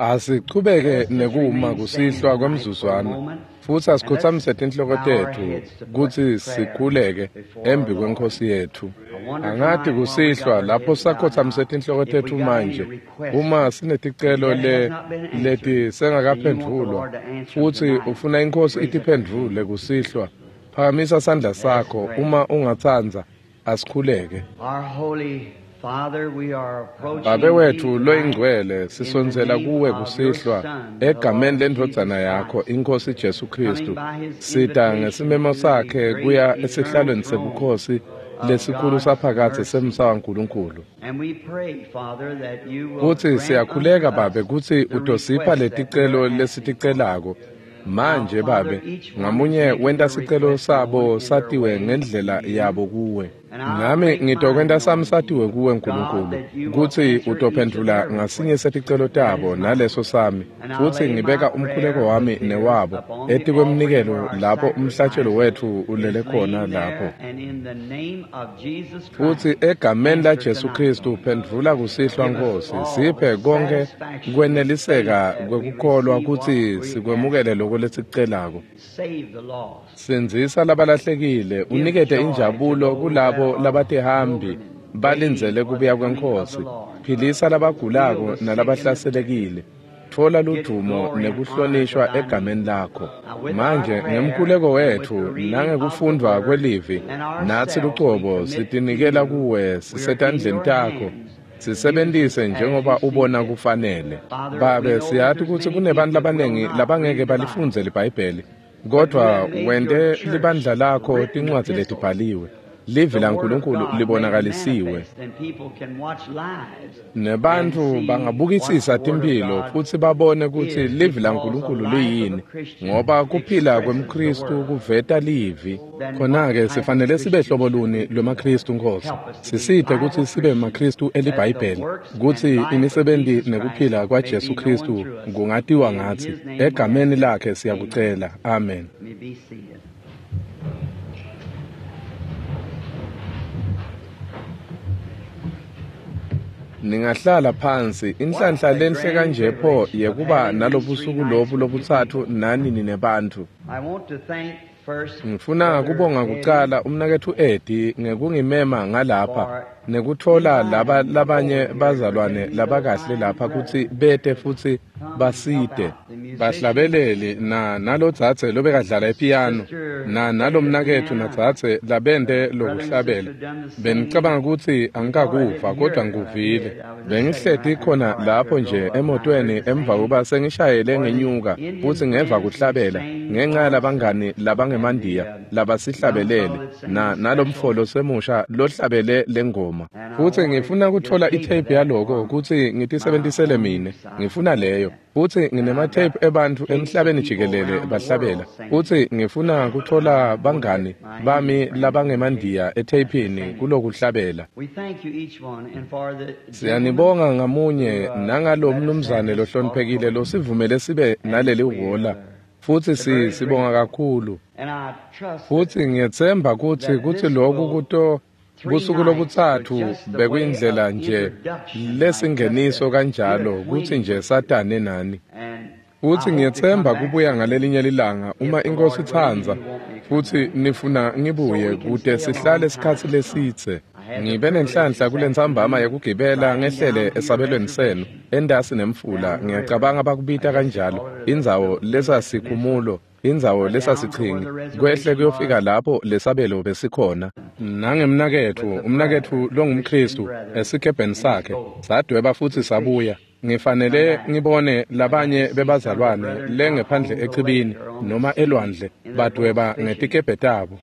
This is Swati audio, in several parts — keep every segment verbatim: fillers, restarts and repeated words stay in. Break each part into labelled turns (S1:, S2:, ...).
S1: Asichubeke nekuma kusihlwa kwemzuzwana futsi asikhotsamise tinhloko tetfu kutsi sikhuleke embi kweNkhosi yetfu. Angathi kusihlwa lapho sakhotsamise tinhloko tetfu manje uma sineticelo le leti sengakaphendvulwa futsi ufuna iNkhosi itiphendvule kusihlwa, phakamisa sandla sakho uma ungatsandza. Asikhuleke. Babe wetfu loyingcwele, sisondzela kuwe kusihlwa egameni lendvodzana yakho iNkhosi Jesu Kristu. Sita ngesimemo sakhe kuya esihlalweni sebukhosi lesikhulu saphakadze semsa waNkulunkulu. Futsi siyakhuleka Babe kutsi utosipha leticelo lesiticelako. Manje Babe, ngamunye wenta sicelo sabo satiwe ngendlela yabo kuwe. Nami ngitokwenta sami satiwe kuwe Nkulunkulu, kutsi utophendvula ngasinye seticelo tabo naleso sami, futsi ngibeka umkhuleko wami newabo etikwemnikelo lapho umhlatshelo wetfu ulele khona lapho. Futsi egameni la Jesu Kristu phendvula kusihlwa Nkhosi, siphe konke kweneliseka kwekukholwa kutsi sikwemukele lokho lesikucelako. Sindzisa labalahlekile, unikete injabulo kulabo labatihambi balindzele kubuya kweNkhosi. Philisa labagulako nalabahlaselekile. Tfola ludumo nekuhlonishwa egameni lakho. Manje ngemkhuleko wetfu nangekufundvwa kwelivi, natsi lucobo sitinikela kuwe sisetandleni takho. Sisebentise njengoba ubona kufanele. Babe, siyati kutsi kunebantu labanengi labangeke balifundze liBhayibheli, kodvwa wente libandla lakho tincwadzi letibhaliwe. Livi laNkulunkulu libonakalisiwe. Nebantfu bangabukisisa timphilo futsi babone kutsi livi laNkulunkulu liyini, ngoba kuphila kwemKhristu kuveta livi. Khona-ke sifanele sibe hlobo luni lwemaKhristu Nkhosi. Sisite kutsi sibe maKhristu eliBhayibheli, kutsi imisebenti nekuphila kwaJesu Khristu kungatiwa ngatsi. Egameni lakhe siyakucela. Amen. Ningahlala phansi. Inhlanhla lenhle kanje pho yekuba nalobusuku lobu lobutsatfu nani ninebantfu. Ngifuna kubonga kucala umnaketfu Eddie ngekungimema ngalapha nekutfola laba labanye bazalwane labakahle lapha kutsi bete futsi basite. Bahlabeleli na nalodzadze lobekadlala epiyano na nalomnaketfu nadzadze labente lokuhlabela. Bengicabanga kutsi angikakuva kodwa ngikuvile. Bengihleti khona lapho nje emotweni emva kokuba sengishayele ngenyuka futsi ngeva kuhlabela ngenxa yalabangani labangemandiya labasihlabelele na nalomfolo semusha lohlabele lengoma. Futsi ngifuna kutfola itape yaloko kutsi ngitisebentisele mine. Ngifuna leyo. Futsi nginematheyiphu ebantfu emhlabeni jikelele bahlabela. Futsi ngifuna kutfola bangani bami labangemandiya etheyphini kulokuhlabela. Siyanibonga ngamunye nangalo mnumzane lohloniphekile losivumele sibe naleli hhola. Futsi si sibonga kakhulu. Futsi ngiyetsemba kutsi kutsi lokhu kuto busuku lobutsatfu bekuyindlela nje lesingeniso kanjalo kutsi nje satane nani. Futsi ngiyetsemba kubuya ngalelinye lilanga uma iNkhosi itsandza futsi nifuna ngibuye kute sihlale isikhatsi lesidze. Ngibe nenhlanhla kulentsambama yekugibela ngehlele esabelweni senu entasi nemfula, ngiyacabanga bakubita kanjalo, indzawo lesasikhumulo, indzawo lesasichingi, kwehle kuyofika lapho lesabelo besikhona. Nangemnaketfu, umnaketfu longumKhristu esikebheni sakhe, sadweba futsi sabuya. Ngifanele ngibone labanye bebazalwane lengephandle echibini noma elwandle badweba ngetikebhe tabo.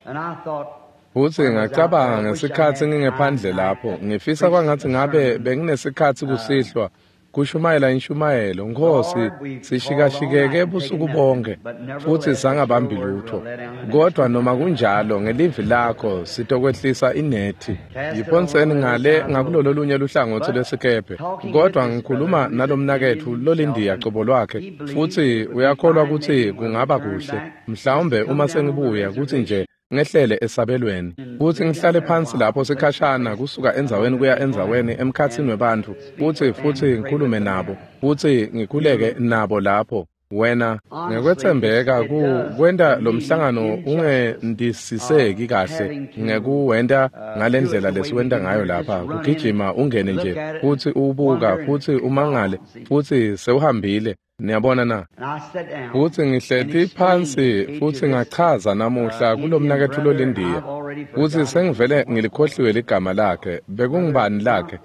S1: Futsi ngacabanga ngesikhatsi ngingephandle lapho, ngifisa kwangatsi ngabe benginesikhatsi kusihlwa kushumayela inshumayelo. Nkhosi, sishikashikeke busuku bonke futsi sangabambi lutho, kodwa noma kunjalo ngelivi lakho sitokwehlisa inethi. Yiphonseni ngale ngakulolo lunye luhlangotsi lwesikebhe. Kodwa ngikhuluma nalomnaketfu lolindiya cobo lwakhe, futsi uyakholwa kutsi kungaba kuhle mhlawumbe uma sengibuya kutsi nje ngehlele esabelweni futsi ngihlale phansi lapho sikhashana kusuka endzaweni kuya endzaweni emkhatsini webantfu futsi futsi ngikhulume nabo futsi ngikhuleke nabo lapho. Wena ngekwetsembeka ku kwenta lo mhlangano ungendisiseki kahle ngekuwenta ngalendlela lesiwenta ngayo lapha, kugijima ungene nje futsi ubuka futsi umangale futsi sewuhambile. Niyabona na? Futsi ngihleti phansi futsi ngachaza namuhla kulomnaketfu lolindiya futsi sengivele ngilikhohliwe ligama lakhe. Bekungubani lakhe?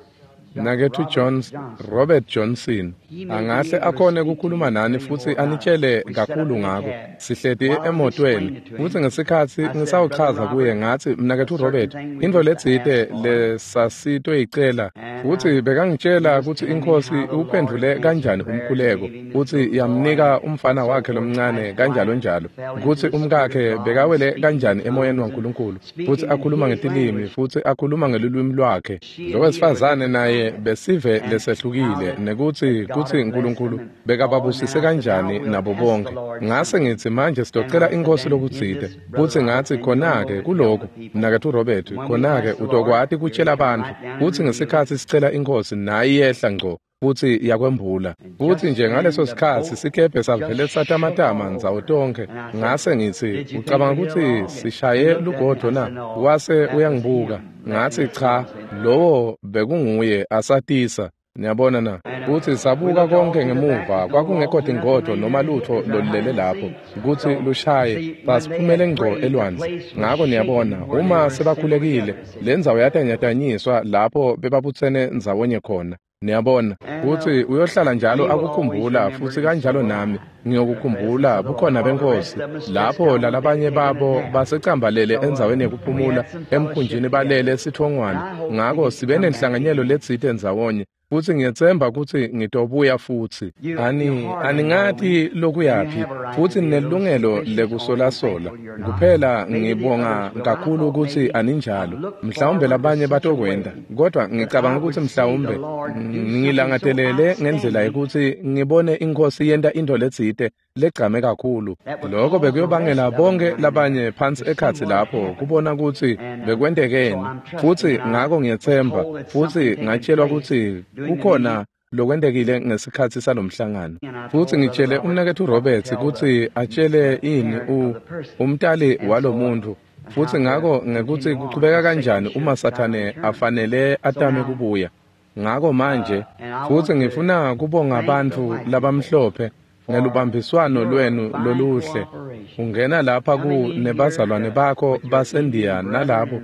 S1: Nakethu Jones, Robert Johnson. Angahle akhone kukhuluma nani futsi anitshele kakhulu ngako. Sihleti emotweni futsi ngesikhatsi ngisawuchaza kuye ngatsi, mnaketfu Robert, intfo letsite lesasitoyicela, futsi bekangitshela kutsi iNkhosi uphendvule kanjani umkhuleko futsi yamnika umfana wakhe lomncane kanjalo njalo, kutsi umkakhe bekawele kanjani emoyeni waNkulunkulu futsi akhuluma ngetilimi futsi akhuluma ngelulwimi lwakhe. Lo wesifazane naye besive lesehlukile, nekutsi kutsi uNkulunkulu bekababusise kanjani nabo bonke. Ngase ngitsi manje sitocela iNkhosi lokutsite, futsi ngatsi khona-ke kulokhu mnaketfu Robert, khona-ke utokwati kutshela bantfu futsi ngesikhatsi sicela iNkhosi nayi yehla ngco futsi yakwembula. Futsi nje ngaleso sikhatsi sikebhe savele satamatama ndzawo tonkhe. Ngase ngitsi, ucabanga kutsi sishaye lugodvo na? Wase uyangibuka. Ngatsi cha, lowo bekunguye asatisa. Niyabona na? Futsi sabuka konke ngemuva, kwakungekho tingodvo noma lutfo lolulele lapho kutsi lushaye, basiphumele ngco elwandle. Ngako niyabona, uma sebakhulekile, lendzawo yatanyatanyiswa lapho bebabutsene ndzawonye khona. Niyabona, futsi uyohlala njalo akukhumbula, futsi kanjalo nami ngiyokukhumbula bukhona beNkhosi lapho lalabanye babo basecambalele endzaweni yekuphumula emkhunjini balele sitfongwana. Ngako sibe nenhlanganyelo letsite ndzawonye futsi ngiyetsemba kutsi ngitobuya futsi. Ani aningati lokuyaphi futsi ninelungelo lekusolasola. Kuphela ngibonga kakhulu kutsi aninjalo. Mhlawumbe labanye batokwenta, kodwa ngicabanga kutsi mhlawumbe ngilangatelele ngendlela yekutsi ngibone iNkhosi yenta intfo letsite legcame kakhulu. Lokho bekuyobangela bonke labanye phansi ekhatsi lapho kubona kutsi bekwentekeni. Futsi ngako ngiyetsemba futsi ngatshelwa kutsi kukhona lokwentekile ngesikhatsi salomhlangano. Futsi ngitshele umnaketfu Roberts kutsi atshele ini u umtali walomuntu. Futsi ngako ngekutsi kuchubeka kanjani uma Sathane afanele atame kubuya. Ngako manje futsi ngifuna kubonga bantfu labamhlophe ngelubambiswano lwenu loluhle. Ungena lapha ku nebazalwane bakho baseNdiya nalabo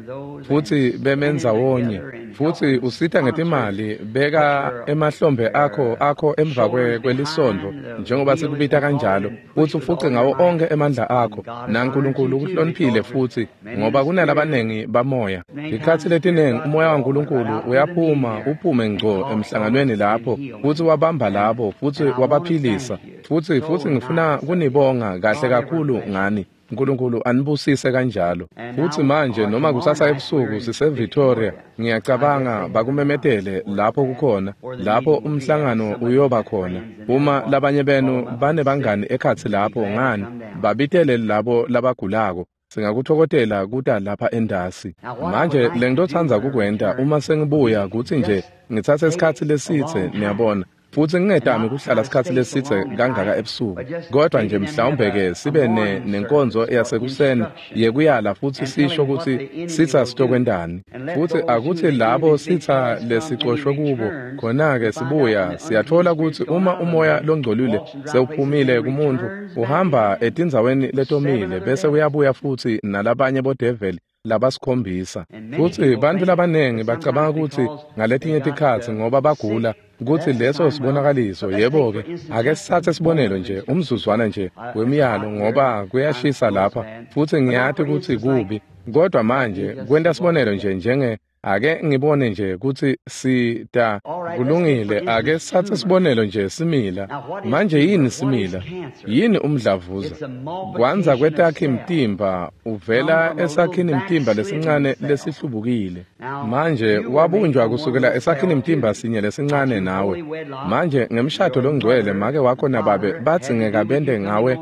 S1: futsi bemendzawonye futsi usita ngetimali, beka emahlombe akho akho emva kwelisondvo njengoba sikubita kanjalo, futsi ufuce ngawo onke emandla akho, naNkulunkulu ukuhloniphile futsi ngoba kunalabanengi bamoya. Tikhatsi letinengi umoya waNkulunkulu uyaphuma uphume ngco emhlanganweni lapho futsi wabamba labo futsi wabaphilisa. Futsi futsi ngifuna kunibonga kahle kakhulu ngani. uNkulunkulu anibusise kanjalo. Futsi manje noma kusasa ebusuku sise Victoria, ngiyacabanga bakumemetele lapho kukhona, lapho umhlangano uyoba khona. Uma labanye benu banebangani ekhatsi lapho, ngani babitele labo labagulako. Singakuthokozela kuta lapha endasi. Manje lengitotsandza kukwenta uma sengibuya kutsi nje ngitsatse isikhatsi lesitse, niyabona. Futsi ngingetami kuhlala isikhatsi lesitse kangaka ebusuku, kodwa nje mhlawumbe ke sibe ne nenkonzo yasekuseni yekuyala futsi sisho kutsi sitsa sitokwentani. Futsi akutsi labo sitsa lesicoshwe kubo, khona-ke sibuya siyatfola kutsi uma umoya longcolile sewuphumile kumuntu, uhamba etindzaweni letomile bese uyabuya futsi nalabanye bodeveli labasikhombisa. Futsi bantfu labanengi bacabanga kutsi ngaletinye tikhatsi ngoba bagula kutsi leso sibonakaliso. Yebo-ke, ake sitsatse sibonelo nje umzuzwana nje wemiyalo ngoba kuyashisa lapha futsi ngiyati kutsi kubi, kodwa manje kwenta sibonelo nje njenge Ake ngibone nje kutsi sita kulungile. Ake sithathe sibonelo nje simila. Manje yini simila? Yini umdlavuza? Kwanza kwetakhi mtimba uvela esakhini mtimba lesincane lesihlubukile. Manje wabunjwa kusukela esakhini mtimba sinye lesincane nawe. Manje ngemshado longcwele make wakho nababe bathi ngekabende ngawe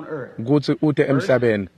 S1: kutsi ute emhlabeni.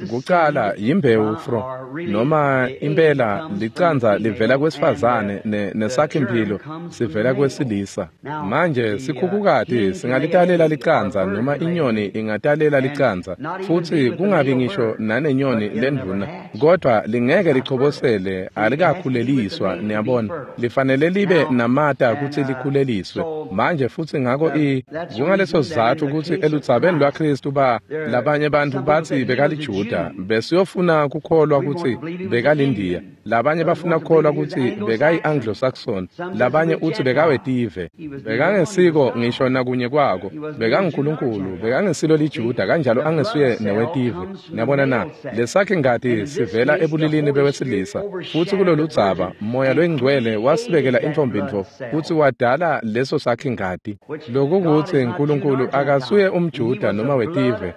S1: Kucala yimbewu fro noma impela licanza livela kwesifazane nesakhi-mphilo sivela kwesilisa. Manje sikhukhukati singalitalela licanza noma inyoni ingatalela licanza futsi kungabi ngisho nanenyoni lendvuna, kodwa lingeke lichobosele, alikakhuleliswa. Niyabona, lifanele libe namata kutsi likhuleliswe. Manje futsi ngako i kungaleso sizatfu kutsi eludzabeni lwaKhristu ba labanye bantfu batsi bekaliJuda, besiyofuna kukholwa kutsi bekalindiya, labanye bafuna kukholwa kutsi bekayi-Anglo-Saxon, labanye utsi bekawetive. Bekangesiko ngisho nakunye kwako, bekanguNkulunkulu, bekangesilo liJuda, kanjalo angesuye newetive. Niyabona na? Lesakhi ngati sivela ebulilini bewesilisa, futsi kuloludzaba Moya loyiNgcwele wasibekela intfombi-ntfo futsi wadala leso sakhi ngati. Lokukutsi Nkulunkulu akasuye umJuda noma wetive,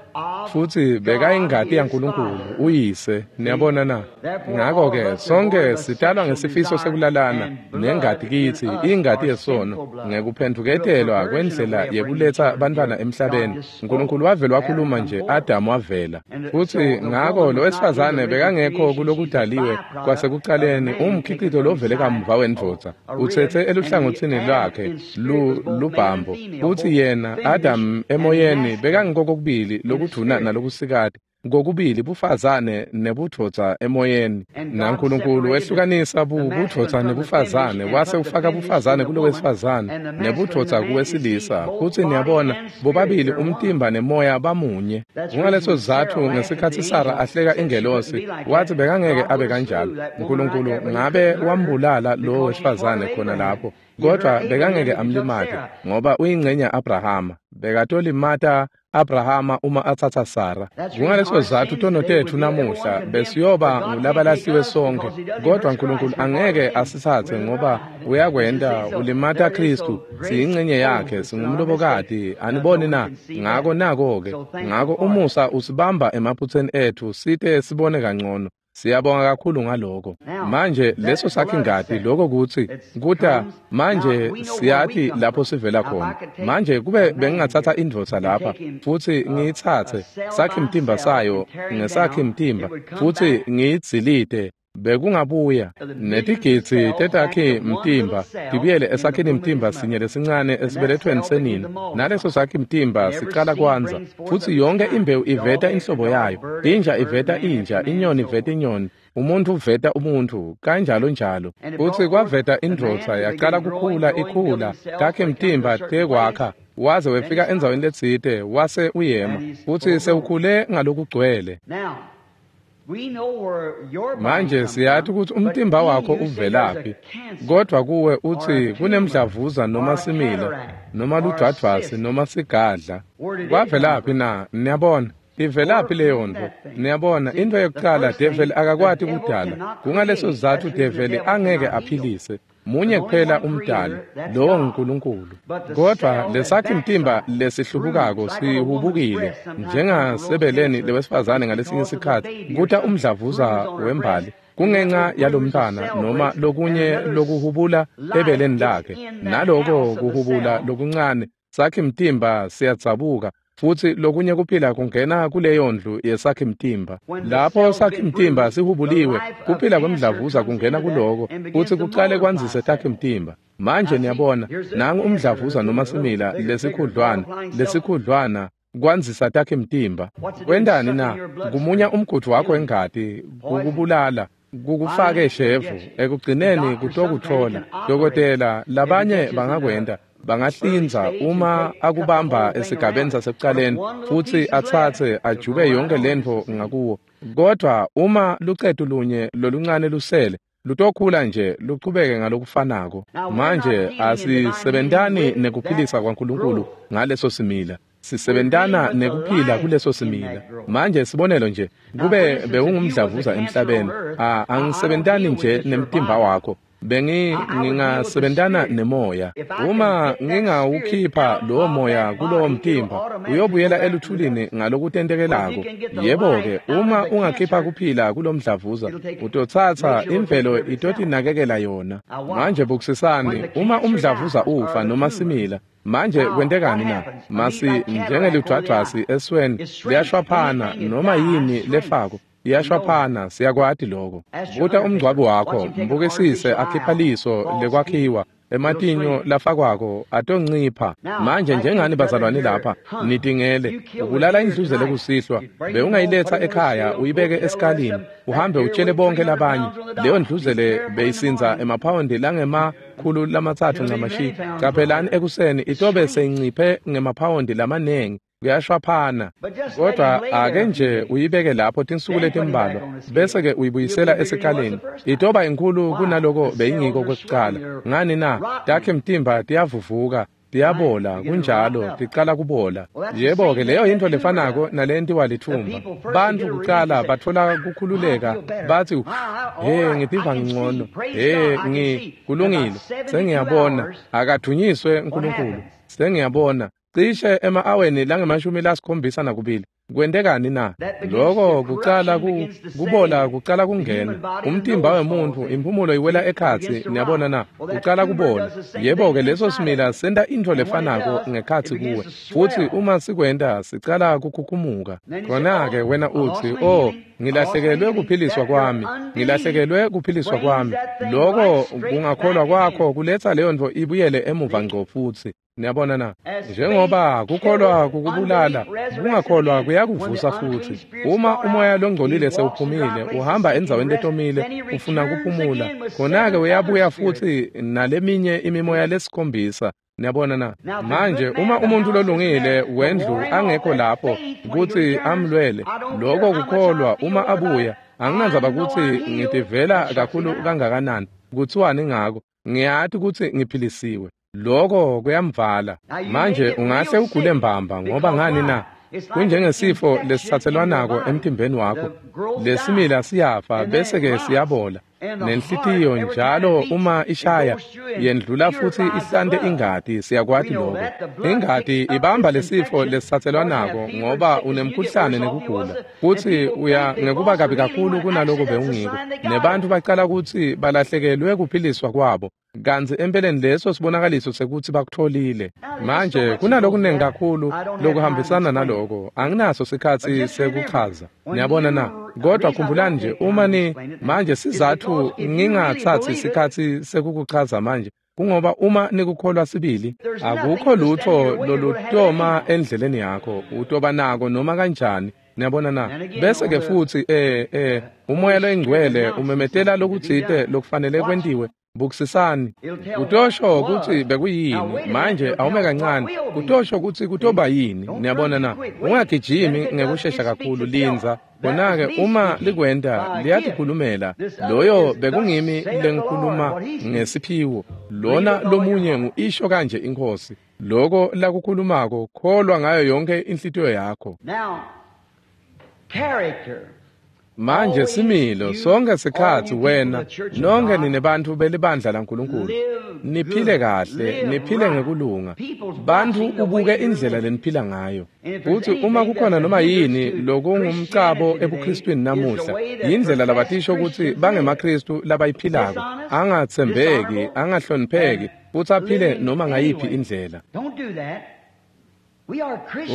S1: futsi bekayingati yaNkulunkulu uyise. Niyabona na? Ngako-ke sonke sitalwa ngesifiso sekulalana nengati kitsi, ingati yesono, ngekuphendvuketelwa kwendlela yekuletsa bantfwana emhlabeni. Nkulunkulu wavele wakhuluma nje, Adamu wavela. Futsi ngako lo wesifazane bekangekho kulokudaliwe kwasekucaleni, umkhicito lovele kamuva wendvodza, utsetse eluhlangotsini lwakhe lubhambo. Futsi yena Adamu emoyeni bekangikokubili lokudvuna nalokusikati, ngokubili bufazane nebudvodza emoyeni. NaNkulunkulu wehlukanisa budvodza nebufazane, wase ufaka bufazane kulowesifazane nebudvodza kuwesilisa. Futsi niyabona, bobabili umtimba nemoya bamunye. Kungaleso sizatfu ngesikhatsi Sara ahleka ingelosi, wathi bekangeke abe kanjalo. Nkulunkulu ngabe wambulala lowo wesifazane khona lapho, kodwa bekangeke amlimate ngoba uyingcenye ya-Abrahama. Bekatolimata Abrahama uma atsatsa Sara. Kungaleso sizatfu tono tetfu namuhla besiyoba ngulabalahliwe sonke, kodwa Nkulunkulu angeke asitsatse ngoba uyakwenta ulimata Khristu. Siyingcenye yakhe, singumlobokati. Aniboni na? Ngako nako-ke, ngako umusa usibamba emaphutseni etfu site sibone kangcono. Siyabonga kakhulu ngaloko. Manje leso sakhi ngati, lokho kutsi kuta manje siyati lapho sivela khona. Manje kube bengingatsatsa indvodza lapha futsi ngiyitsatse sakhi mtimba sayo ngesakhi mtimba futsi ngiyidzilite, bekungabuya netigidzi tetakhi mtimba tibuyele esakhini mtimba sinye lesincane esibelethweni senina. Naleso sakhi mtimba sicala kwandza, futsi yonke imbewu iveta inhlobo yayo. Inja iveta inja, inyoni iveta inyoni, umuntu uveta umuntu, kanjalo njalo. Futsi kwaveta indvodza yacala kukhula ikhula, takhi mtimba tekwakha, waze wefika endzaweni letsite wase uyema, futsi sewukhule ngalokugcwele. Manje siyati kutsi umtimba wakho uvelaphi, kodwa kuwe utsi kunemdlavuza noma simila noma ludvwadvwasi noma sigadla. Kwavelaphi na? Niyabona, ivelaphi leyo ntfo? Niyabona, intfo yekucala develi akakwati kudala. Kungaleso sizatfu develi angeke aphilise. Munye kuphela umdali, lowo nguNkulunkulu. Kodwa lesakhi mtimba lesihlubukako sihubukile njengasebeleni lewesifazane ngalesinye sikhatsi kuta umdlavuza wembali kungenxa yalomntwana noma lokunye lokuhubula ebeleni lakhe. Naloko kuhubula lokuncane sakhi mtimba siyadzabuka, futsi lokunye kuphila kungena kuleyo ndlu yesakhi mtimba. Lapho sakhi mtimba sihubuliwe, kuphila kwemdlavuza kungena kuloko futsi kucale kwandzise takhi mtimba. Manje niyabona, nangu umdlavuza noma simila lesikhudlwana, lesikhudlwana kwandzisa takhi mtimba. Kwentani na? Kumunya umgudvu wakho wengati, kukubulala, kukufake shevu, ekugcineni kutokutfola. Dokotela, labanye bangakwenta, bangahlinza uma akubamba esigabeni sasekucaleni futsi atsatse ajube yonke lentfo ngakuwo. Kodwa uma lucetu lunye loluncane lusele, lutokhula nje luchubeke ngalokufanako. Manje asisebentani nekuphilisa kwaNkulunkulu ngaleso simila, sisebentana nekuphila kuleso simila. Manje sibonelo nje, kube bewungumdlavuza emhlabeni, angisebentani nje nemtimba wakho, Bengi ngingasebentana nemoya. Uma ngingawukhipha lowo moya kulowo mtimba, uyobuyela eluthulini ngalokutentekelako. Yebo-ke, uma ungakhipha kuphila kulomdlavuza, utotsatsa imvelo itotinakekela yona. Manje bukisisani, uma umdlavuza ufa noma simila, manje kwentekani na? Masi njengeludvwadvwasi esweni liyashwaphana noma yini lefako. Iyashwaphana, siyakwati lokho. Buta umngcwabo wakho, mbukisise akhipha liso lekwakhiwa, ematinyo lafakwako atoncipha. Manje njengani bazalwane lapha, nitingele, ubulala indluzele kusihlwa, bewungayiletha ekhaya uyibeke esikalini, uhambe utshele bonke labanye. Leyo ndluzele beyisinza emaphawondi langemakhulu lamatsatfu ncamashi. Caphelani ekuseni itobe seyinciphe ngemaphawondi lamanengi. Kuyashwaphana. Kodwa ake nje uyibeke lapho tinsuku letimbalwa, bese-ke uyibuyisela esikalini. Itoba inkulu kunaloko beyingiko kwekucala. Ngani na? Takhe mtimba tiyavuvuka, tiyabola, kunjalo, ticala kubola. Yebo-ke, leyo yintfo lefanako nalentiwa lithumba. Bantfu kucala batfola kukhululeka, batsi, "He, ngitiva ngcono. He, ngi kulungile. Sengiyabona. Akadvunyiswe uNkulunkulu. Sengiyabona." Cishe ema-aweni langemashumi lasikhombisa nakubili. Kwentekani na? Loko kucala ku, kubola kucala kungena. Umtimba wemuntfu, imphumulo iwela ekhatsi, niyabona na? Kucala kubola. Yebo-ke, leso simila senta intfo lefanako ngekhatsi kuwe. Futsi uma sikwenta, sicala kukhukhumuka. Khona-ke wena utsi, "Oh, ngilahlekelwe kuphiliswa kwami, ngilahlekelwe kuphiliswa kwami." Loko kungakholwa kwakho kuletsa leyo ntfo ibuyele emuva ngco futsi. Niyabona na? Njengoba kukholwa kukubulala, kungakholwa kuyakuvusa futsi. Uma umoya longcolile sewuphumile, uhamba endzaweni letomile, ufuna kuphumula, khona-ke uyabuya futsi naleminye imimoya lesikhombisa. Niyabona na? Manje uma umuntu lolungile wendlu angekho lapho kutsi amlwele, loko kukholwa uma abuya, anginandzaba kutsi ngitivela kakhulu kangakanani, kutsiwani ngako, ngiyati kutsi ngiphilisiwe. Loko kuyamvala. Manje ungahle ugule mbamba ngoba ngani na? Kunjengesifo lesitsatselwanako emtimbeni wakho. Lesimila siyafa bese-ke siyabola. Nenhlitiyo njalo uma ishaya yendlula futsi ihlante ingati, siyakwati lokho. Ingati ibamba lesifo lesitsatselwanako ngoba unemkhuhlane nekugula. Futsi uya ngekuba kabi kakhulu kunaloko bewungiko. Nebantfu bacala kutsi balahlekelwe kuphiliswa kwabo. Kantsi empeleni leso sibonakaliso sekutsi bakutfolile. Manje kunalokunengi kakhulu lokuhambisana naloko, anginaso sikhatsi sekuchaza. Niyabona na? Kodwa khumbulani nje, uma ni manje sizatfu ngingatsatsi sikhatsi sekukuchaza manje, kungoba uma nikukholwa sibili, akukho lutho lolutoma endleleni yakho, utoba nako noma kanjani. Niyabona na? Bese-ke futsi eh eh umoya loyingcwele umemetela lokutsite lokufanele kwentiwe. Bukisisani. Kutosho kutsi bekuyini. Manje awume kancane. Kutosho kutsi kutoba yini. Niyabona na? Ungagijimi ngekushesha kakhulu, lindza. Khona-ke uma likwenta liyatikhulumela. Loyo bekungimi lengikhuluma ngesiphiwo. Lona lomunye ngu-isho kanje iNkhosi. Loko lakukhulumako, kholwa ngayo yonke inhlitiyo yakho. Manje similo sonke sikhatsi wena nonke ninebantfu belibandla laNkulunkulu, niphile kahle, niphile ngekulunga. Bantfu ubuke indlela leniphila ngayo. Futsi uma kukhona noma yini lokungumcabo ebuKristwini namuhla, yindlela labatisho kutsi bangemaKristu labayiphilako, angatsembeki, angahlonipheki, futsi aphile noma ngayiphi indlela.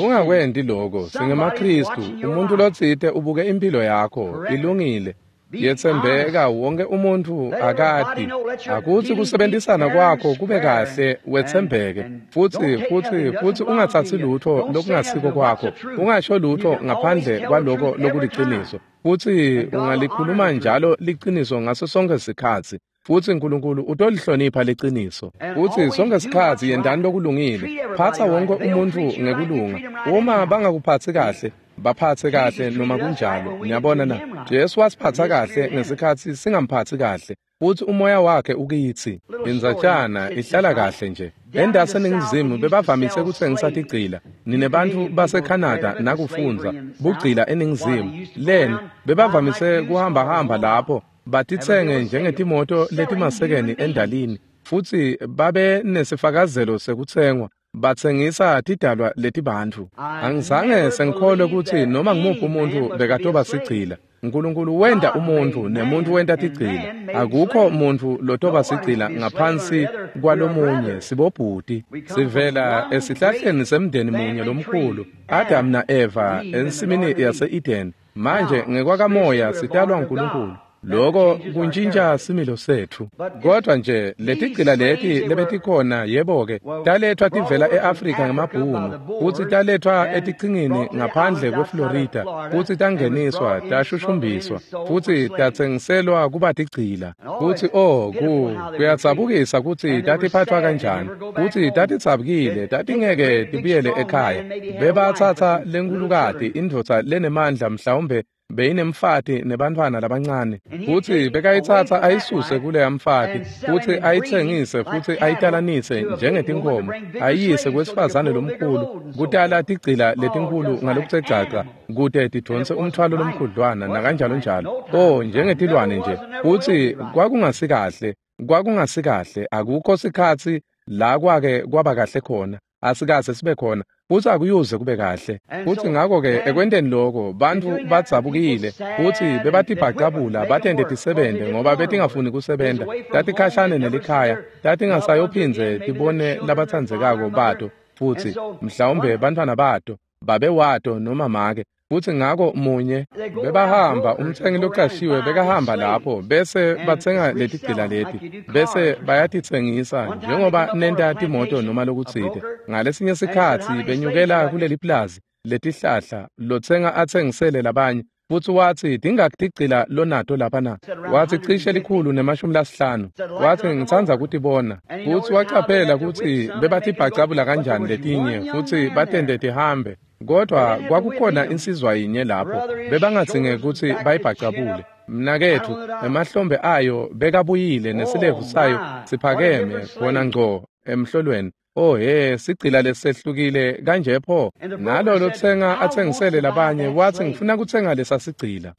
S1: Ungakwenti loko, singemaKristu. Umuntu lotsite ubuke impilo yakho, ilungile, yetsembeka, wonke umuntu akati. Akutsi kusebenzisana kwakho kube kahle, wetsembeke, futsi futsi futsi ungatsatsi lutho lokungasiko kwakho, ungasho lutho ngaphandle kwaloko lokuliciniso. Futsi ungalikhuluma njalo liciniso ngaso sonke sikhatsi. Futsi uNkulunkulu utolihlonipha liciniso. Futsi sonke sikhatsi yentani lokulungile. Phatsa wonke umuntfu ngekulunga. Uma bangakuphatsi kahle, baphatse kahle noma kunjalo. Niyabona na? Jesu wasiphatsa kahle ngesikhatsi singamphatsi kahle. Futsi umoya wakhe ukitsi. Indzatjana ihlala kahle nje. Endase eNingizimu bebavamise kutsengisa tigcila. Ninebantfu baseCanada nakufundza bugcila eNingizimu. Leni bebavamise kuhambahamba lapho. Batitsenge njengetimoto letimasekeni endalini, futsi babe nesifakazelo sekutsengwa. Batsengisa tidalwa letibantfu. Angizange sengikholwe kutsi noma ngumuphi umuntfu bekatoba sigcila. Nkulunkulu wenta umuntfu nemuntfu wenta tigcila. Akukho muntfu lotoba sigcila ngaphansi kwalomunye, sibobhuti. Sivela esihlahleni semndeni munye lomkhulu, Adam na-Eva ensimini yase-Eden. Manje ngekwakamoya sitalwa nguNkulunkulu. Lokho kuntjintja similo setfu. Kodwa nje letigcila leti lebetikhona, yebo-ke, talethwa tivela e-Afrika ngemabhunu, futsi talethwa etichingini ngaphandle kweFlorida, futsi tangeniswa, tashushumbiswa, futsi tatsengiselwa kuba tigcila. Futsi oh, ku kuyadzabukisa kutsi tatiphathwa kanjani, futsi tatidzabukile, tatingeke tibuyele ekhaya. Bebatsatsa lenkulukati, indvodza lenemandla, mhlawumbe beyinemfati nebantfwana labancane, futsi bekayitsatsa ayisuse kuleya mfati, futsi ayitsengise futsi ayitalanise njengetinkhomo, ayiyise kwesifazane lomkhulu, kutala tigcila letinkhulu ngalokutsegcaca, kute tidonse umthwalo lomkhudlwana nakanjalo njalo. Oh, njengetilwane nje. Futsi kwakungasikahle, kwakungasikahle, akukho sikhatsi la kwake kwaba kahle khona, asikaze sibe khona, futsi akuyuze kube kahle. Futsi ngakho-ke ekwenteni loko, bantfu badzabukile, futsi bebatibhacabula batente tisebente ngoba betingafuni kusebenta. Tatikhashane nelikhaya, tatingasayophindze tibone labatsandzekako bato, futsi mhlawumbe bantfwana bato, babe wato noma make. Futsi ngako munye bebahamba, umtsengi locashiwe bekahamba lapho, bese batsenga letigcila leti, bese bayatitsengisa njengoba nenta timoto noma lokutsite. Ngalesinye sikhatsi benyukela kuleli plazi letihlahla, lotsenga atsengisele labanye, futsi watsi, tingakhi tigcila lonato lapha na? Watsi, cishe likhulu nemashumi lasihlanu. Watsi, ngitsandza kutibona. Futsi wacaphela kutsi bebatibhacabula kanjani letinye, futsi batente tihambe. Kodwa kwakukhona insizwa yinye lapho, bebangadzinge kutsi bayibhacabule. Mnaketfu, emahlombe ayo bekabuyile nesilevu sayo siphakeme khona ngco emhlolweni. Oh he, sigcila lesehlukile kanje pho. Nalo lotsenga atsengisele labanye, watsi, ngifuna kutsenga lesa sigcila.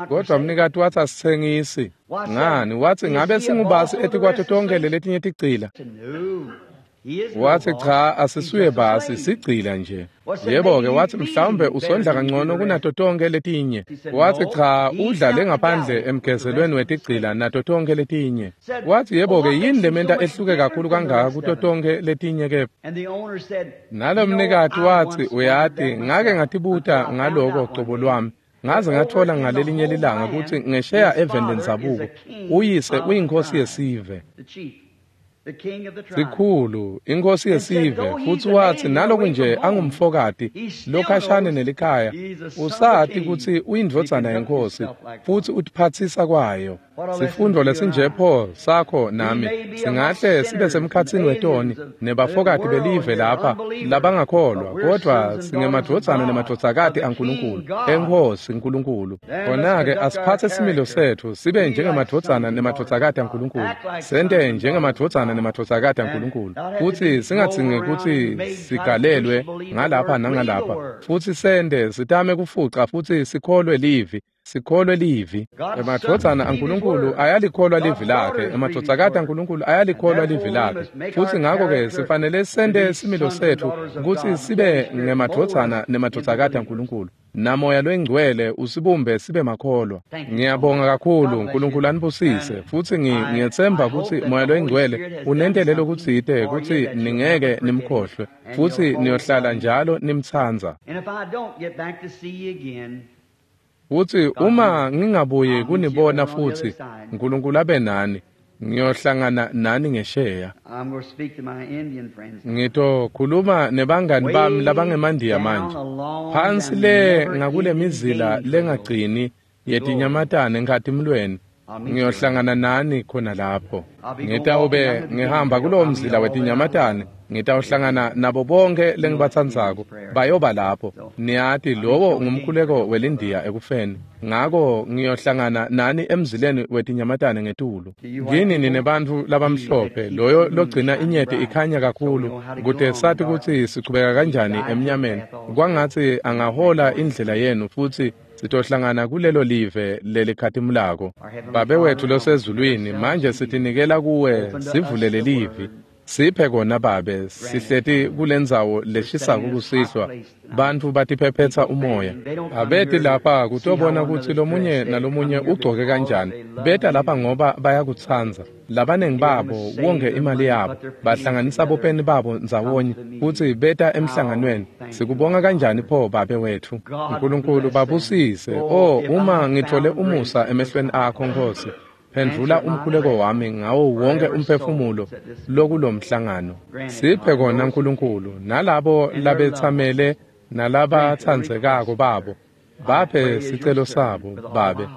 S1: Kodwa mnikati watsi, asitsengisi. Ngani? Watsi, ngabe singubasi etikwato tonkhe leletinye tigcila? Watsi, cha, asisuye basi, sigcila nje. Yebo-ke, watsi, mhlawumbe usondla kangcono kunato tonkhe letinye. Watsi, cha, udla lengaphandle emgezelweni wetigcila nato tonkhe letinye. Watsi, yebo-ke, yini lementa ehluke kakhulu kangaka kuto tonkhe letinye ke? Nalo mnikati watsi, uyati, ngake ngatibuta ngaloko cobo lwami. Ngaze ngathola ngalelinye lilanga kutsi ngesheya eveni lendzabuko, uyise uyinkosi yesive. Sikhulu, inkosi yesive, futsi watsi naloku nje angumfokati lokhashane nelikhaya, usati kutsi uyindvodzana yenkosi, futsi utiphatsisa kwayo. Sifundo lesinje pho sakho nami, singahle sibe semkhatsini wetoni nebafokati belive lapha labangakholwa, kodvwa singemadvodzana nemadvodzakati aNkulunkulu, eNkhosi Nkulunkulu. Khona-ke asiphatse similo setfu sibe njengemadvodzana nemadvodzakati aNkulunkulu, sente njengemadvodzana nemadvodzakati aNkulunkulu, futsi singadzingi kutsi sigalelwe ngalapha nangalapha, futsi sente sitame kufuca futsi sikholwe livi. Sikholwe livi. Emadvodzana aNkulunkulu ayalikholwa livi lakhe, emadvodzakati aNkulunkulu ayalikholwa livi lakhe. Futsi ngakho-ke sifanele sente similo setfu kutsi sibe ngemadvodzana nemadvodzakati aNkulunkulu. Namoya loyingcwele usibumbe sibe makholwa. Ngiyabonga kakhulu, Nkulunkulu anibusise, futsi ngiyetsemba kutsi Moya loyingcwele unentele lokutsite kutsi ningeke nimkhohlwe, futsi niyohlala njalo nimtsandza. Futsi uma ngingabuyi kunibona futsi, Nkulunkulu abe nani, ngiyohlangana nani ngesheya. Ngitokhuluma nebangani bami labangemandiya manje. Phansi le ngakule mizila lengagcini yetinyamatane enkhatimulweni, ngiyohlangana nani khona lapho. Ngitawube ngihamba kulowo mzila wetinyamatane, ngitawuhlangana nabo bonke lengibatsandzako, bayoba lapho. Niyati, lowo ngumkhuleko welindiya ekufeni. Ngako ngiyohlangana nani emzileni wetinyamatane ngetulu. Kini ninebantfu labamhlophe, loyo logcina inyeti ikhanya kakhulu, kute sati kutsi sichubeka kanjani emnyameni. Kwangatsi angahola indlela yenu futsi Sitohlangana kulelo live lelikhatimulako. Babe wethu losezulwini, manje sitinikela kuwe, sivulele livi. Siphe kona Babe, sihleti kulendzawo leshisako kusihlwa. Bantfu batiphephetsa umoya. Abeti lapha kutobona kutsi lomunye nalomunye ugcoke kanjani. Beta lapha ngoba bayakutsandza. Labanengi babo wonge imali yabo, bahlanganisa bopeni babo ndzawonye kutsi beta emhlanganweni. Sikubonga kanjani pho Babe wethu. Nkulunkulu babusise. Oh, uma ngithole umusa emehlweni akho Nkosi, phendvula umkhuleko wami ngawo wonke umphefumulo lokulomhlangano. Siphe kona Nkulunkulu, nalabo labetsamele nalabatsandzekako babo, baphe sicelo sabo Babe.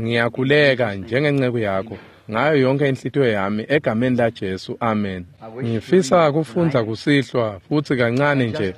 S1: Ngiyakhuleka njengenceku yakho ngayo yonke inhlitiyo yami egameni la Jesu, amen. Ngifisa kufundza kusihlwa futsi kancane nje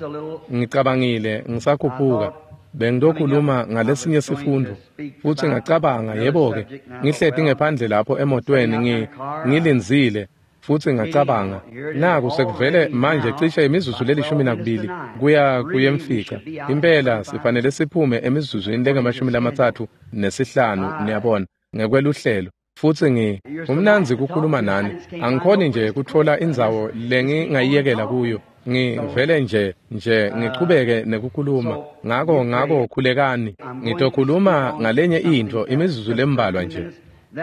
S1: ngicabangile ngisakhuphuka bengilokhuluma ngalesinye sifundo futsi ngacabanga, yebo-ke, ngihleti ngephandle lapho emotweni ngi ngilindzile futsi ngacabanga, naku sekuvele manje cishe imizuzu lelishumi nakubili kuya kuyemfica. Impela sifanele siphume emizuzwini lengemashumi lamatsatfu nesihlanu, niyabona, ngekweluhlelo. Futsi ngi umnandzi kukhuluma nani, angikhoni nje kutfola indzawo lengingayiyekela kuyo. Ngivele nje nje ngichubeke nekukhuluma. Ngako ngako khulekani. Ngitokhuluma ngalenye intfo imizuzu lembalwa nje.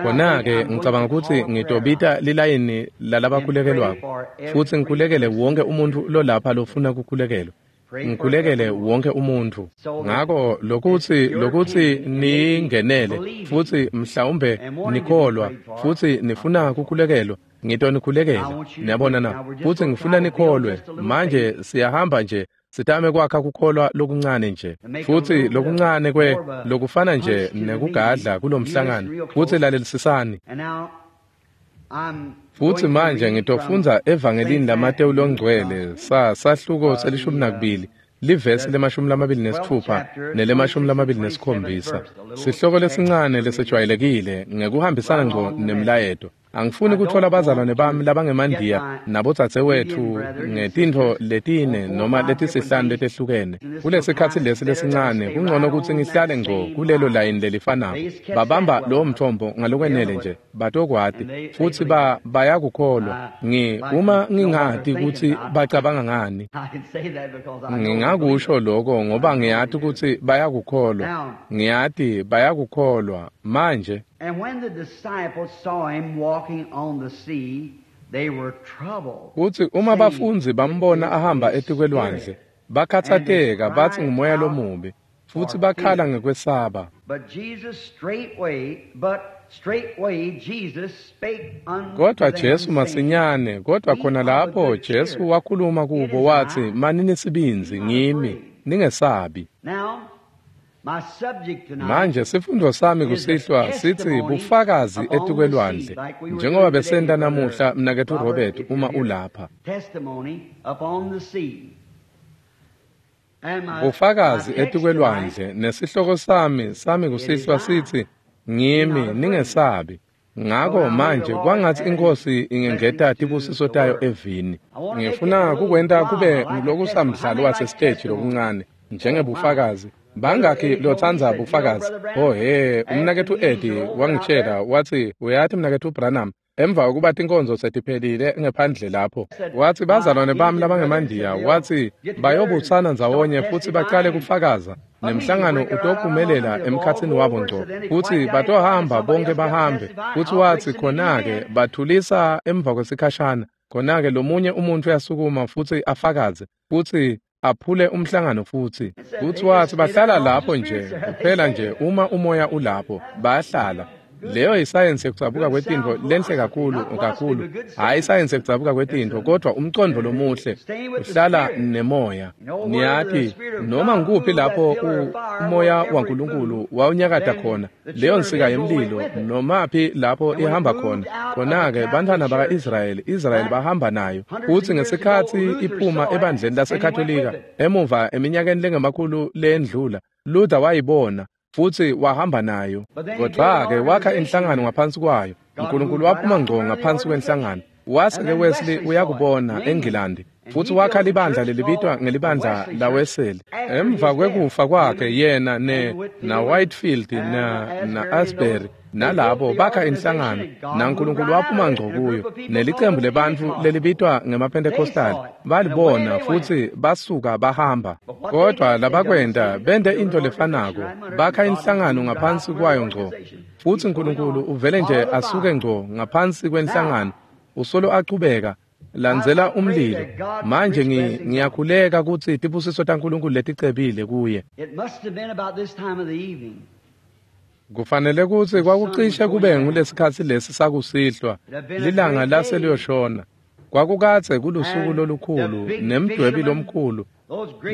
S1: Khona-ke ngicabanga kutsi ngitobita lilayini lalabakhulekelwako futsi ngikhulekele wonke umuntfu lolapha lofuna kukhulekelwa. Ngikhulekele wonke umuntfu. Ngako lokutsi lokutsi ningenele futsi mhlawumbe nikholwa futsi nifuna kukhulekelwa, ngitonikhulekela. Niyabona na? Futsi ngifuna nikholwe. Manje siyahamba nje sitame kwakha kukholwa lokuncane nje, futsi lokuncane kwe lokufana nje nekugadla kulomhlangano. Futsi lalelisisani. Futsi manje ngitofundza evangelini laMatewu longcwele sa sahluko selishumi nakubili livesi lemashumi lamabili nesitfupha nelemashumi lamabili nesikhombisa. Sihloko lesincane lesejwayelekile ngekuhambisana ngco nemlayeto. Angifuni kutfola bazalwane bami labangemandiya nabodzadzewetfu ngetintfo letine noma letisihlanu letehlukene. Kulesikhatsi lesi lesincane kungcono kutsi ngihlale ngco kulelo layini lelifanako. Babamba lowo mthombo ngalokwenele nje, batokwati futsi ba bayakukholwa. Ngi uma ngingati kutsi bacabanga ngani, ngingakusho lokho ngoba ngiyati kutsi bayakukholwa. Ngiyati bayakukholwa manje.
S2: And when the disciples saw him walking on the sea, they were troubled.
S1: Kutsi uma bafundzi bambona ahamba etikwelwandle, bakhatsateka batsi ngumoya lomubi, futsi bakhala ngekwesaba.
S2: But Jesus straightway, but straightway Jesus spake unto
S1: Kodwa
S2: them,
S1: Jesu
S2: saying,
S1: masinyane, kodwa khona lapho Jesu wakhuluma kubo watsi, manini sibindzi, ngimi, ningesabi.
S2: Now, my subject tonight
S1: Manje sifundo sami kusihlwa sithi bufakazi etikwelwandle, njengoba besenta namuhla mnaketfu Robert uma ulapha.
S2: testimony upon the sea. And my,
S1: Bufakazi
S2: my text
S1: etikwelwandle nesihloko sami sami kusihlwa sithi ngimi, ningesabi. Ngako manje kwangatsi iNkosi ingengeta tibusiso tayo evini. Ngifuna kukwenta kube ngulokusamdlalo wasesiteji lokuncane njengebufakazi. Bangakhi lotsandza bufakazi? Oh he, umnaketfu Eddie wangitshela wathi, uyathi mnaketfu Branham, emva kokuba tinkonzo setiphelile ngephandle lapho, wathi bazalwane bami labangemandiya, wathi bayobutsana ndzawonye futsi bacale kufakaza, nemhlangano utophumelela emkhatsini wabo ngco, futsi batohamba bonke bahambe. Futsi wathi khona-ke bathulisa emva kwesikhashana, khona-ke lomunye umuntu uyasukuma futsi afakaze futsi aphule umhlangano futsi. Futsi wathi bahlala lapho nje kuphela nje uma umoya ulapho bayahlala. Leyo yisayensi yekudzabuka kwetintfo lenhle kakhulu kakhulu, hhayi isayensi yekudzabuka kwetintfo, kodwa umcondvo lomuhle uhlala nemoya. Niyati noma ngikuphi lapho umoya waNkulunkulu wawunyakata khona, leyo nsika yemlilo nomaphi lapho ihamba khona, khona-ke bantfwana baka-Israyeli, Israyeli bahamba nayo. Futsi ngesikhatsi iphuma ebandleni laseKatolika emuva eminyakeni lengemakhulu leyendlula, Luther wayibona futsi wahamba nayo. Kodwa-ke wakha inhlangano ngaphansi kwayo. uNkulunkulu waphuma ngco ngaphansi kwenhlangano, Wase-ke Wesley uyakubona eNgilandi futsi wakha libandla lelibitwa ngelibandla laWeseli. Emva kwekufa kwakhe yena ne na Whitefield na na Asbury nalabo bakha inhlangano naNkulunkulu waphuma ngco kuyo nelicembu lebantfu lelibitwa ngemaPentecostal balibona futsi basuka bahamba. Kodwa labakwenta bente into lefanako, bakha inhlangano ngaphansi kwayo ngco, futsi Nkulunkulu uvele nje asuke ngco ngaphansi kwenhlangano usolo achubeka landzela umlilo. Manje ngiyakhuleka kutsi tibusiso taNkulunkulu leticebile kuye. Kufanele kutsi kwakucishe kube ngulesikhatsi lesi sakusihlwa, lilanga lase liyoshona. Kwakukadze kulusuku lolukhulu nemdwebi lomkhulu,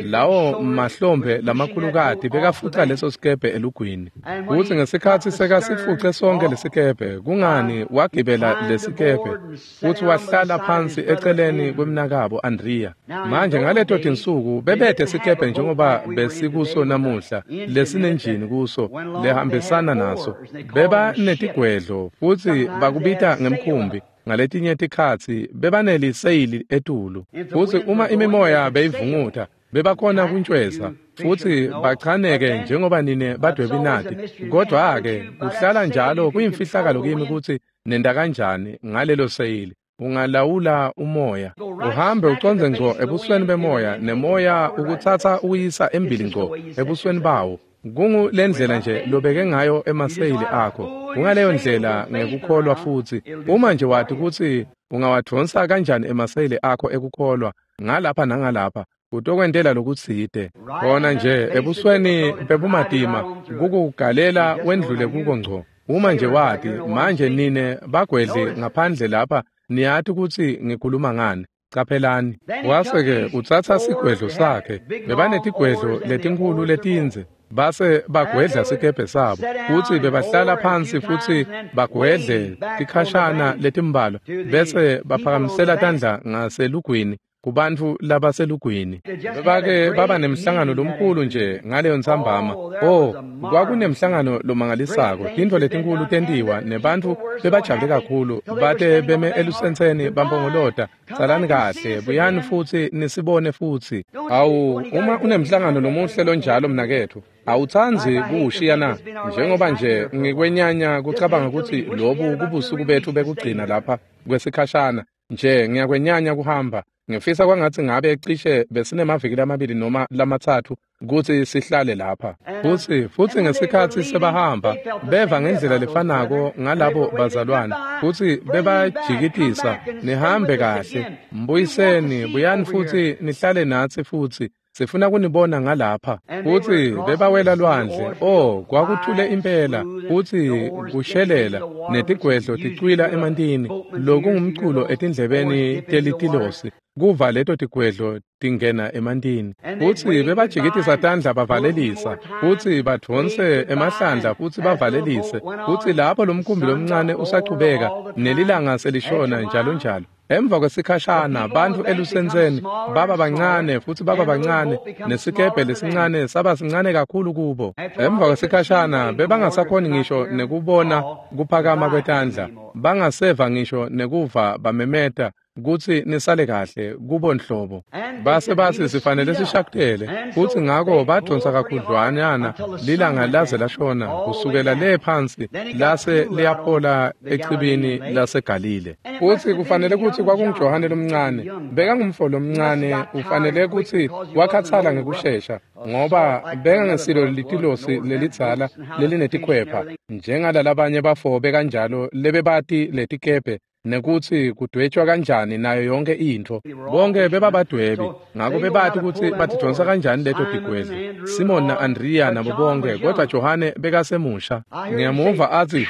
S1: lawo mahlombe lamakhulukati bekafuca leso sikebhe elugwini. Kutsi ngesikhatsi sekasifuce sonke lesikebhe, kungani wagibela lesikebhe futsi wahlala phansi eceleni kwemnakabo Andrea. Manje ngaleto tinsuku bebete sikebhe njengoba besikuso namuhla lesinenjini kuso lehambisana naso. Beba netigwedlo futsi bakubita ngemkhumbi. Ngaletinye tikhatsi bebaneliseyili etulu, futsi uma imimoya beyivunguta bebakhona kuntshweza futsi bachaneke njengoba nine badwebi nati. Kodwa-ke kuhlala njalo kuyimfihlakalo kimi kutsi nenda kanjani ngalelo seyili. Ungalawula umoya uhambe ucondze ngco ebusweni bemoya, nemoya ukutsatsa uyisa embili ngco ebusweni bawo. Kungu lendlela nje lobeke ngayo emaseyili akho. Kungaleyo ndlela ngekukholwa futsi. Uma nje wati kutsi ungawadvonsa kanjani emaseyili akho ekukholwa ngalapha nangalapha, utokwentela lokutsite. Khona nje ebusweni bebumatima kukugalela wendlule kuko ngco. Uma nje wati, manje nine bagwedli ngaphandle lapha niyati kutsi ngikhuluma ngani. Caphelani. Wase-ke utsatsa sigwedlo sakhe. Bebanetigwedlo letinkhulu letindze. Base bagwedla sikebhe sabo futsi bebahlala phansi futsi bagwedle tikhashana letimbalwa, bese baphakamisela tandla ngaselugwini kubantfu labaselugwini. Bebake baba nemhlangano lomkhulu nje ngaleyo ntsambama. Oh, kwakunemhlangano lomangalisako, tintfo letinkulu tentiwa nebantfu bebajabule kakhulu bate beme elusentseni bampongolota, "Salani kahle, buyani futsi nisibone futsi." Awu, uma unemhlangano lomuhle lonjalo mnaketfu, awutsandzi kuwushiya na? Njengoba nje ngikwenyanya kucabanga kutsi lobu kubusuku bethu bekugcina lapha kwesikhashana nje, ngiyakwenyanya kuhamba. Ngifisa kwangatsi ngabe cishe besinemaviki lamabili noma lamatsatfu kutsi sihlale lapha. Futsi futsi ngesikhatsi sebahamba beva ngendlela lefanako ngalabo bazalwane, futsi bebajikitisa, "Nihambe kahle, mbuyiseni, buyani futsi nihlale natsi futsi. Sifuna kunibona ngalapha." Futsi bebawela lwandle. Oh, kwakuthule impela futsi kushelela netigwedlo ticwila emantini, lokungumculo etindlebeni telitilosi kuva leto tigwedlo tingena emantini. Futsi bebajikitisa tandla bavalelisa, futsi badvonse emahlandla futsi bavalelise. Futsi lapho lomkhumbi lomncane usachubeka nelilanga selishona njalo njalo. Emva kwesikhashana bantfu elusentseni baba bancane futsi baba bancane, nesikebhe lesincane saba sincane kakhulu kubo. Emva kwesikhashana bebangasakhoni ngisho nekubona kuphakama kwetandla, bangaseva ngisho nekuva bamemeta kutsi nisale kahle kubo nhlobo. Base batsi sifanele sishakutele, futsi ngako badvonsa kakhudlwanyana lilanga laze lashona kusukela le phansi lase liyaphola echibini laseGalile. Futsi kufanele kutsi kwakunguJohane lomncane, bekangumfo lomncane, ufanele kutsi wakhatsala ngekushesha ngoba bekangesilo litilosi lelidzala lelinetikhwepha njengalalabanye bafo bekanjalo lebebati letikebhe nekutsi kudwetshwa kanjani nayo yonke intfo. Bonke bebabadwebi, ngako bebati kutsi batidvonsa kanjani leto tigwedlo. Simon na-Andrea nabo bonke, kodwa Johane bekasemusha. Ngiyamuva atsi,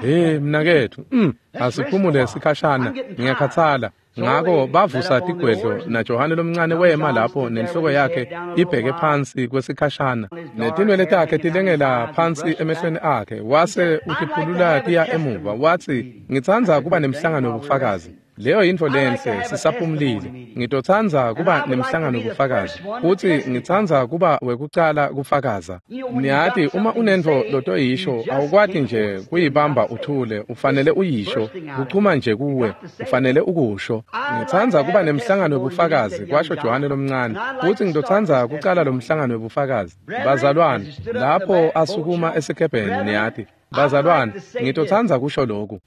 S1: "Hey mnaketfu, mm, asiphumule sikhashana, ngiyakhatsala." Ngako bavusa tigwedlo naJohane lomncane wema lapho nenhloko yakhe ibheke phansi kwesikhashana, netinwele takhe tilengela phansi emehlweni akhe, wase utiphulula tiya emuva. Watsi, "Ngitsandza kuba nemhlangano wobufakazi Leyo yintfo lenhle, sisaphumulile. Ngitotsandza kuba nemhlangano kufakaza, futsi ngitsandza kuba wekucala kufakaza. Niyati, uma unentfo lotoyisho, awukwati nje kuyibamba uthule, ufanele uyisho, kuchuma nje kuwe, ufanele ukusho. Ngitsandza kuba nemhlangano webufakazi, kwasho Johane lomncane, futsi ngitotsandza kucala lo mhlangano webufakazi. Bazalwane, lapho asukuma esikebheni, niyati, bazalwane, ngitotsandza kusho lokhu,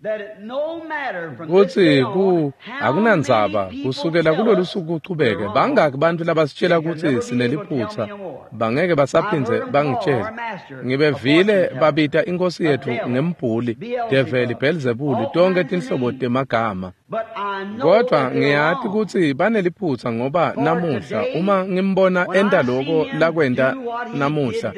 S1: kutsi ku akunandzaba kusukela kulolu suku kuchubeke, bangaki bantfu labasitshela kutsi sineliphutsa, bangeke basaphindze bangitshele. Ngibevile babita inkosi yetfu ngembhuli, develi, Belzebuli, tonkhe tinhlobo temagama. Kodvwa ngiyati kutsi baneliphutsa, ngoba namuhla uma ngimbona enta loko lakwenta namuhla,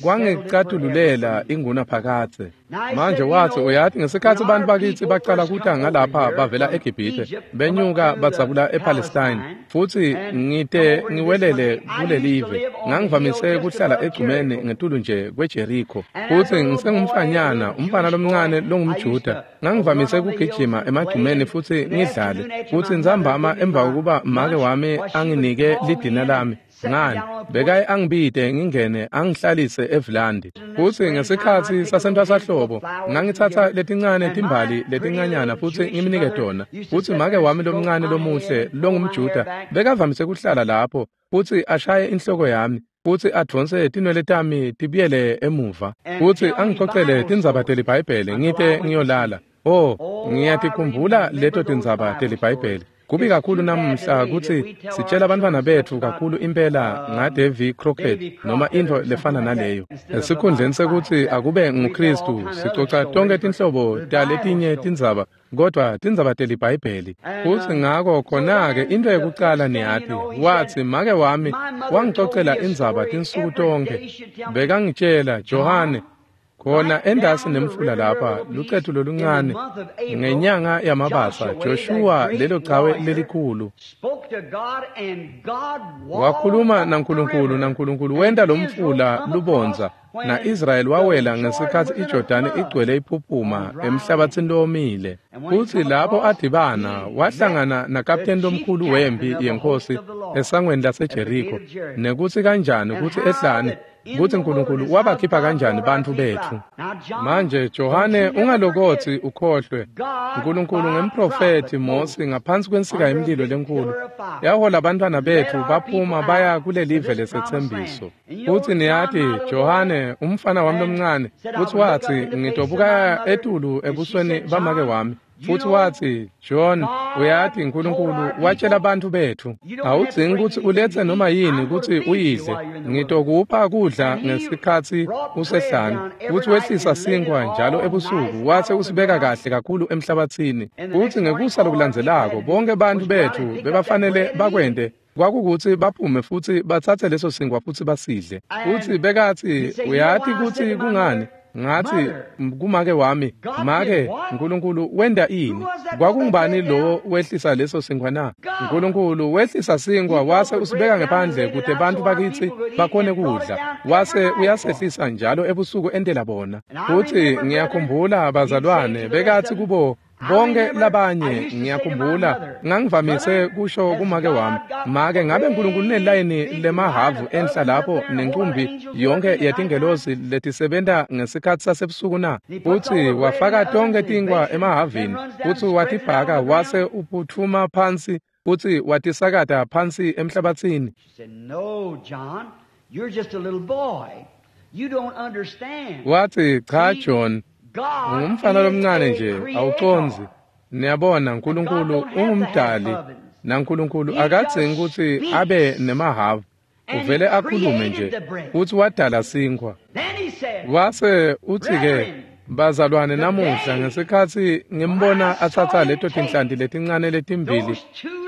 S1: kwangicatululela ingunaphakadze. Manje watsi, uyati, ngesikhatsi bantfu bakitsi bacala kuta ngalapha bavela eGibhithe, benyuka badzabula ePalestine, futsi ngite ngiwelele kulelive, ngangivamise kuhlala egcumeni ngetulu nje kweJerikho, futsi ngisengumfanyana, umfana lomncane longumJuda, ngangivamise kugijima emagcumeni futsi ngidlale, futsi ntsambama emva kokuba make wami anginike lidina lami, ngani bekaye angibite ngingene angihlalise evulandi. Futsi ngesikhatsi sasentwasahlobo ngangitsatsa letincane timbali letincanyana futsi ngimnike tona, futsi make wami lomncane lomuhle longumJuda bekavamise kuhlala lapho futsi ashaye inhloko yami, futsi advonse tinwele tami tibuyele emuva, futsi angicocele tindzaba teliBhayibheli ngite ngiyolala. Oh, ngiyatikhumbula leto tindzaba teliBhayibheli. Kubi kakhulu namuhla kutsi sitshela abantwana betfu kakhulu impela ngaDavy Crockett noma intfo lefana naleyo. Esikhundleni sekutsi akube nguKhristu, sicoca tonkhe tinhlobo taletinye tindzaba, kodvwa tindzaba teliBhayibheli. Futsi ngako khona-ke intfo yekucala niyati, watsi make wami wangicocela indzaba tinsuku tonkhe. Bekangitshela, Johane, khona endasi nemfula lapha, lucethu loluncane, ngenyanga yaMabasa, Joshua lelo chawe lelikhulu wakhuluma naNkulunkulu, naNkulunkulu wenta lo mfula lubondza, na-Israyeli wawela ngesikhatsi iJordani igcwele iphuphuma emhlabatsini lowomile. Futsi lapho adibana, wahlangana nakapteni lomkhulu wempi yenkosi esangweni laseJerikho, nekutsi kanjani kutsi ehlane, kutsi Nkulunkulu wabakhipha kanjani bantfu betfu. Manje Johane, ungalokotsi ukhohlwe, Nkulunkulu ngemprofethi Mosi ngaphansi kwensika yemlilo lenkulu yahola abantwana betfu baphuma baya kulelive lesetsembiso. Futsi niyati, Johane, umfana wami lomncane, futsi watsi ngitobuka etulu ebusweni bamake wami, futsi watsi, John, uyati Nkulunkulu watshela bantfu betfu, awudzingi kutsi uletse noma yini kutsi uyidle, ngitokupha kudla ngesikhatsi usehlane. Futsi wehlisa sinkwa njalo ebusuku, watse usibeka kahle kakhulu emhlabatsini. Futsi ngekusa lokulandzelako bonke bantfu betfu bebafanele bakwente kwakukutsi baphume futsi batsatse leso sinkwa futsi basidle. Futsi bekatsi, uyati kutsi kungani? Ngathi kumake wami, make, Nkulunkulu wenta ini? Kwakungubani lowo wehlisa leso sinkwa na? Nkulunkulu wehlisa sinkwa wase usibeka ngephandle kute bantfu bakitsi bakhone kudla, wase uyasehlisa njalo ebusuku entela bona. Futsi ngiyakhumbula bazalwane bekathi kubo bonke labanye, ngiyakhumbula ngangivamise kusho kumake wami, make, ngabe Nkulunkulu unelayini lemahavu enhla lapho nenkumbi yonke yetingelosi letisebenta ngesikhatsi sasebusuku na? Futsi wafaka tonke tinkwa emahavini, futsi watibhaka wase uphutfuma phansi futsi watisakata phansi emhlabatsini. Watsi, cha John, ungumfana lomncane nje, awucondzi. Niyabona, Nkulunkulu ungumdali, naNkulunkulu akadzingi kutsi abe nemahavu, uvele akhulume nje, futsi wadala sinkhwa. Wase utsi-ke, bazalwane, namuhla ngesikhatsi ngimbona atsatsa leto tinhlanti letincane letimbili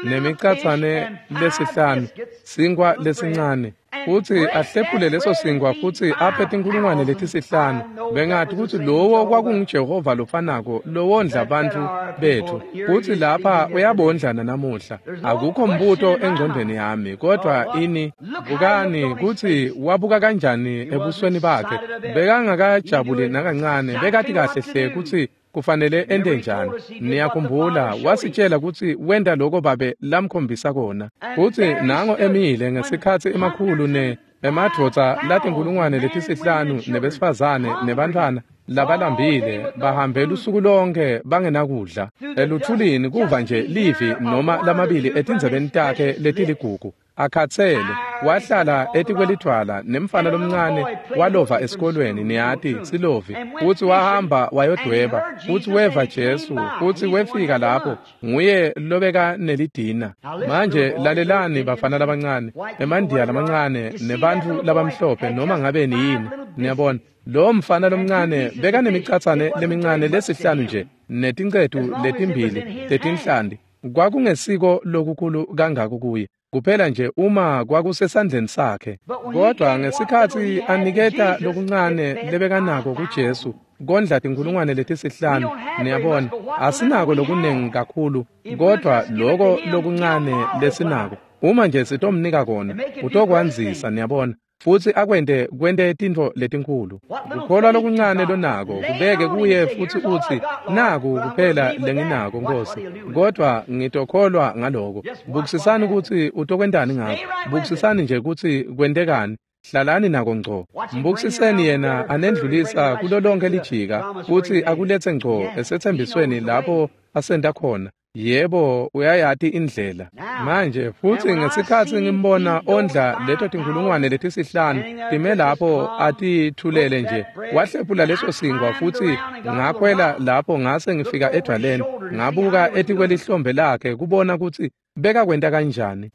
S1: nemicatsane lesihlanu, sinkhwa lesincane, futsi ahlephule leso sinkwa futsi aphe tinkulungwane letisihlanu, bengathi kutsi lowo kwakunguJehova lofanako lowondla bantfu betfu, futsi lapha uyabondlana namuhla. Akukho mbuto engcondweni yami, kodwa ini, bukani kutsi wabuka kanjani ebusweni bakhe. Bekangakajabuli nakancane, bekati kahle hle kutsi Kufanele ente njani? Niyakhumbula wasitshela kutsi wenta loko babe lamkhombisa kona. Futsi nango emile ngesikhatsi emakhulu ne emadvodza latinkulungwane letisihlanu nebesifazane nebantfwana labalambile bahambe lusuku lonke bangenakudla eluthulini kuva nje livi noma lamabili etindzebeni takhe letiligugu. Akhatsele wahlala etikwelidvwala nemfana lomncane walova esikolweni, niyati silovi, futsi wahamba wayodweba, futsi weva Jesu, futsi wefika lapho nguye lobeka nelidina. Manje lalelani bafana labancane, emandiya lamancane nebantfu labamhlophe noma ngabe niyini, niyabona lo mfana lomncane bekanemicatshane lemincane lesihlanu nje netincetu letimbili tetinhlanti. Kwakungesiko lokukhulu kangako kuye, kuphela nje uma kwakusesandleni sakhe. Kodwa ngesikhatsi aniketa lokuncane lebekanako kuJesu kondla tinkulungwane letisihlanu, niyabona asinako lokunengi kakhulu, kodwa loko lokuncane lesinako uma nje sitomnika kona utokwandzisa, niyabona, futsi akwente kwente tintfo letinkhulu. Kukholwa lokuncane lonako kubeke kuye futsi utsi, naku kuphela lenginako Nkosi, kodwa ngitokholwa ngaloko. Bukisisani kutsi utokwentani ngako. Bukisisani nje kutsi kwentekani. Hlalani nako ngco. Mbukisiseni yena anendlulisa kulo lonke lijika futsi akuletse ngco esetsembisweni lapho asenta khona. Yebo, uyayati indlela. Manje futsi ngesikhatsi ngimbona ondla leto tinkulungwane letisihlanu time lapho atithulele nje, wahlephula leso sinkwa, futsi ngakhwela lapho ngase ngifika edvwaleni, ngabuka etikwelihlombe lakhe kubona kutsi bekakwenta kanjani.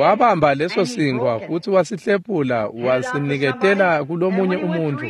S1: Wabamba leso sinkwa futsi wasihlephula wasiniketela kulomunye umuntfu,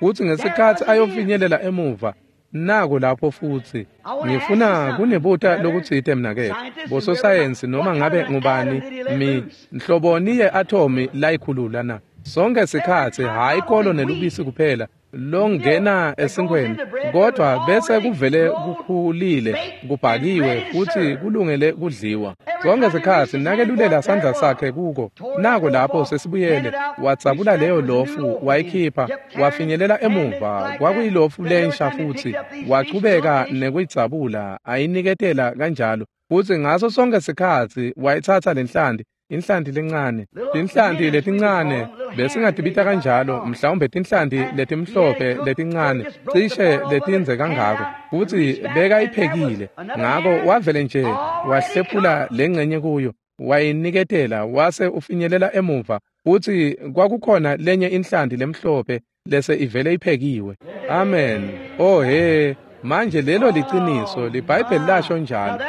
S1: futsi ngesikhatsi ayofinyelela emuva, nako lapho futsi. Ngifuna kunibuta lokutsite mnaketfu, bososayensi noma ngabe ngubani, mi nhloboni ye-atomi layikhulula na? Sonke sikhatsi hhayi kolo nelubisi kuphela longena esinkweni, kodwa bese kuvele kukhulile, kubhakiwe futsi kulungele kudliwa. Sonke sikhatsi nakelulela sandla sakhe kuko, nako lapho sesibuyele, wadzabula leyo lofu wayikhipha, wafinyelela emuva, kwakuyilofu lensha futsi, wachubeka nekuyidzabula ayiniketela kanjalo, futsi ngaso sonke sikhatsi wayitsatsa lenhlanti, inhlanti lencane, tinhlanti letincane besingatibita kanjalo, mhlawumbe tinhlanti letimhlophe letincane cishe letindze kangako, futsi bekayiphekile. Ngako wavele nje wahlephula lengcenye kuyo wayiniketela, wase ufinyelela emuva, futsi kwakukhona lenye inhlanti lemhlophe lese ivele iphekiwe. Amen. Oh he, manje lelo liciniso, liBhayibheli lasho njalo.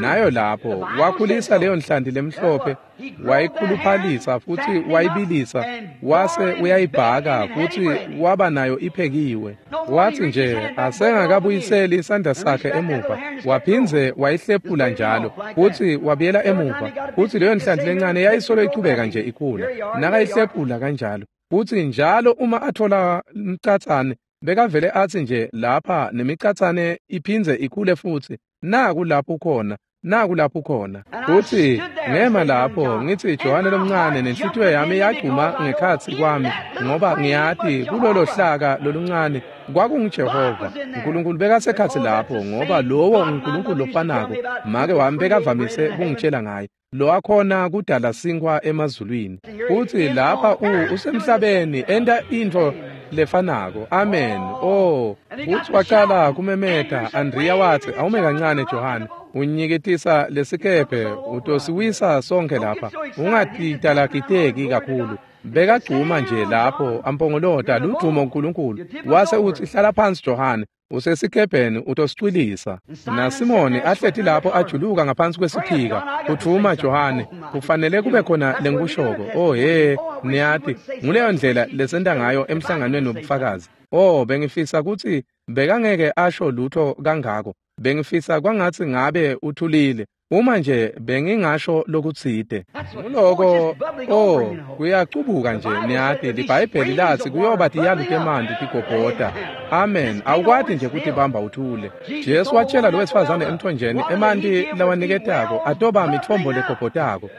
S1: Nayo lapho wakhulisa leyo nhlanti lemhlophe, wayikhuluphalisa futsi wayibilisa, wase uyayibhaka futsi waba nayo iphekiwe. Wathi nje asengakabuyiseli isandla sakhe emuva, waphindze wayihlephula njalo futsi wabuyela emuva, futsi leyo nhlanti lencane yayisolo ichubeka nje ikhula nakayihlephula kanjalo. Futsi njalo uma athola umcatsane bekavele atsi nje lapha nemicatsane iphindze ikhule futsi, naku lapho khona, naku lapho khona. Futsi ngema lapho ngithi Johane lomncane, nenhlitiyo yami yagcuma ngekhatsi kwami, ngoba ngiyati kulolo hlaka loluncane kwakunguJehova uNkulunkulu bekasekhatsi lapho, ngoba lowo uNkulunkulu lofanako make wami bekavamise kungitshela ngaye, lo akhona kudala sinkwa emazulwini. Futsi lapha u usemhlabeni enta intfo lefanako. Amen. Oh, futsi wacala kumemeta. Andrea watsi, awume kancane Johane, unyikitisa lesikebhe utosiwisa sonke lapha, ungatitalagiteki kakhulu. Bekagcuma nje lapho ampongolota ludumo uNkulunkulu, wase utsi, hlala phansi Johane, usesikebheni utosicwilisa. NaSimoni ahleti lapho ajuluka ngaphansi kwesiphika, uthuma Johane, kufanele kube khona lengikushoko. Oh he, niyati nguleyo ndlela lesenta ngayo emhlanganweni wobufakazi. Oh, bengifisa kutsi bekangeke asho lutho kangako, bengifisa kwangatsi ngabe uthulile uma nje bengingasho lokutsite. Nguloko, oh, kuyacubuka nje, niyati liBhayibheli latsi kuyoba tiyalu temanti tigobhota. Amen. Awukwati nje kutibamba uthule. Jesu watshela lo wesifazane emthonjeni, emanti lawaniketako atoba mitfombo legobhotako.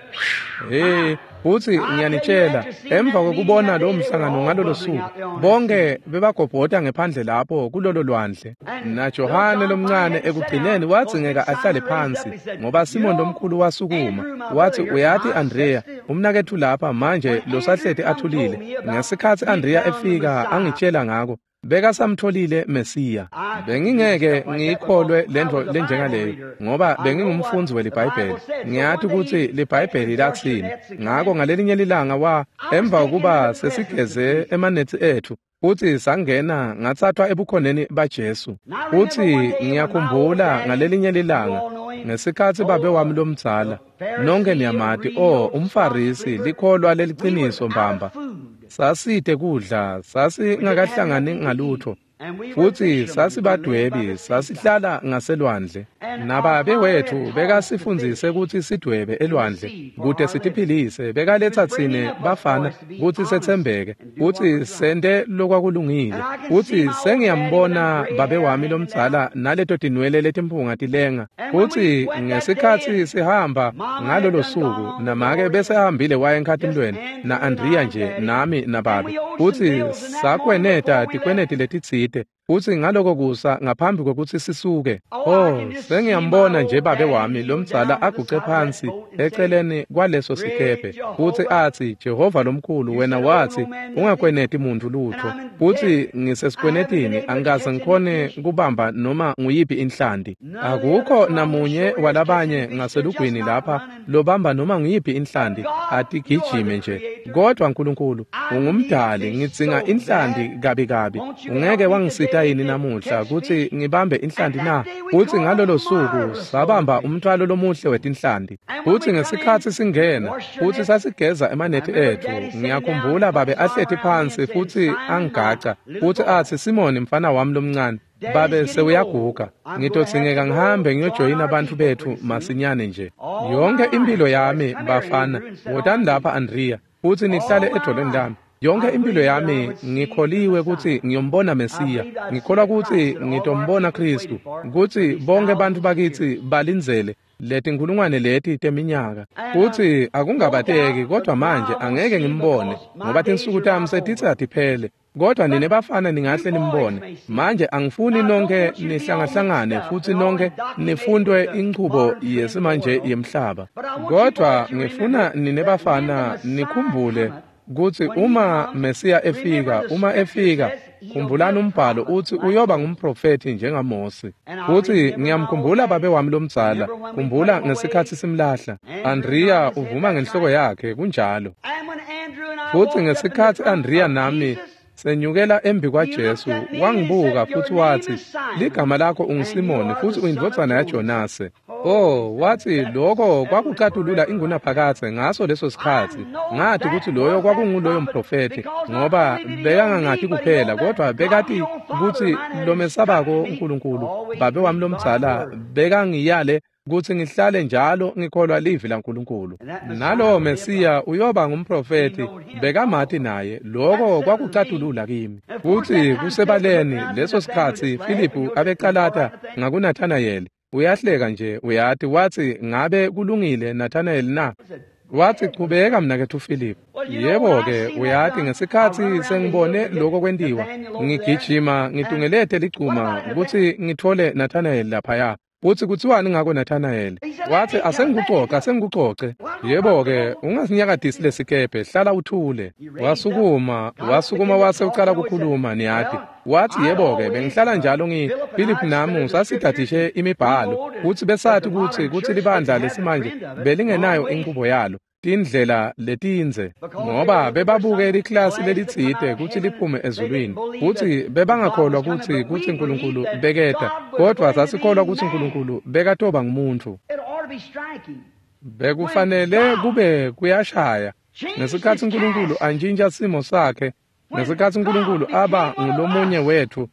S1: Hey, Futsi ngiyanitshela, emva kwekubona lowo mhlangano ngalolo suku, bonke bebagobhota ngephandle lapho kulolo lwandle. NaJohane lomncane ekugcineni wadzingeka ahlale phansi, ngoba Simon lomkhulu wasukuma wathi, uyati Andrea, umnaketfu lapha manje losahleti athulile. Ngesikhatsi Andrea efika angitshela ngako, bekasamtholile Mesiya. Bengingeke ngiyikholwe lentfo lenjengaleyo, ngoba bengingumfundzi weliBhayibheli. Ngiyati kutsi liBhayibheli latsini. Ngako ngalelinye lilanga wa emva kokuba sesigeze emanethi ethu futsi sangena, ngatsathwa ebukhoneni baJesu. Futsi ngiyakhumbula ngalelinye lilanga ngesikhatsi babe wami lomdzala, nonke niyamati, oh, umFarisi, likholwa leliciniso mbamba. Sasite kudla, sasingakahlangani ngalutho, futsi sasibadwebi, sasihlala ngaselwandle. Nababe wethu bekasifundzise kutsi sidwebe elwandle kute sitiphilise. Bekaletsa tsine bafana kutsi setsembeke, kutsi sente lokwakulungile. Futsi sengiyambona babe wami lomdzala naleto tinwele letimpunga tilenga. Futsi ngesikhatsi sihamba ngalolo suku, namake bese ahambile waya enkhatimlweni na-Andrea nje, nami nababe. Futsi sakweneta tikweneti letitsite. Futsi ngaloko kusa ngaphambi kwekutsi sisuke, oh, sengiyambona nje babe wami lomdzala aguce phansi eceleni kwaleso sikebhe, futsi atsi, Jehova lomkhulu, wena watsi ungakweneti muntfu lutho, futsi ngisesikwenetini, angikaze ngikhone kubamba noma nguyiphi inhlanti. Akukho namunye walabanye ngaselugwini lapha lobamba noma nguyiphi inhlanti, atigijime nje. Kodwa Nkulunkulu ungumdali, ngidzinga inhlanti kabi kabi. Ungeke wangisita yini namuhla kutsi ngibambe inhlanti na? Futsi ngalolo suku sabamba umthwalo lomuhle wetinhlanti. Futsi ngesikhatsi singena futsi sasigeza emanethi ethu, ngiyakhumbula babe ahleti phansi futsi angigaca futsi atsi, Simoni mfana wami lomncane, babe sewuyaguga, ngitodzingeka ngihambe ngiyojoyina bantfu bethu masinyane nje. Yonke impilo yami bafana, wotani lapha Andrea, futsi nihlale edolweni lami. Yonke impilo yami ngikholiwe kutsi ngiyombona Mesiya. Ngikholwa kutsi ngitombona Khristu, kutsi bonke bantfu bakitsi balindzele letinkhulungwane leti teminyaka. Futsi akungabateki, kodwa manje angeke ngimbone, ngoba tinsuku tami setitsi atiphele. Kodwa nine bafana ningahle nimbone. Manje angifuni nonke nihlangahlangane futsi nonke nifundwe inchubo yesimanje yemhlaba. Kodwa ngifuna nine bafana nikhumbule kutsi uma Mesiya efika, uma efika, khumbulani umbhalo utsi uyoba ngumprofethi njengaMose. Futsi ngiyamkhumbula babe wami lomdzala, khumbula ngesikhatsi simlahla. Andrea uvuma ngenhloko yakhe, kunjalo. Futsi ngesikhatsi Andrea nami senyukela embi kwaJesu, wangibuka futsi watsi, ligama lakho unguSimoni futsi uyindvodzana yaJonase. Oh, watsi lokho kwakucatulula ingunaphakadze ngaso leso sikhatsi. Ngathi kutsi loyo kwakunguloyo mprofethi, ngoba bekangangati kuphela, kodwa bekati kutsi lomesabako uNkulunkulu, babe wami lomdzala bekangiyale kutsi ngihlale njalo ngikholwa livi laNkulunkulu. Nalowo Mesiya uyoba ngumprofethi, bekamati naye, lokho kwakucatulula kimi. Futsi kusebaleni leso sikhatsi Filiphu abecalata ngakuNathanayeli. Uyahleka nje, uyati, watsi, ngabe kulungile Nathanayeli na? Watsi, chubeka mnaketfu Philip. Yebo-ke, uyati, ngesikhatsi sengibone lokho kwentiwa, ngigijima ngitungelete ligcuma kutsi ngitfole Nathanayeli laphaya. Futsi kutsiwani ngako Nathanayeli? Watsi, asengikucoce, asengikucoce. Yebo-ke, ungasinyakatisi lesikebhe, hlala uthule. Wasukuma, wasukuma wase ucala kukhuluma, niyati. Watsi, yebo-ke, bengihlala njalo ngi Philip nami sasidadishe imibhalo, kutsi besati kutsi kutsi libandla lesimanje belingenayo inchubo yalo, tindlela letindze, ngoba bebabuke liklasi lelitsite kutsi liphume ezulwini, kutsi bebangakholwa kutsi kutsi Nkulunkulu beketa, kodwa sasikholwa kutsi Nkulunkulu bekatoba ngumuntfu. Bekufanele kube kuyashaya ngesikhatsi Nkulunkulu antjintja simo sakhe, ngesikhatsi Nkulunkulu aba ngulomunye wetfu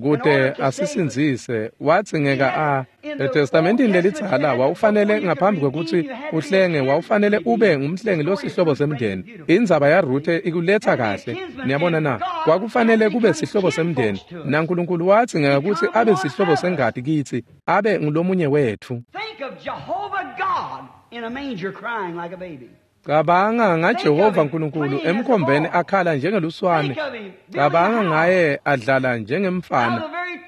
S1: kute asisindzise. Wadzingeka a eTestamentini lelidzala wawufanele ngaphambi kwekutsi uhlenge, wawufanele ube ngumhlengi losihlobo semndeni. Indzaba yaRuthe ikuletsa kahle, niyabona na? Kwakufanele kube sihlobo semndeni, naNkulunkulu wadzingeka kutsi abe sihlobo sengati kitsi, abe ngulomunye wetfu. Cabanga ngaJehova uNkulunkulu emkhombeni akhala njengeluswane. Cabanga ngaye adlala njengemfana.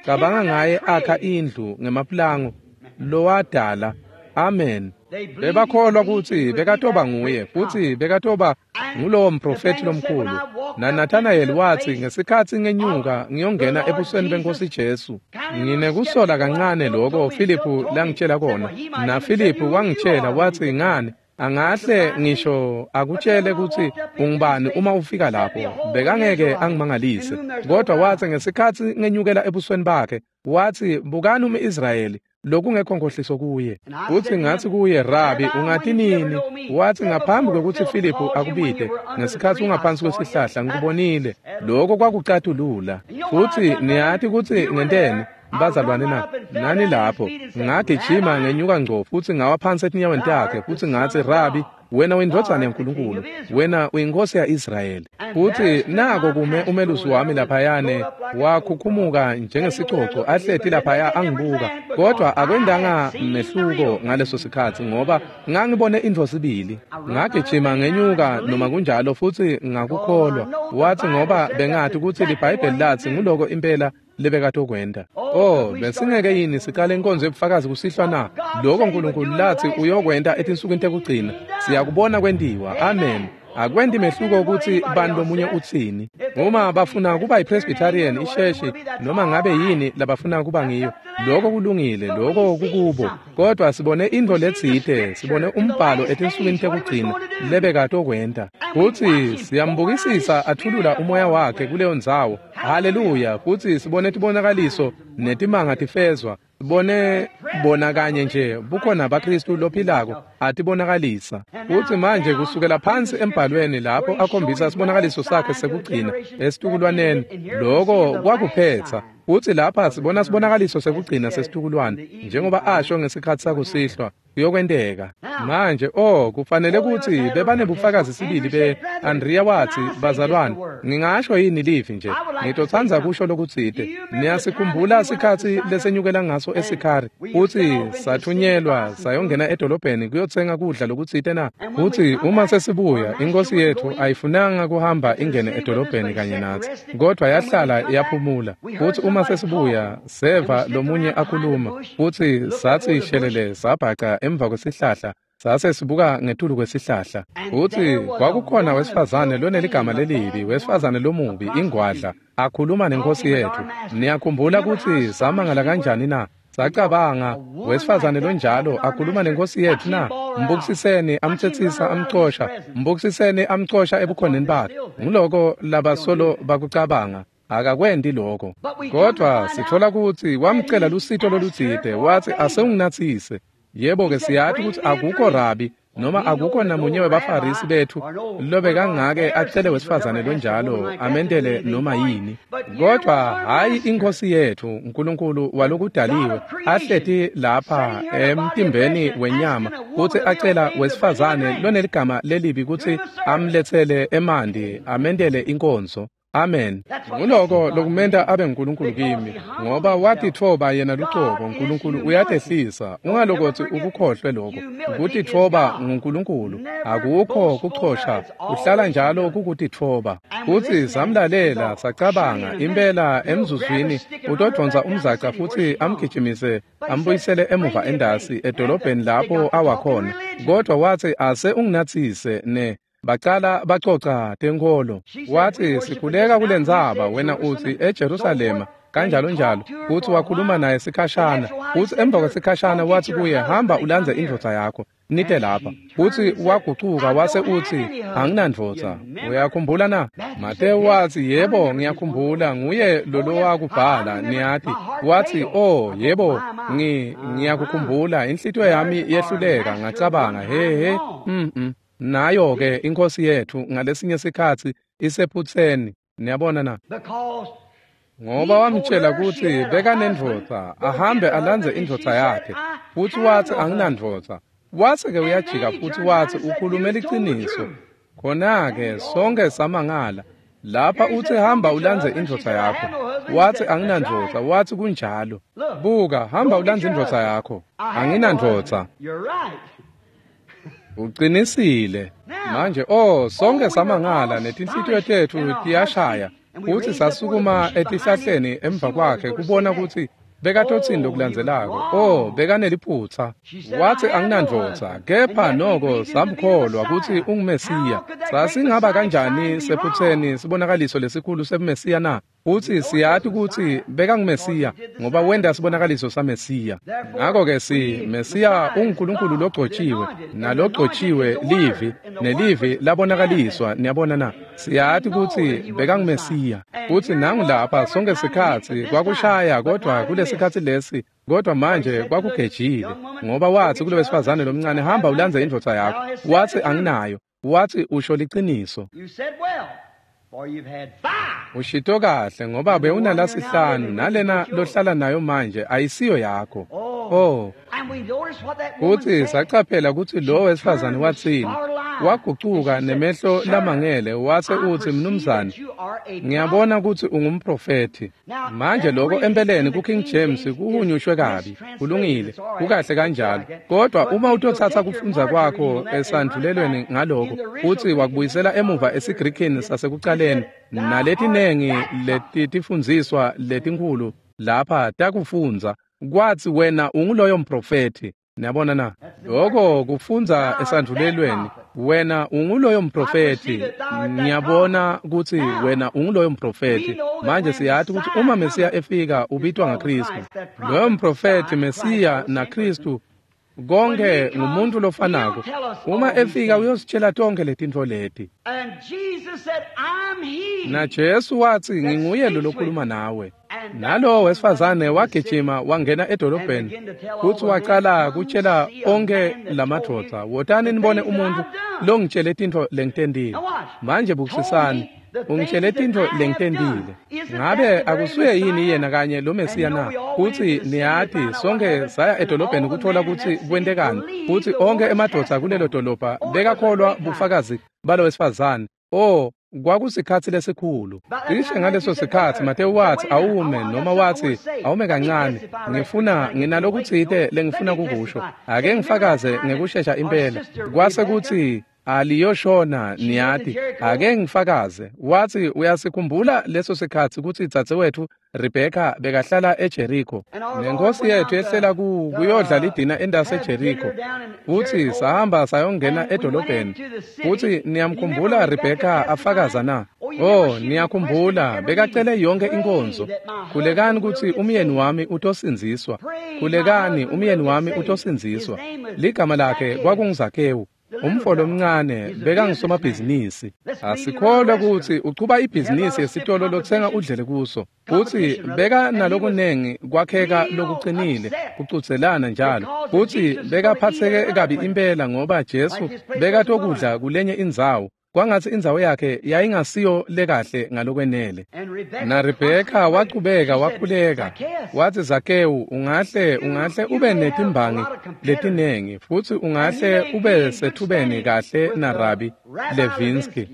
S1: Cabanga ngaye akha indlu ngemapulango lowadala. Amen. Bebakholwa kutsi bekatoba nguye futsi bekatoba ngulowo mprofethi lomkhulu. NaNathanayeli watsi ngesikhatsi ngenyuka ngiyongena ebusweni benkosi Jesu. Nginekusola kancane lokho Filiphu langitshela kona. NaFiliphu wangitshela watsi ngani angahle ngisho akutshele kutsi ungubani uma ufika lapho. Bekangeke angimangalise. Kodwa watsi ngesikhatsi ngenyukela ebusweni bakhe watsi bukani umIsrayeli lokungekho nkohliso kuye. Futsi ngatsi kuye, Rabi, ungati nini? Watsi ngaphambi kwekutsi Filiphu akubite, ngesikhatsi ungaphansi kwesihlahla ngikubonile. Lokho kwakucatulula. Futsi niyati kutsi ngenteni bazalwane na? Nani lapho ngagijima ngenyuka ngco futsi ngawa phansi etinyaweni takhe futsi ngatsi, Rabi, wena uyindvodzana yaNkulunkulu, wena uyinkosi ya-Israyeli. Futsi nako kume umelusi wami laphayane wakhukhumuka njengesicoco ahleti laphaya angibuka, kodwa akwendanga mehluko ngaleso sikhatsi ngoba ngangibone intfo sibili. Ngagijima ngenyuka noma kunjalo futsi ngakukholwa. Watsi ngoba bengati kutsi liBhayibheli latsi nguloko impela lebekatokwenta. Oh, besingeke yini siqale inkonzo yobufakazi kusihlwa na? Lokho uNkulunkulu latsi uyokwenta etinsukwini tekugcina. Siyakubona kwentiwa. Amen. Akwenti mehluko ukuthi bani lomunye utsini. Uma bafuna kuba yiPresbyterian, isheshi, noma ngabe yini labafuna kuba ngiyo, lokho kulungile, lokho kukubo. Kodwa sibone intfo letsite, sibone umbhalo etinsukwini tekugcina lebekatokwenta. Futsi siyambukisisa athulula umoya wakhe kuleyo ndzawo. Haleluya. Futsi sibone tibonakaliso netimanga tifezwa. Sibone bona kanye nje bukhona baKristu lophilako atibonakalisa. Futsi manje kusukela phansi embhalweni lapho akhombisa sibonakaliso sakhe sekugcina esitukulwaneni, lokho kwakuphetsa. Futsi lapha sibona sibonakaliso sekugcina sesitukulwane njengoba asho ngesikhatsi sakusihlwa kuyokwenteka. Manje oh kufanele kutsi bebanebufakazi sibili be Andrea watsi, bazalwane, ngingasho yini livi nje? Ngitotsandza kusho lokutsite. Niyasikhumbula sikhatsi lesenyukela ngaso eSikhari futsi sathunyelwa sayongena edolobheni kuyotsenga kudla lokutsite na? Futsi uma sesibuya inkosi yethu ayifunanga kuhamba ingene edolobheni kanye natsi, kodwa yahlala yaphumula. Futsi uma sesibuya seva lomunye akhuluma, futsi satsi shelele sabhaca emva kwesihlahla, sase sibuka ngetulu kwesihlahla. Futsi kwakukhona wesifazane loneligama lelibi, wesifazane lomubi, ingwadla, akhuluma nenkosi yethu. Niyakhumbula kutsi samangala kanjani na? Sacabanga, wesifazane lonjalo akhuluma nenkosi yethu na? Mbukisiseni amtsetsisa amcosha, mbukisiseni amcosha ebukhoneni bakhe. Nguloko labasolo bakucabanga. Akakwenti lokho. Kodwa sithola kutsi wamcela lusito lolutsite, watsi asewunginatsise. Yebo-ke siyati kutsi akukho rabi noma akukho namunye webafarisi bethu lobekangake acele wesifazane lonjalo amendele noma yini. Kodwa hhayi inkosi yethu uNkulunkulu walokudaliwe ahleti lapha emtimbeni wenyama kutsi acela wesifazane loneligama lelibi kutsi amletsele emanti amendele inkonzo. Amen. Nguloko lokumenta abe nguNkulunkulu kimi, ngoba watitfoba yena lucobo. uNkulunkulu uyatehlisa. Ungalokotsi ukukhohlwe lokho. Kutitfoba nguNkulunkulu, akukho kuchosha, kuhlala njalo kukutitfoba. Futsi samlalela sacabanga impela emzuzwini utodvonsa umzaca futsi amgijimise ambuyisele emuva endasi edolobheni lapho awakhona. Kodwa watsi ase unginatsise ne bacala bacoca tenkholo. Watsi sikhuleka kulendzaba, wena utsi eJerusalema kanjalo njalo. Futsi wakhuluma naye sikhashana. Futsi emva kwesikhashana watsi kuye, hamba ulandze indvodza yakho nite lapha. Futsi wagucuka wase utsi anginandvodza. Uyakhumbula na? Matewu watsi yebo ngiyakhumbula, nguye lolowakubhala niyati. Watsi oh yebo ngi ngiyakukhumbula, inhlitiyo yami yehluleka ngacabanga he he mm mm. Nayo ke inkosi yethu ngalesinye sikhatsi isephutseni. Niyabona na? Ngoba wamtshela kutsi bekanendvodza, ahambe alandze indvodza yakhe. Futsi watsi anginandvodza. Watsi ke uyajika futsi watsi ukhulume liciniso. Khona-ke sonke samangala. Lapha utsi hamba ulandze indvodza yakho. Watsi anginandvodza. Watsi kunjalo. Buka, hamba ulandze indvodza yakho. Anginandvodza. Uqinisile. Manje oh sonke samangala netinhlitiyo tetfu tiyashaya futsi sasukuma etihlahleni emva kwakhe kubona kutsi bekatotsini lokulandzelako. Oh bekaneliphutsa. Watsi anginandvodza, kepha noko samkholwa kutsi unguMesiya. Sasingaba kanjani sephutseni sibonakaliso lesikhulu sebuMesiya na? Futsi siyati kutsi bekanguMesiya ngoba wenta sibonakaliso saMesiya. Ngakho-ke si Mesiya unguNkulunkulu logcotshiwe, nalogcotshiwe livi, nelivi labonakaliswa. Niyabona na? Siyati kutsi bekanguMesiya. Futsi nangu lapha sonke sikhatsi kwakushaya, kodwa kulesikhatsi lesi kodwa manje kwakugejile, ngoba watsi kulo wesifazane lomncane, hamba ulandze indvodza yakho. Watsi anginayo. Watsi usho liciniso. Ushito kahle ngoba bewunalasihlanu nalena lohlala nayo manje ayisiyo yakho. Oh, futsi sacaphela kutsi lo wesifazane watsini. Wagucuka nemehlo lamangele wase utsi, mnumzane, ngiyabona kutsi ungumprofethi. Manje lokho empeleni ku-King James kuhunyushwe kabi. Kulungile, kukahle kanjalo. Kodwa uma utotsatsa kufundza kwakho esandvulelweni ngaloko futsi wakubuyisela emuva esiGrikini sasekucaleni, naletinengi letitifundziswa letinkhulu lapha takufundza, kwatsi wena unguloyo mprofethi. Niyabona na? Lokho kufundza esandvulelweni, wena unguloyo mprofethi. Ngiyabona kutsi wena unguloyo mprofethi. Manje siyati kutsi uma Mesiya efika ubitwa ngaKristu. Loyo mprofethi, Mesiya naKristu konke ngumuntu lofanako. Uma efika uyositshela tonke letintfo leti. Na Jesu watsi, nginguye lo lokhuluma nawe. Nalo wesifazane wagijima wangena edolobheni futsi wacala kutshela onke lamadvodza, wotani nibone umuntu longitshele tintfo lengitentile. Manje bukisisani, ungitshele tintfo lengitentile. Ngabe akusuye yini yena kanye lo Mesiya na? Futsi niyati sonke saya edolobheni kuthola kutsi kwentekani, futsi onke emadvodza kulelo dolobha bekakholwa bufakazi balo wesifazane. Oh, kwakusikhatsi lesikhulu. Cishe ngaleso sikhatsi Matewu watsi awume, noma watsi awume kancane, ngifuna nginalokutsite lengifuna kukusho, ake ngifakaze ngekushesha impela. Kwase kutsi aliyoshona, niyati, ake ngifakaze. Watsi uyasikhumbula leso sikhatsi kutsi dzadzewetfu Rebheka bekahlala eJeriko, nenkosi yethu yehlela ku kuyodla lidina endase eJeriko, futsi sahamba sayongena edolobheni. Futsi niyamkhumbula Rebheka afakaza na? Oh, niyakhumbula bekacele yonke inkonzo, khulekani kutsi umyeni wami utosindziswa, khulekani umyeni wami utosindziswa. Ligama lakhe kwakunguZakewu, umfo lomncane bekangusomabhizinisi. Asikholwa kutsi uchuba ibhizinisi yesitolo lotsenga udlele kuso, futsi beka nalokunengi kwakheka lokucinile kucudzelana njalo, futsi bekaphatseke kabi impela ngoba Jesu bekatokudla kulenye indzawo, kwangatsi indzawo yakhe yayingasiyo lekahle ngalokwenele. Na Rebheka wachubeka wakhuleka, watsi Zakewu, ungahle ungahle ube netimbangi letinengi futsi ungahle ube sethubeni kahle na Rabi Levinsky,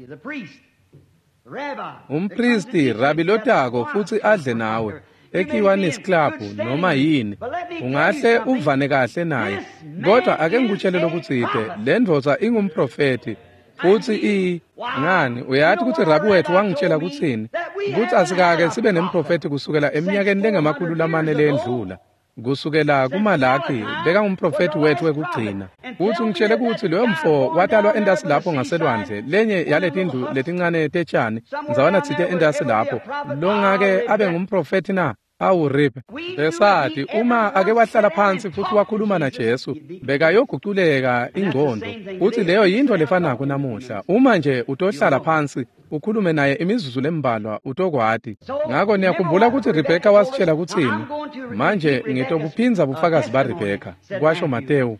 S1: umpristi Rabi lotako futsi adle nawe eKiwanis Club noma yini, ungahle uvane kahle naye, kodwa ake ngikutshele lokutsite, le ndvodza ingumprofethi futsi i ngani uyati kutsi Rabi wethu wangitshela kutsini, kutsi asikake sibe nemprofethi kusukela eminyakeni lengemakhulu lamane lendlula, kusukela kuMalaki bekangumprofethi wethu wekugcina. Futsi ungitshele kutsi loyo mfo watalwa entasi lapho ngaselwandle, lenye yaletindlu letincane tetshani ndzawana tsite entasi lapho, longake abe ngumprofethi na? Awu Rip, besati uma ake wahlala phansi futhi wakhuluma na Jesu bekayoguculeka ingqondo. Futhi leyo yinto lefanako namuhla, uma nje utohlala phansi ukhulume naye imizuzu lembalwa utokwati. Ngakho niyakhumbula ukuthi Rebheka wasitshela kutsini? Manje ngitobuphindza bufakazi baRebheka, kwasho Matewu.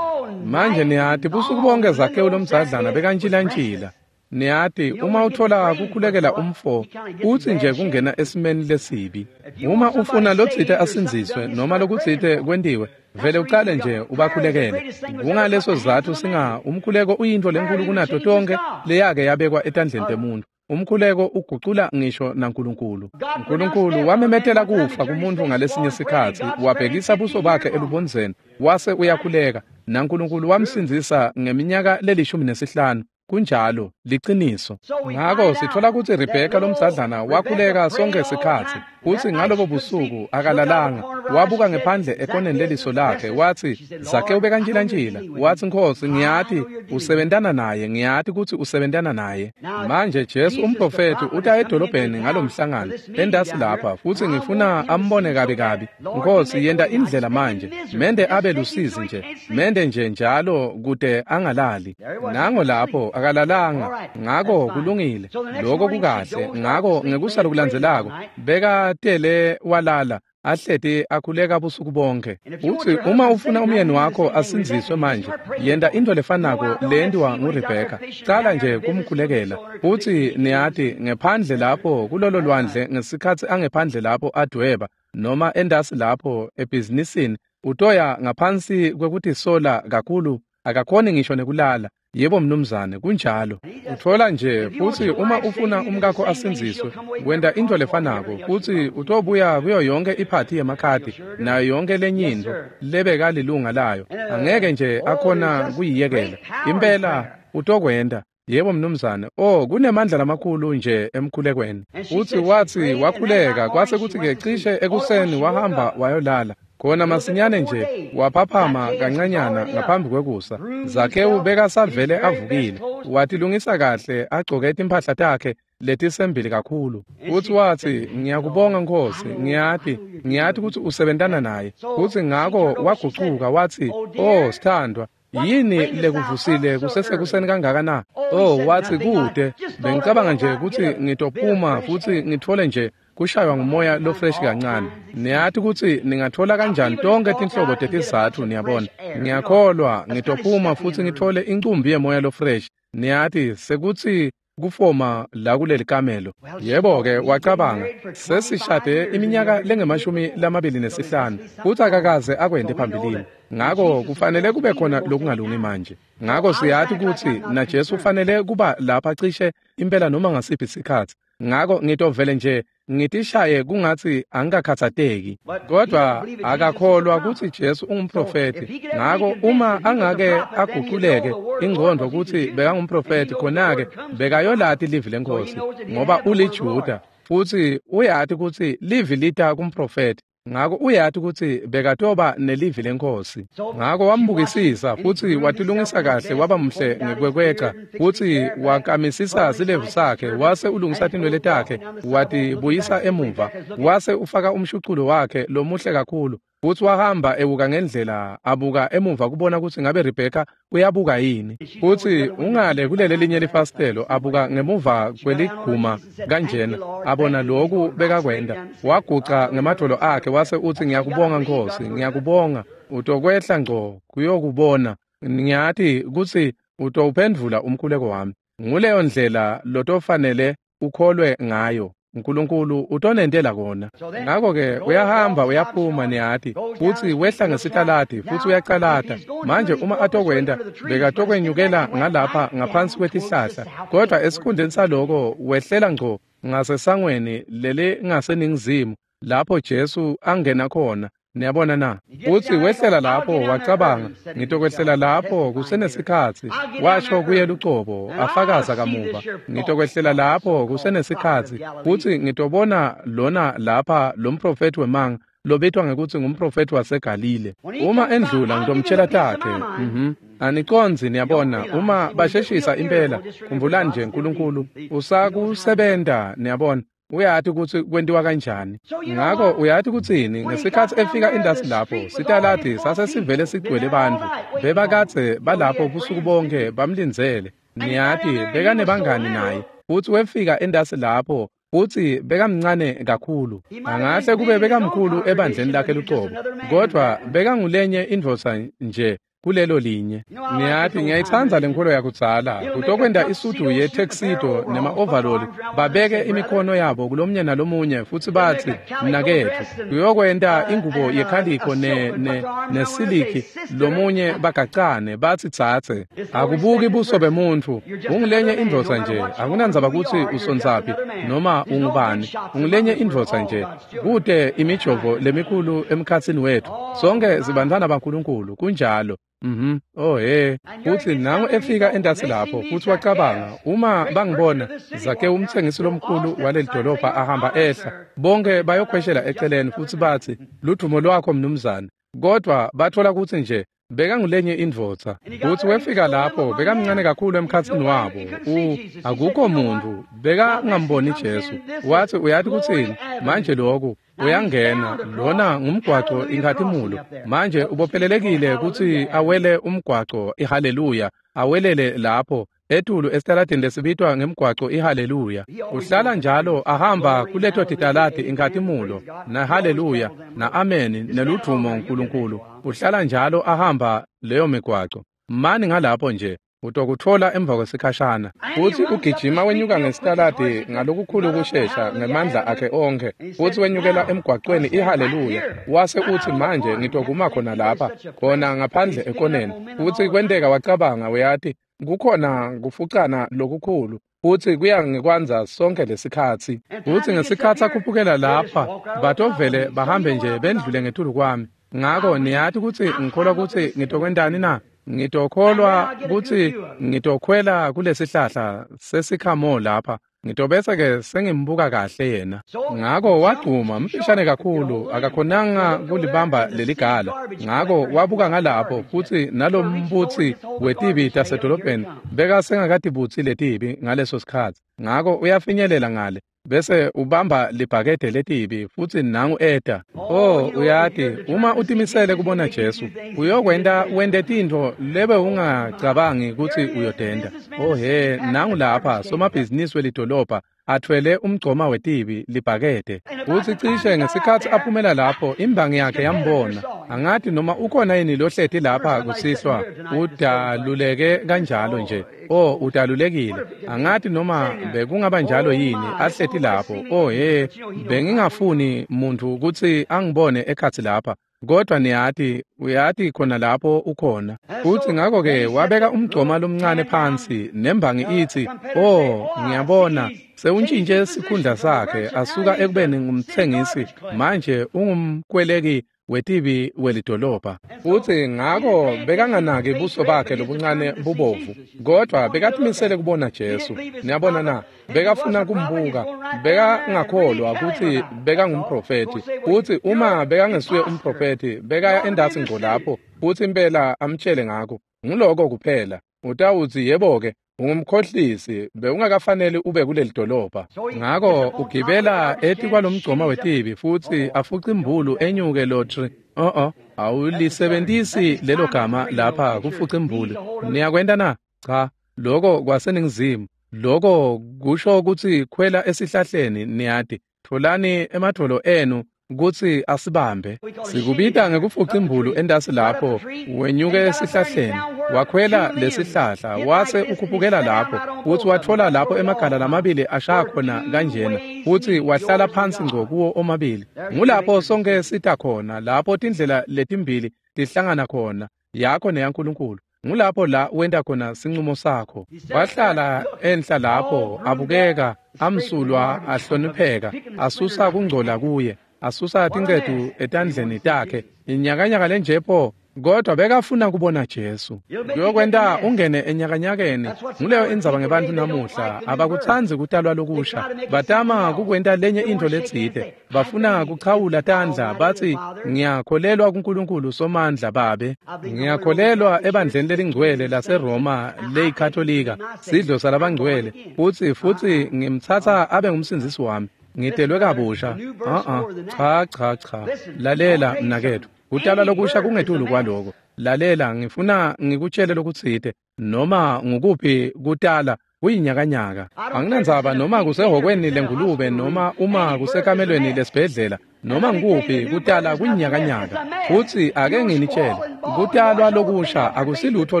S1: Manje niyati busuku bonke Zakewu lomzadlana bekantshilantshila. Niyati uma uthola kukhulekela umfo utsi nje kungena esimeni lesibi. Uma ufuna lotsite asindziswe noma lokutsite kwentiwe, vele ucale nje ubakhulekele. Kungaleso sizatfu singa umkhuleko uyintfo lenkulu kunato tonke leyake yabekwa etandleni temuntu. Umkhuleko ugucula ngisho naNkulunkulu. Nkulunkulu wamemetela kufa kumuntu ngalesinye sikhatsi, wabhekisa buso bakhe elubondzeni, wase uyakhuleka, naNkulunkulu wamsindzisa ngeminyaka lelishumi nesihlanu. Kunjalo, liciniso. Ngako sitfola kutsi Rebheka lomdzadlana wakhuleka sonke sikhatsi, futsi ngalobo busuku akalalanga. Wabuka ngephandle ekoneni leliso lakhe, watsi, Zakewu bekantjilantjila. Watsi, Nkhosi, ngiyati usebentana naye, ngiyati kutsi usebentana naye. Manje Jesu umprofethi uta edolobheni ngalomhlangano, entasi lapha, futsi ngifuna ambone kabi kabi. Nkhosi, yenta indlela manje, mende abe lusizi nje, mende nje njalo kute angalali. Nango lapho akalalanga. Ngako kulungile, lokho kukahle. Ngako ngekusa lokulandzelako bekatele walala, ahleti akhuleka busuku bonke. Utsi uma ufuna umyeni wakho asindziswe manje, yenta into lefanako leyentiwa nguRebheka. Cala nje kumkhulekela. Utsi niyati ngephandle lapho kulolo lwandle ngesikhatsi angephandle lapho adweba noma endasi lapho ebhizinisini, utoya ngaphansi kwekutisola kakhulu, akakhoni ngisho nekulala. Yebo mnumzane, kunjalo. Utfola nje, futsi uma ufuna umkakho asindziswe, wenta into lefanako, futsi utobuya kuyo yonke iphathi yemakhadi nayo yonke lenye intfo lebekalilunga layo. Angeke nje akhona kuyiyekela. Impela utokwenta. Yebo mnumzane. Oh, kunemandla lamakhulu nje emkhulekweni. Utsi watsi wakhuleka kwase kutsi-ke cishe ekuseni wahamba wayolala. Khona masinyane nje waphaphama kancanyana ngaphambi kwekusa. Zakewu bekasavele avukile, watilungisa kahle, agcoke timphahla takhe letisembili kakhulu. Utsi watsi, ngiyakubonga Nkhosi, ngiyati, ngiyati kutsi usebentana naye. Utsi ngako wagucuka watsi, oh sithandwa, yini lekuvusile kusesekuseni kangaka na? Oh, watsi kude, bengicabanga nje kutsi ngitophuma futsi ngitfole nje kushaywa ngumoya lofresh kancane. Niyati kutsi ningathola kanjani tonke tinhlobo tetizatfu, niyabona. Ngiyakholwa ngitophuma futsi ngitfole incumbi yemoya lofresh. Niyati sekutsi kufoma la kuleli kamelo. Yebo-ke wacabanga, sesishade iminyaka lengemashumi lamabili nesihlanu, futsi akakaze akwente phambilini. Ngako kufanele kube khona lokungalungi manje. Ngako siyati kutsi naJesu ufanele kuba lapha cishe impela noma ngasiphi sikhatsi. Ngako ngitovele nje ngitishaye kungatsi angikakhatsateki. Kodwa akakholwa kutsi Jesu ungumprofethi. Ngako uma angake aguculeke ingqondo kutsi bekangumprofethi, khona-ke bekayolati livi leNkhosi, ngoba uliJuda, futsi uyati kutsi livi lita kumprofethi. Ngako uyati kutsi bekatoba nelivi leNkhosi. Ngako wambukisisa futsi watilungisa kahle, waba muhle ngekwekweca, futsi wakamisisa silevu sakhe, wase ulungisa tinwele takhe, watibuyisa emuva, wase ufaka umshuculo wakhe lomuhle kakhulu, futsi wahamba ewuka ngendlela, abuka emuva kubona kutsi ngabe Rebheka uyabuka yini. Futsi ungale kulele linye lifasitelo, abuka ngemuva kweliguma kanjena, abona loku bekakwenta. Waguca ngemadvolo akhe wase utsi, ngiyakubonga Nkhosi, ngiyakubonga. Utokwehla ngco kuyokubona. Ngiyati kutsi utowuphendvula umkhuleko wami. Nguleyo ndlela lotofanele ukholwe ngayo. Nkulunkulu utonentela kona. Ngako-ke uyahamba uyaphuma, niyati, futsi wehla ngesitaladi futsi uyacalata. Manje uma atokwenta, bekatokwenyukela ngalapha ngaphansi kwetihlahla, kodwa esikhundleni saloko wehlela ngco ngasesangweni lelingaseningizimu lapho Jesu angena khona. Niyabona na? Utsi wehlela lapho wacabanga, ngitokwehlela lapho kusenesikhatsi. Washo kuye lucobo, afakaza kamuva, ngitokwehlela lapho kusenesikhatsi, futsi ngitobona lona lapha lo mprofethi wemanga lobitwa ngekutsi ngumprofethi waseGalile. Uma endlula ngitomtshela takhe. Mhm. Anicondzi, niyabona, uma basheshisa impela, khumbulani nje Nkulunkulu usakusebenta, niyabona. Uyati kutsi kwentiwa kanjani. Ngako uyati kutsini, ngesikhatsi efika indasi lapho, sitaladi sasesivele sigcwele bantfu. Bebakadze balapho busuku bonke bamlindzele. Niyati bekanebangani naye. Futsi wefika endasi lapho, futsi bekamncane kakhulu. Angahle kube bekamkhulu ebandleni lakhe lucobo, kodvwa bekangulenye indvodza nje kulelo linye. Niyati ngiyayitsandza lenkolo yakudzala kutokwenta isudu yetuxedo nema-overall babeke imikhono yabo kulomnye nalomunye futsi batsi mnaketfu. Kuyokwenta ingubo yekhalikho ne ne nesiliki lomunye bagacane batsi tsatse. Akubuki buso bemuntfu, ungulenye indvodza nje, akunandzaba kutsi usondzaphi noma ungubani, ungulenye indvodza nje. Kute imijovo lemikhulu emkhatsini wetfu, sonke sibantfwana baNkulunkulu, kunjalo. Mhm. Oh he, futsi nangu efika entasi lapho futsi wacabanga, uma bangibona Zakewu umtsengisi lomkhulu waleli dolobha ahamba ehla, bonke bayokhweshela eceleni futsi batsi ludvumo lwakho mnumzane. Kodwa bathola kutsi nje bekangulenye indvodza. Futsi wefika lapho bekamncane kakhulu emkhatsini wabo. U akukho muntu bekangamboni Jesu. Wathi uyati kutsini manje lokhu uyangena lona ngumgwaco inkhatimulo. Manje ubophelelekile kutsi awele umgwaco ihaleluya, awelele lapho etulu esitaladini lesibitwa ngemgwaco ihaleluya. Uhlala njalo ahamba kuleto titaladi inkhatimulo na haleluya na ameni neludvumo uNkulunkulu. Uhlala njalo ahamba leyo migwaco. Mani ngalapho nje utokutfola emva kwesikhashana. Futsi ugijima wenyuka ngesitaladi ngalokukhulu kushesha ngemandla akhe onkhe, futsi wenyukela emgwacweni ihaleluya. Wase utsi manje ngitokuma khona lapha, khona ngaphandle ekoneni. Futsi kwenteka wacabanga, uyati kukhona kufucana lokukhulu futsi kuya ngekwandza sonke lesikhatsi. Futsi ngesikhatsi akhuphukela lapha batovele bahambe nje bendlule ngetulu kwami. Ngako niyati kutsi ngikholwa kutsi ngitokwentani na? Ngitokholwa kutsi ngitokhwela kulesihlahla sesikhamo lapha, ngitobese-ke sengimbuka kahle yena. Ngako wagcuma mfishane kakhulu, akakhonanga kulibamba leligala. Ngako wabuka ngalapho futsi nalombutsi wetibi tasedolobheni bekasengakatibutsi letibi ngaleso sikhatsi. Ngako uyafinyelela ngale bese ubamba libhakede letibi futsi nangu eta. Oh uyati uma utimisele kubona Jesu uyokwenta wente tintfo lebe ungacabangi kutsi uyotenta. Oh he, nangu lapha somabhizinisi welidolobha athwele umgcoma wetibi libhakede. Futsi cishe ngesikhatsi aphumela lapho imbangi yakhe yambona. Angati noma ukhona yini lohleti lapha kusihlwa udaluleke kanjalo nje. Oh udalulekile. Angati noma bekungaba njalo yini ahleti lapho. Oh he, bengingafuni muntu kutsi angibone ekhatsi lapha. Kodwa niyati uyati khona lapho ukhona. Futsi ngako-ke wabeka umgcoma lomncane phansi nembangi itsi, oh ngiyabona sewuntshintshe sikhundla sakhe asuka ekubeni ngumtsengisi manje ungumkweleki wetibi welidolobha. Futsi ngako bekanganaki buso bakhe lobuncane bubovu, kodwa bekatimisele kubona Jesu. Niyabona na, bekafuna kumbuka, bekangakholwa kutsi bekangumprofethi. Futsi uma bekangesuye umprofethi bekaya endasi ngco lapho futsi impela amtshele ngako. Nguloko kuphela. Utawutsi yebo-ke ungumkhohlisi, bewungakafanele ube kuleli dolobha. Ngako ugibela etikwalomgcoma wetibi futsi afuce imbulu enyuke lotri. Oh oh, awulisebentisi lelo gama lapha kufuca imbulu. Niyakwenta na? Cha, loko kwaseningizimu. Loko kusho kutsi khwela esihlahleni niyati. Tfolani emadvolo enu kutsi asibambe. Sikubita ngekufuca imbulu entasi lapho wenyuke esihlahleni. Wakhwela lesihlahla wase ukhuphukela lapho futsi watfola lapho emagala lamabili ashaya khona kanjena futsi wahlala phansi ngco kuwo omabili. Ngulapho sonke sita khona, lapho tindlela letimbili tihlangana khona, yakho neyaNkulunkulu. Ngulapho la wenta khona sincumo sakho. Wahlala enhla lapho abukeka amsulwa ahlonipheka asusa kungcola kuye, asusa tincetu etandleni takhe. Inyakanyaka lenjepho, kodwa bekafuna kubona Jesu. Kuyokwenta ungene enyakanyakeni. Nguleyo indzaba ngebantfu namuhla, abakutsandzi kutalwa lokusha. Batama kukwenta lenye intfo letsite. Bafuna kuchawula tandla batsi ngiyakholelwa kuNkulunkulu Somandla Babe. Ngiyakholelwa ebandleni lelingcwele laseRoma leyikatolika, sidlo salabangcwele. Futsi futsi ngimtsatsa abe ngumsindzisi wami. Ngitelwe kabusha. Uh-uh. Cha cha cha. Lalela mnaketfu. Kutalwa lokusha kungetulu kwaloko. Lalela, ngifuna ngikutshele lokutsite. Noma ngukuphi kutala Kuyinyakanyaka. Anginandzaba noma kusehhokweni lengulube noma uma kusekamelweni lesibhedlela noma ngikuphi, kutala kuyinyakanyaka. Futsi ake nginitshele, kutalwa lokusha akusilutho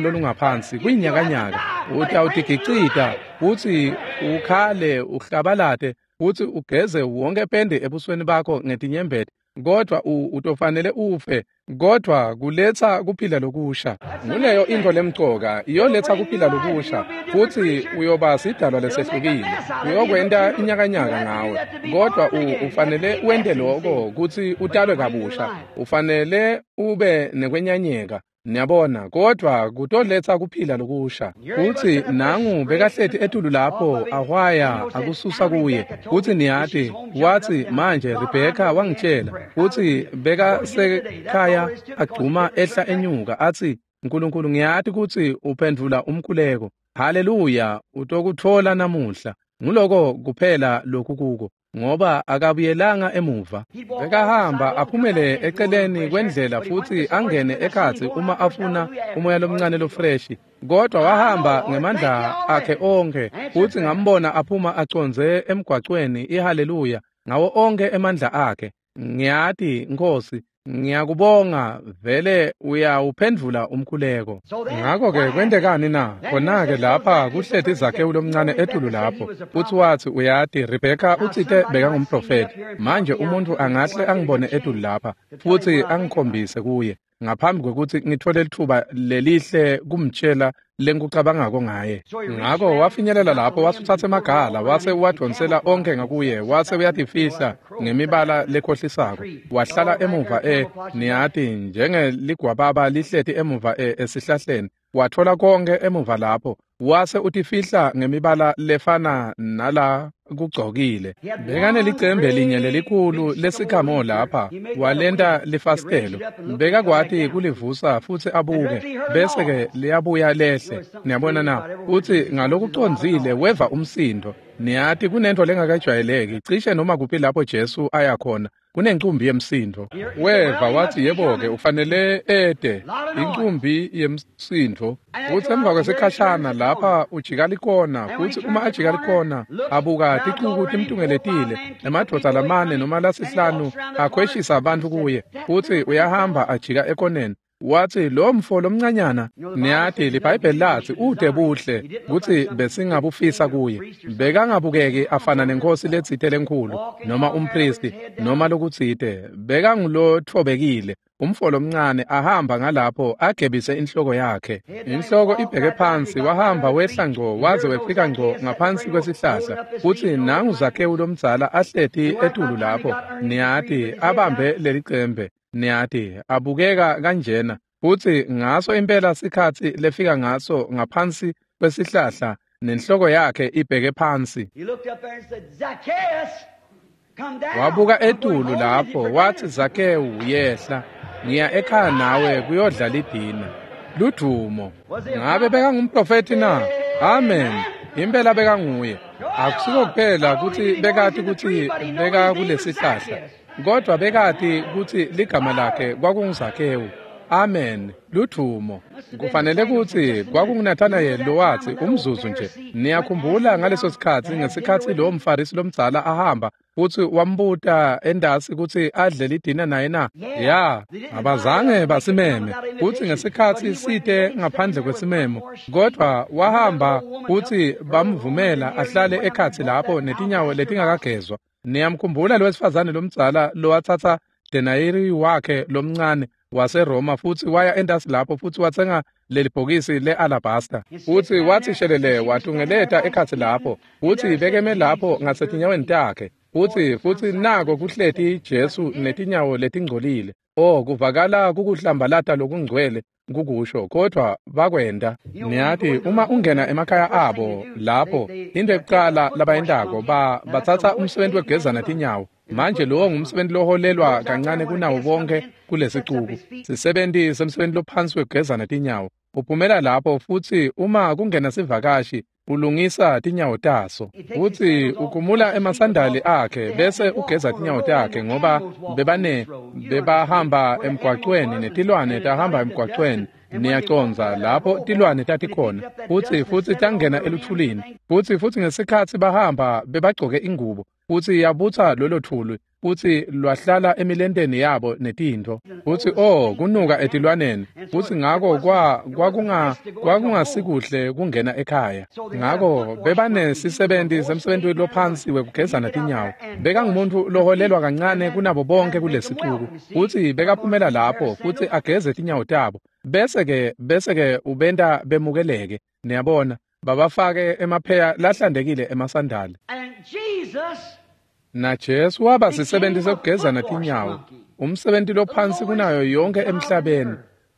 S1: lolungaphansi, kuyinyakanyaka. Utawutigicita futsi ukhale uhlabalate futsi ugeze wonke pende ebusweni bakho ngetinyembeti, kodwa utofanele ufe, kodwa kuletsa kuphila lokusha. Nguleyo intfo lemcoka, iyoletsa kuphila lokusha, futsi uyoba sidalwa lesehlukile. Uyokwenta inyakanyaka ngawe, kodwa ufanele wente lokho kutsi utalwe kabusha. Ufanele ube nekwenyanyeka, niyabona, kodwa kutoletsa kuphila lokusha. Futsi nangu bekahleti etulu lapho ahwaya akususa kuye. Futsi niyati, watsi manje Rebheka wangitshela, futsi bekasekhaya agcuma ehla enyuka atsi, Nkulunkulu ngiyati kutsi uphendvula umkhuleko. Haleluya, utokutfola namuhla. Nguloko kuphela lokhu kuko, ngoba akabuyelanga emuva. Bekahamba aphumele eceleni kwendlela futsi angene ekhatsi uma afuna umoya lomncane lofreshi, kodwa wahamba ngemandla akhe onkhe, futsi ngambona aphuma acondze emgwacweni ihaleluya ngawo onkhe emandla akhe. Ngiyati Nkosi, ngiyakubonga, vele uyawuphendvula umkhuleko. Ngakho-ke kwentekani na? Khona-ke lapha kuhleti Zakewu lomncane etulu lapho, futsi watsi uyati Rebheka utsite bekangumprofethi. Manje umuntu angahle angibone etulu lapha futsi angikhombise kuye ngaphambi kwekutsi ngithole litfuba lelihle kumtshela lengikucabangako ngaye. Ngako wafinyelela lapho, wasutsatsa emagala wase uwadvonsela onkhe ngakuye, wase uyatifihla ngemibala lekhohlisako. Wahlala emuva e niyati njengeligwababa lihleti emuva e esihlahleni. Wathola konke emuva lapho, wase utifihla ngemibala lefana nala kugcokile. Bekanelicembe linye lelikhulu lesikhamo lapha, walenta lifasitelo. Bekakwati kulivusa futsi abuke, bese-ke liyabuya lehle. Niyabona na? Utsi ngalokucondzile weva umsindo. Niyati kunento lengakajwayeleki, cishe noma kuphi lapho Jesu aya khona kunencumbi yemsindo. Weva watsi yebo-ke ufanele ete incumbi yemsindo. Futsi emva kwesikhashana lapha ujika likona, futsi uma ajika likona abuka ticuku timtungeletile, emadvodza lamane noma lasihlanu akhweshisa abantu kuye, futsi uyahamba ajika ekoneni. Watsi lo mfo lomncanyana, niyati liBhayibheli latsi ute buhle kutsi besingabufisa kuye. Bekangabukeki afana nenkosi letsite lenkhulu noma umpristi noma lokutsite. Bekangulotfobekile umfo lomncane ahamba ngalapho agebise inhloko yakhe. Inhloko ibheke phansi, wahamba wehla ngco waze wefika ngco ngaphansi kwesihlahla. Futsi nangu Zakewu lomdzala ahleti etulu lapho, niyati abambe lelicembe. Niyati abukeka kanjena, futsi ngaso impela sikhatsi lefika ngaso ngaphansi kwesihlahla nenhloko yakhe ibheke phansi. Wabuka etulu lapho watsi Zakewu yehla, ngiya ekhaya nawe kuyodla lidina. Ludumo. Ngabe bekangumprofethi na? Amen. Impela bekanguye. Akusiko kuphela kutsi bekati kutsi beka kulesihlahla, kodwa bekati kutsi ligama lakhe kwakunguZakewu. Amen. Ludumo. Kufanele kutsi kwakunguNathanayeli lowatsi umzuzu nje. Niyakhumbula ngaleso sikhatsi ngesikhatsi lo mfarisi lomdzala ahamba futsi wambuta endasi kutsi adle lidina naye na? Ya, abazange basimeme. Futsi ngesikhatsi site ngaphandle kwesimemo, kodwa wahamba futsi bamvumela ahlale ekhatsi lapho netinyawo letingakagezwa. Niyamkhumbula lowesifazane lomdzala lowatsatsa denayiri wakhe lomncane waseRoma futsi waya endasi lapho futsi watsenga leli bhokisi le-alabasta, futsi watsi shelele watungeleta ekhatsi lapho, futsi bekeme lapho ngasetinyaweni takhe, futsi futsi nako kuhleti Jesu netinyawo letingcolile. Oh, kuvakala kukuhlambalata lokungcwele kukusho, kodwa bakwenta. Niyati uma ungena emakhaya abo lapho, into ekucala labayentako ba batsatsa umsebenzi wekugezana tinyawo. Manje lowo ngumsebenzi loholelwa kancane kunawo bonke kulesicuku. Sisebenti semsebenzi lophansi wekugezana tinyawo. Uphumela lapho futsi uma kungena sivakashi ulungisa tinyawo taso. Futsi ukhumula emasandali akhe bese ugeza tinyawo takhe, ngoba bebane bebahamba emgwacweni netilwane tahamba emgwacweni Niyacondza lapho tilwane tatikhona futsi futsi tangena eluthulini futsi futsi ngesikhatsi bahamba bebagcoke ingubo futsi yabutsa lolo thuli futsi lwahlala emilenteni yabo netintfo futsi oh kunuka etilwaneni futsi ngako kwa kwakunga kwakungasikuhle kungena ekhaya. Ngako bebanesisebenti semsebenti lophansi wekugezana tinyawo. Bekangumuntu loholelwa kancane kunabo bonke kulesixuku futsi bekaphumela lapho futsi ageze tinyawo tabo bese-ke bese-ke ubenta bemukeleke. Niyabona babafake emapheya lahlantekile emasandali. Na Jesu waba sisebenti sekugezana tinyawo, umsebenti lophansi kunayo yonke emhlabeni.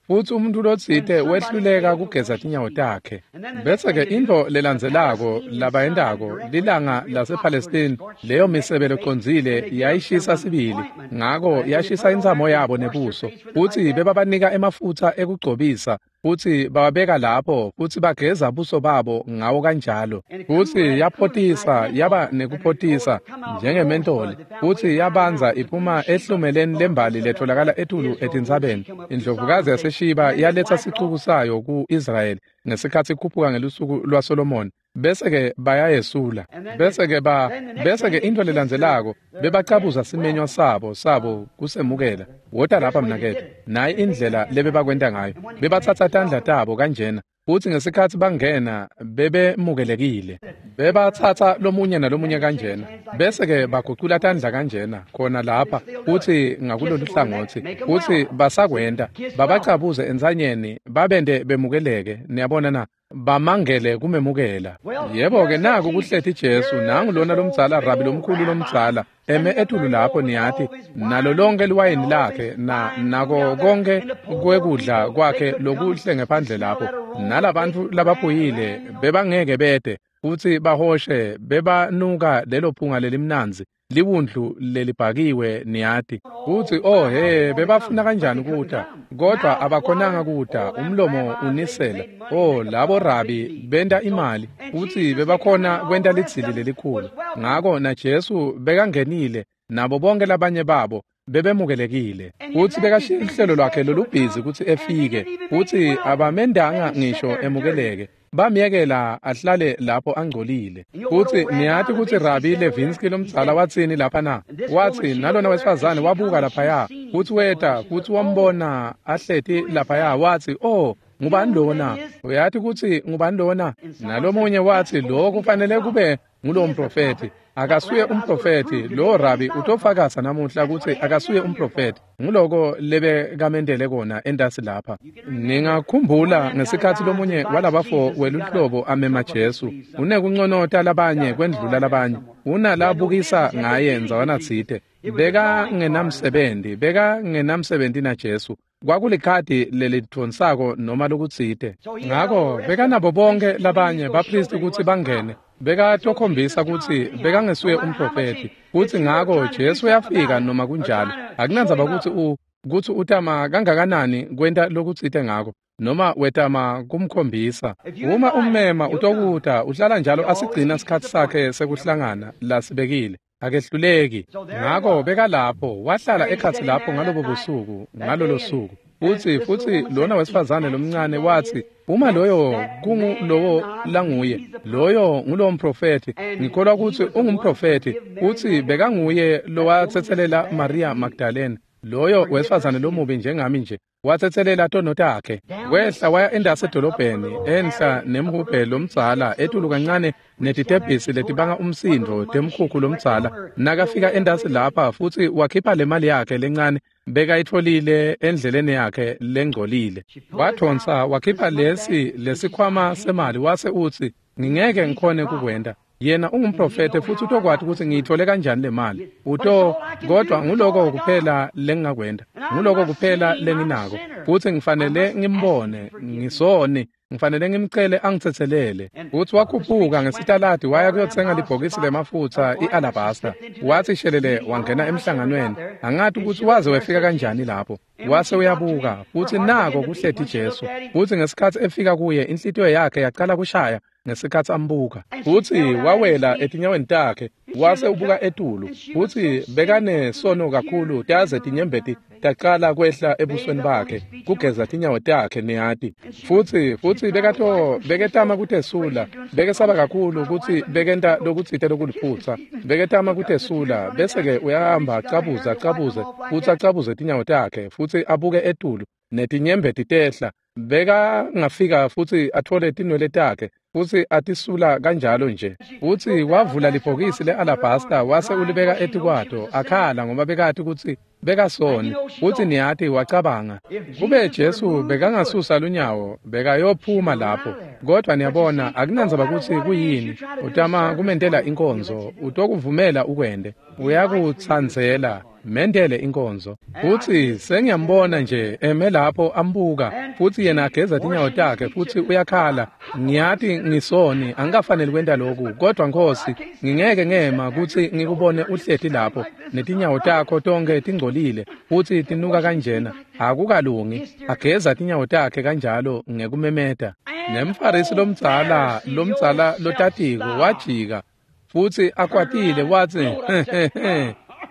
S1: Futsi umuntu lotsite wehluleka kugeza tinyawo takhe. Bese-ke intfo lelandzelako labayentako lilanga lasePalestine, leyo misebe lecondzile yayishisa sibili, ngako yashisa intsamo yabo nebuso. Futsi bebabanika emafutsa ekugcobisa futsi bababeka lapho futsi bageza buso babo ngawo kanjalo. Futsi yaphotisa yaba nekuphotisa njengementoli futsi yabanza iphuma ehlumeleni lembali letholakala etulu etintsabeni. Indlovukazi yaseShiba yaletsa sicuku sayo ku-Israyeli ngesikhatsi ikhuphuka ngelusuku lwaSolomoni. Bese-ke bayayesula. Bese-ke ba bese-ke intfo lelandzelako bebacabuza simenywa sabo sabo kusemukela. Wota lapha mnaketfu. Nayi indlela lebebakwenta ngayo. Bebatsatsa tandla tabo kanjena futsi ngesikhatsi bangena bebemukelekile. Bebatsatsa lomunye nalomunye kanjena. Bese-ke bagucula tandla kanjena khona lapha futsi ngakulolu hlangotsi futsi basakwenta. Babacabuze entsanyeni babente bemukeleke. Niyabona na? Bamangele kumemukela. Yebo-ke naku kuhleti Jesu, nangu lona lomdzala rabi lomkhulu lomdzala eme etulu lapho niyati nalo lonke liwayini lakhe na nako konke kwekudla kwakhe lokuhle ngephandle lapho nalabantfu labaphuyile bebangeke bete futsi bahoshe bebanuka lelo phunga lelimnandzi liwundlu lelibhakiwe niyati. Futsi oh he bebafuna kanjani kuta kodwa abakhonanga kuta, umlomo unisela. Oh labo rabi benta imali futsi bebakhona kwenta lidzili lelikhulu. Ngako na Jesu bekangenile nabo bonke labanye babo bebemukelekile futsi bekashiya luhlelo lwakhe lolubhizi kutsi efike futsi abamendanga ngisho emukeleke. Bamyekela ahlale lapho angcolile. Futsi niyati kutsi Rabi Levinsky lomdzala watsini lapha na? Watsi nalona wesifazane wabuka laphaya futsi weta futsi wambona ahleti laphaya watsi oh ngubani lona? Uyati kutsi ngubani lona? Nalomunye watsi lo kufanele kube ngulo mprofethi. Akasuye umprofethi lo rabi utofakaza namuhla kutsi akasuye umprofethi. Nguloko lebekamendele kona entasi lapha. Ningakhumbula ngesikhatsi lomunye walabafo weluhlobo amema Jesu unekunconota labanye kwendlula labanye unalabukisa ngaye ndzawana tsite. Bekangenamsebenzi bekangenamsebenzi na Jesu. Kwakulikhadi lelidvonsako noma lokutsite. Ngako bekanabo bonke labanye bapristi kutsi bangene. Bekatokhombisa kutsi bekangesuye umprofethi. Futsi ngako Jesu uyafika noma kunjalo. Akunandzaba kutsi u kutsi utama kangakanani kwenta lokutsite ngako noma wetama kumkhombisa. Uma ummema utokuta uhlala njalo asigcina sikhatsi sakhe sekuhlangana lasibekile. Akehluleki. Ngako bekalapho wahlala ekhatsi lapho ngalobo busuku ngalolo suku. Futsi futsi lona wesifazane lomncane watsi uma loyo kungulowo languye loyo ngulowo mprofethi ngikholwa kutsi ungumprofethi. Utsi bekanguye lowatsetselela Maria Magdalene loyo wesifazane lomubi njengami nje watsetselela tono takhe. Wehla waya endasi edolobheni enhla nemhubhe lomdzala etulu kancane netitebhisi letibanga umsindvo temkhukhu lomdzala. Nakafika endasi lapha futsi wakhipha le mali yakhe lencane bekayitfolile endleleni yakhe lengcolile. Wathonsa wakhipha lesi lesikhwama semali wase utsi ngingeke ngikhone kukwenta. Yena ungumprofethe futsi utokwati kutsi ngiyithole kanjani le mali. Uto kodwa nguloko kuphela lengingakwenta. Nguloko kuphela lenginako. Futsi ngifanele ngimbone ngisone ngifanele ngimcele angitsetselele. Futsi wakhuphuka ngesitaladi waya kuyotsenga libhokisi lemafutsa i-alabasta. Watsi shelele wangena emhlanganweni. Angati kutsi waze wefika kanjani lapho. Wase uyabuka futsi nako kuhleti Jesu. Futsi ngesikhatsi efika kuye inhlitiyo yakhe yaqala kushaya ngesikhatsi ambuka. Futsi wawela etinyaweni takhe wase ubuka etulu. Futsi bekanesono kakhulu taze tinyembeti tacala kwehla ebusweni bakhe kugeza tinyawo takhe niyati. Futsi futsi bekato beketama kutesula, bekesaba kakhulu kutsi bekenta lokutsite lokuliphutsa. Beketama kutesula bese ke uyahamba acabuze acabuze futsi acabuze tinyawo takhe futsi abuke etulu netinyembeti tehla. Beka ngafika futsi athole tinwele takhe futsi atisula kanjalo nje. Futsi wavula libhokisi le-alabasta wase ulibeka etikwato akhala ngoba bekati kutsi bekasoni. Futsi niyati wacabanga kube Jesu bekangasusa lunyawo bekayophuma lapho. Kodwa niyabona akunandzaba kutsi kuyini, utama kumentela inkonzo, utokuvumela ukwende, uyakutsandzela mendele inkonzo. Futsi sengiyambona nje eme lapho ambuka futsi yena ageza tinyawo takhe futsi uyakhala, ngiyati ngisoni angikafaneli kwenta lokhu, kodwa Nkosi ngingeke ngema kutsi ngikubone uhleti lapho netinyawo takho tonke tingcolile futsi tinuka kanjena, akukalungi. Ageza tinyawo takhe kanjalo ngekumemeta. Nemfarisi lomdzala lomdzala lotatiko wajika futsi akwatile watsi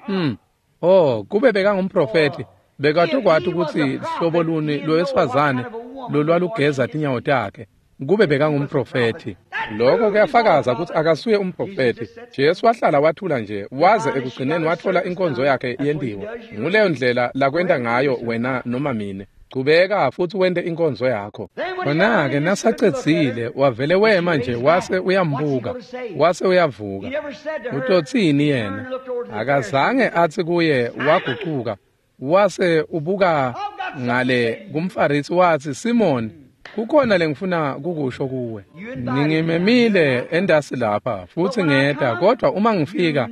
S1: hmm Oh, kube bekangumprofeti bekatokwati kutsi hlobo luni lowesifazane lolwalugeza tinyawo takhe. Kube bekangumprofeti. Lokho kuyafakaza kutsi akasuye umprofeti. Jesu wahlala wathula nje waze ekugcineni wathola inkonzo yakhe yentiwa. Nguleyo ndlela lakwenta ngayo wena noma mine. Chubeka futsi wente inkonzo yakho. Khona-ke nasacedzile wavele wema nje wase uyambuka wase uyavuka. Utotsini yena? Akazange atsi kuye wagucuka wase ubuka ngale kumfarisi watsi, Simoni, kukhona lengifuna kukusho kuwe. Ningimemile endasi lapha futsi ngeta, kodwa uma ngifika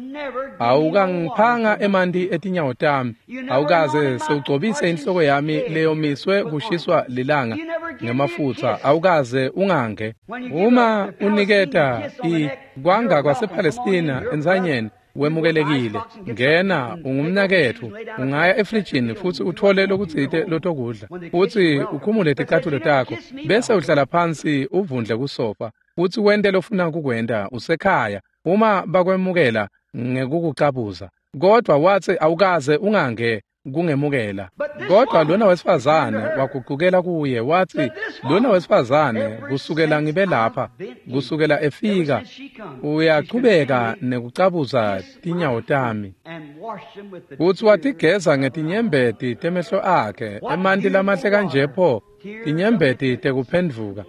S1: awukangiphanga emanti etinyawo tami, awukaze sewugcobise inhloko yami leyomiswe kushiswa lilanga ngemafutsa, awukaze ungange. Uma uniketa i kwanga kwasePalestina entsanyeni wemukelekile, ngena ungumnaketfu, ungaya efrijini futsi uthole lokutsite lotokudla futsi ukhumule ticatfulo takho bese uhlala phansi uvundle kusofa futsi wente lofuna kukwenta usekhaya uma bakwemukela ngekukucabuza. Kodwa watsi awukaze ungange kungemukela. Kodwa lona wesifazane wagucukela kuye watsi, lona wesifazane kusukela ngibe lapha, kusukela efika, uyachubeka nekucabuza tinyawo tami. Futsi watigeza ngetinyembeti temehlo akhe, emanti lamahle kanje pho, tinyembeti tekuphendvuka,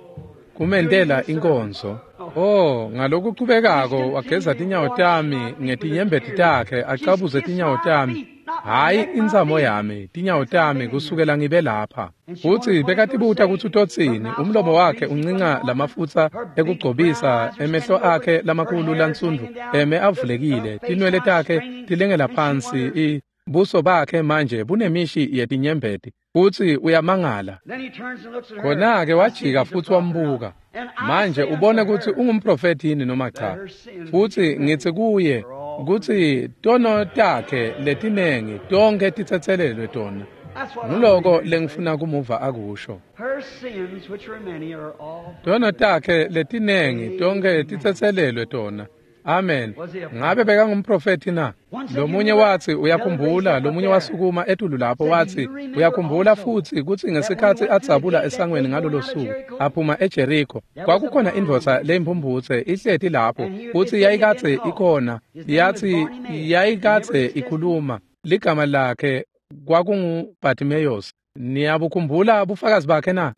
S1: kumentela inkonzo. Oh, ngalokuchubekako wageza tinyawo tami ngetinyembeti takhe, acabuze tinyawo tami. Hayi intsamo yami, tinyawo tami kusukela ngibe lapha. Futsi bekatibuta kutsi utotsini, umlomo wakhe uncinca lamafutsa ekugcobisa, emehlo akhe lamakhulu lansundvu eme avulekile, tinwele takhe tilengela phansi, buso bakhe manje bunemishi yetinyembeti futsi uyamangala. Khona-ke wajika futsi wambuka. Manje ubone kutsi ungumprofeti yini noma cha. Futsi ngitsi kuye kutsi tono takhe letinengi tonke titsetselelwe tona. Nguloko lengifuna kumuva akusho. Tono takhe letinengi tonke titsetselelwe tona. Amen. Ngabe bekangumprofeti na? Lomunye watsi uyakhumbula, lomunye wasukuma etulu lapho watsi uyakhumbula futsi kutsi ngesikhatsi adzabula esangweni ngalolo suku aphuma eJeriko kwakukhona indvodza leyimphumphutse ihleti lapho futsi yayikadze ikhona, yathi yayikadze ikhuluma, ligama lakhe kwakunguBartimaeus. Niyabukhumbula bufakazi bakhe na?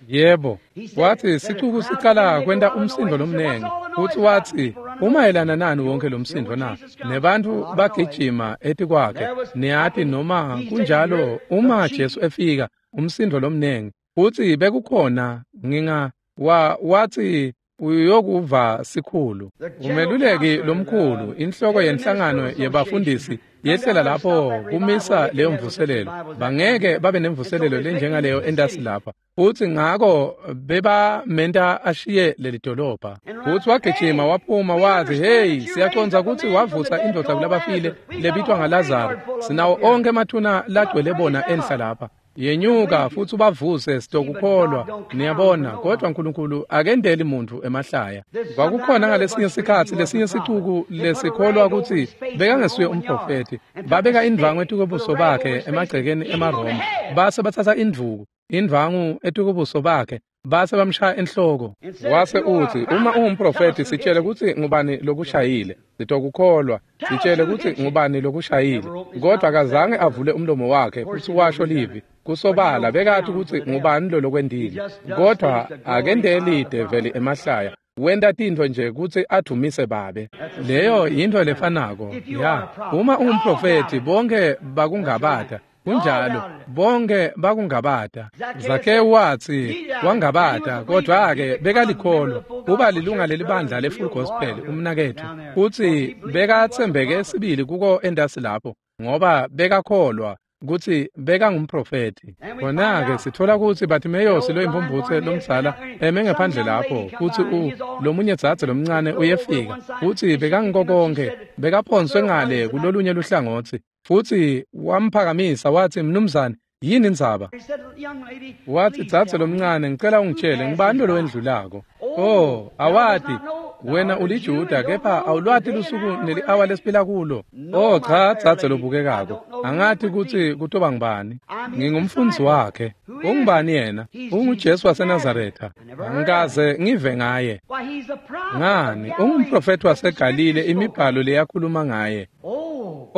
S1: Yebo. Wathi sicuku sicala kwenta umsindo lomnengi futsi watsi umayelana nani wonke lo msindo na? Nebantu bagijima etikwakhe. Niyati noma kunjalo uma Jesu efika umsindo lomnengi futsi bekukhona nginga wa wathi uyokuva sikhulu. Umeluleki lomkhulu, inhloko yenhlangano yebafundisi yehlela lapho kumisa leyo mvuselelo. Bangeke babe nemvuselelo lenjengaleyo entasi lapha. Futsi ngako bebamenta ashiye leli dolobha. Futsi wagijima waphuma wathi, hey, siyacondza kutsi wavusa indvodza kulabafile lebitwa ngaLazaro. Sinawo onke emathuna lagcwele bona enhla lapha. Yenyuka futsi ubavuse sitokukholwa. Niyabona, kodwa Nkulunkulu akendeli muntfu emahlaya. Kwakukhona ngalesinye sikhatsi lesinye sicuku lesikholwa kutsi bekangesuye umprofethi. Babeka indvwangu etukobuso bakhe emagcekeni emaRoma. Base batsatsa indvuku, indvwangu etukobuso bakhe, base bamshaya enhloko. Wase utsi, uma ungumprofethi sitshele kutsi ngubani lokushayile. Sitokukholwa, sitshele kutsi ngubani lokushayile. Kodwa akazange avule umlomo wakhe futsi washo livi. Kusobala bekati kutsi ngubani lo lokwendile. Kodwa akendeli develi emahlaya. Wenta tintfo nje kutsi adumise babe. Leyo yintfo lefanako. Ya, uma ungumprofethi bonke bakungabata. Kunjalo, bonke bakungabata. Zakewu watsi wangabata, kodwa-ke bekalikholwa. Uba lilunga lelibandla le-Full Gospel umnaketfu, futsi bekatsembeke sibili kuko entasi lapho, ngoba bekakholwa kutsi bekangumprofethi. Khona-ke sitfola kutsi Bartimeyosi loyimphumphutse lomdzala eme ngephandle lapho, futsi u lomunye dzadze lomncane uyefika, futsi bekangiko konkhe, bekaphonswe ngale kulolunye luhlangotsi. Futsi wamphakamisa watsi, mnumzane, yini indzaba? Watsi, dzadze lomncane, ngicela ungitshele, ngubani lo lowendlulako? Oh, awati, wena uliJuda, kepha awulwati lusuku neli-awa lesiphila kulo. Oh, cha, dzadze lobukekako, angati kutsi kutoba ngubani. Ngingumfundzi wakhe. Ungubani yena? UnguJesu waseNazaretha. Angikaze ngive ngaye. Ngani, ungumprofethi waseGalile, imibhalo leyakhuluma ngaye.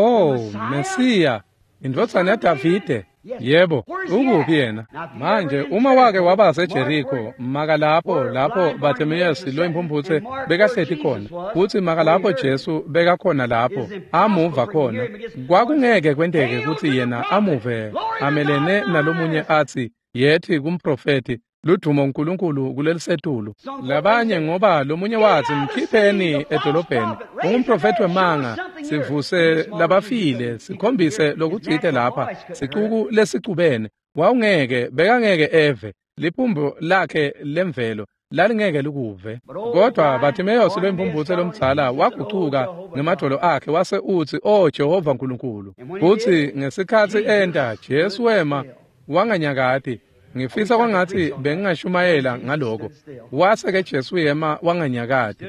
S1: Oh, Mesiya, indvodzana yaDavide. Yebo, ukuphi yena? Manje uma wake waba seJeriko, maka lapho lapho Bartimeyosi loyimphumphutse bekahleti khona, futsi maka lapho Jesu bekakhona lapho, amuva khona. Kwakungeke kwenteke kutsi yena amuve amelene nalomunye atsi, yethi kumprofethi, ludumo uNkulunkulu kulelisetulu. Labanye ngoba lomunye watsi, mkhipheni edolobheni, ungumprofethi wemanga, sivuse labafile, sikhombise lokutsite lapha, sicuku lesicubene. Wawungeke, bekangeke eve, liphumbo lakhe lemvelo lalingeke likuve. Kodwa Bartimeyosi loyimphumphutse lomdzala wagucuka ngemadvolo akhe wase utsi, "Oh Jehova Nkulunkulu." Futsi ngesikhatsi enta, Jesu wema wanganyakati. Ngifisa kwangatsi bengingashumayela ngaloko. Wase-ke Jesu yema wanganyakati.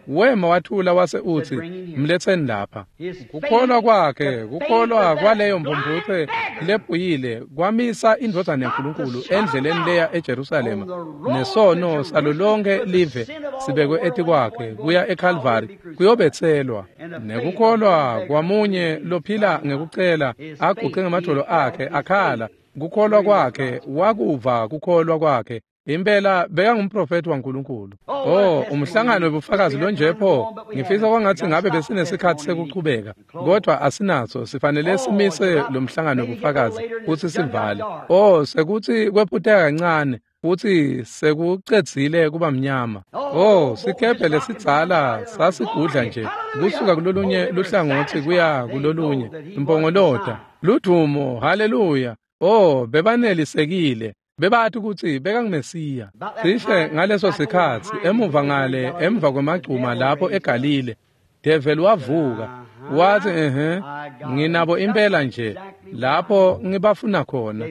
S1: Wema wathula wase utsi, mletseni lapha. Kukholwa kwakhe, kukholwa kwaleyo mphumphutse lephuyile kwamisa indvodzana yaNkulunkulu endleleni leya eJerusalema, nesono salo lonke live sibekwe etikwakhe kuya eKalvari kuyobetselwa. Nekukholwa kwamunye lophila ngekucela aguce ngemadvolo akhe akhala, kukholwa kwakhe wakuva kukholwa kwakhe. Impela bekangumprofethi waNkulunkulu. Oh, umhlangano webufakazi lonje pho. Ngifisa kwangatsi ngabe besinesikhatsi sekuchubeka, kodwa asinaso. Sifanele simise lo mhlangano webufakazi futsi sivale. Oh, sekutsi kwephuteka kancane futsi sekucedzile kuba mnyama. Oh, sikebhe lesidzala sasigudla nje kusuka kulolunye luhlangotsi kuya kulolunye. Impongolota, ludumo, haleluya. Oh, bebanelisekile. Bebathi kutsi bekangumesiya. Cishe ngaleso sikhatsi emuva ngale emva kwemagcuma lapho eGalile, Devil wavuka wathi, ehhe, nginabo impela nje lapho ngibafuna khona.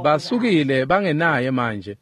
S1: Basukile bangenaye manje.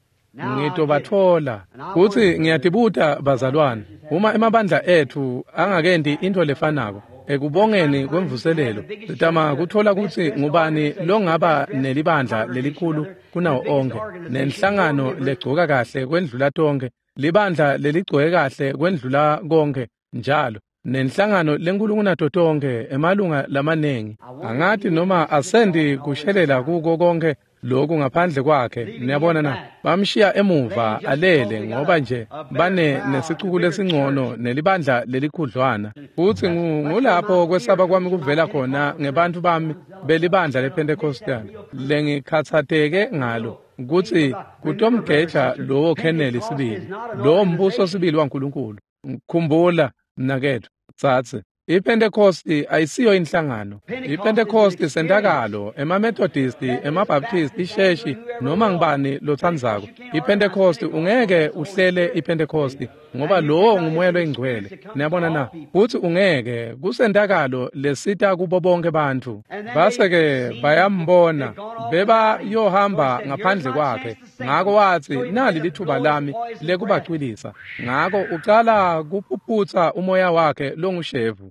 S1: Ngitobatfola. Kutsi ngiyatibuta bazalwane, uma emabandla etfu angakenti intfo lefanako ekubongeni kwemvuselelo, sitama kutfola kutsi ngubani longaba nelibandla lelikhulu kunawo onkhe, nenhlangano legcoka kahle kwendlula tonkhe, libandla leligcoke kahle kwendlula konkhe njalo, nenhlangano lenkulu kunato tonkhe, emalunga lamanengi. Angati noma asendi kushelela kuko konke lokhu ngaphandle kwakhe. Niyabona na, bamshiya emuva alele ngoba nje bane nesicuku lesingcono nelibandla lelikhudlwana. Futsi ngulapho kwesaba kwami kuvela khona ngebantfu bami belibandla lePentecostal lengikhatsateke ngalo, kutsi kutomgeja lowo kheneli sibili, lowo mbuso sibili waNkulunkulu. Khumbula mnaketfu, tsatse IPentecosti ayisiyo inhlangano. IPentecosti sentakalo, emaMethodisti, emaBaptisti, isheshi, noma ngibani lotsandzako. IPentecosti ungeke uhlele iPentecosti ngoba lowo ngumoya loyingcwele. Niyabona na? Futhi ungeke kusentakalo lesita kubo bonke bantfu. Base-ke bayambona beba yohamba ngaphandle kwakhe. Ngako wathi nali lithuba lami lekubacwilisa. Ngako ucala kuphuphutsa umoya wakhe longushevu.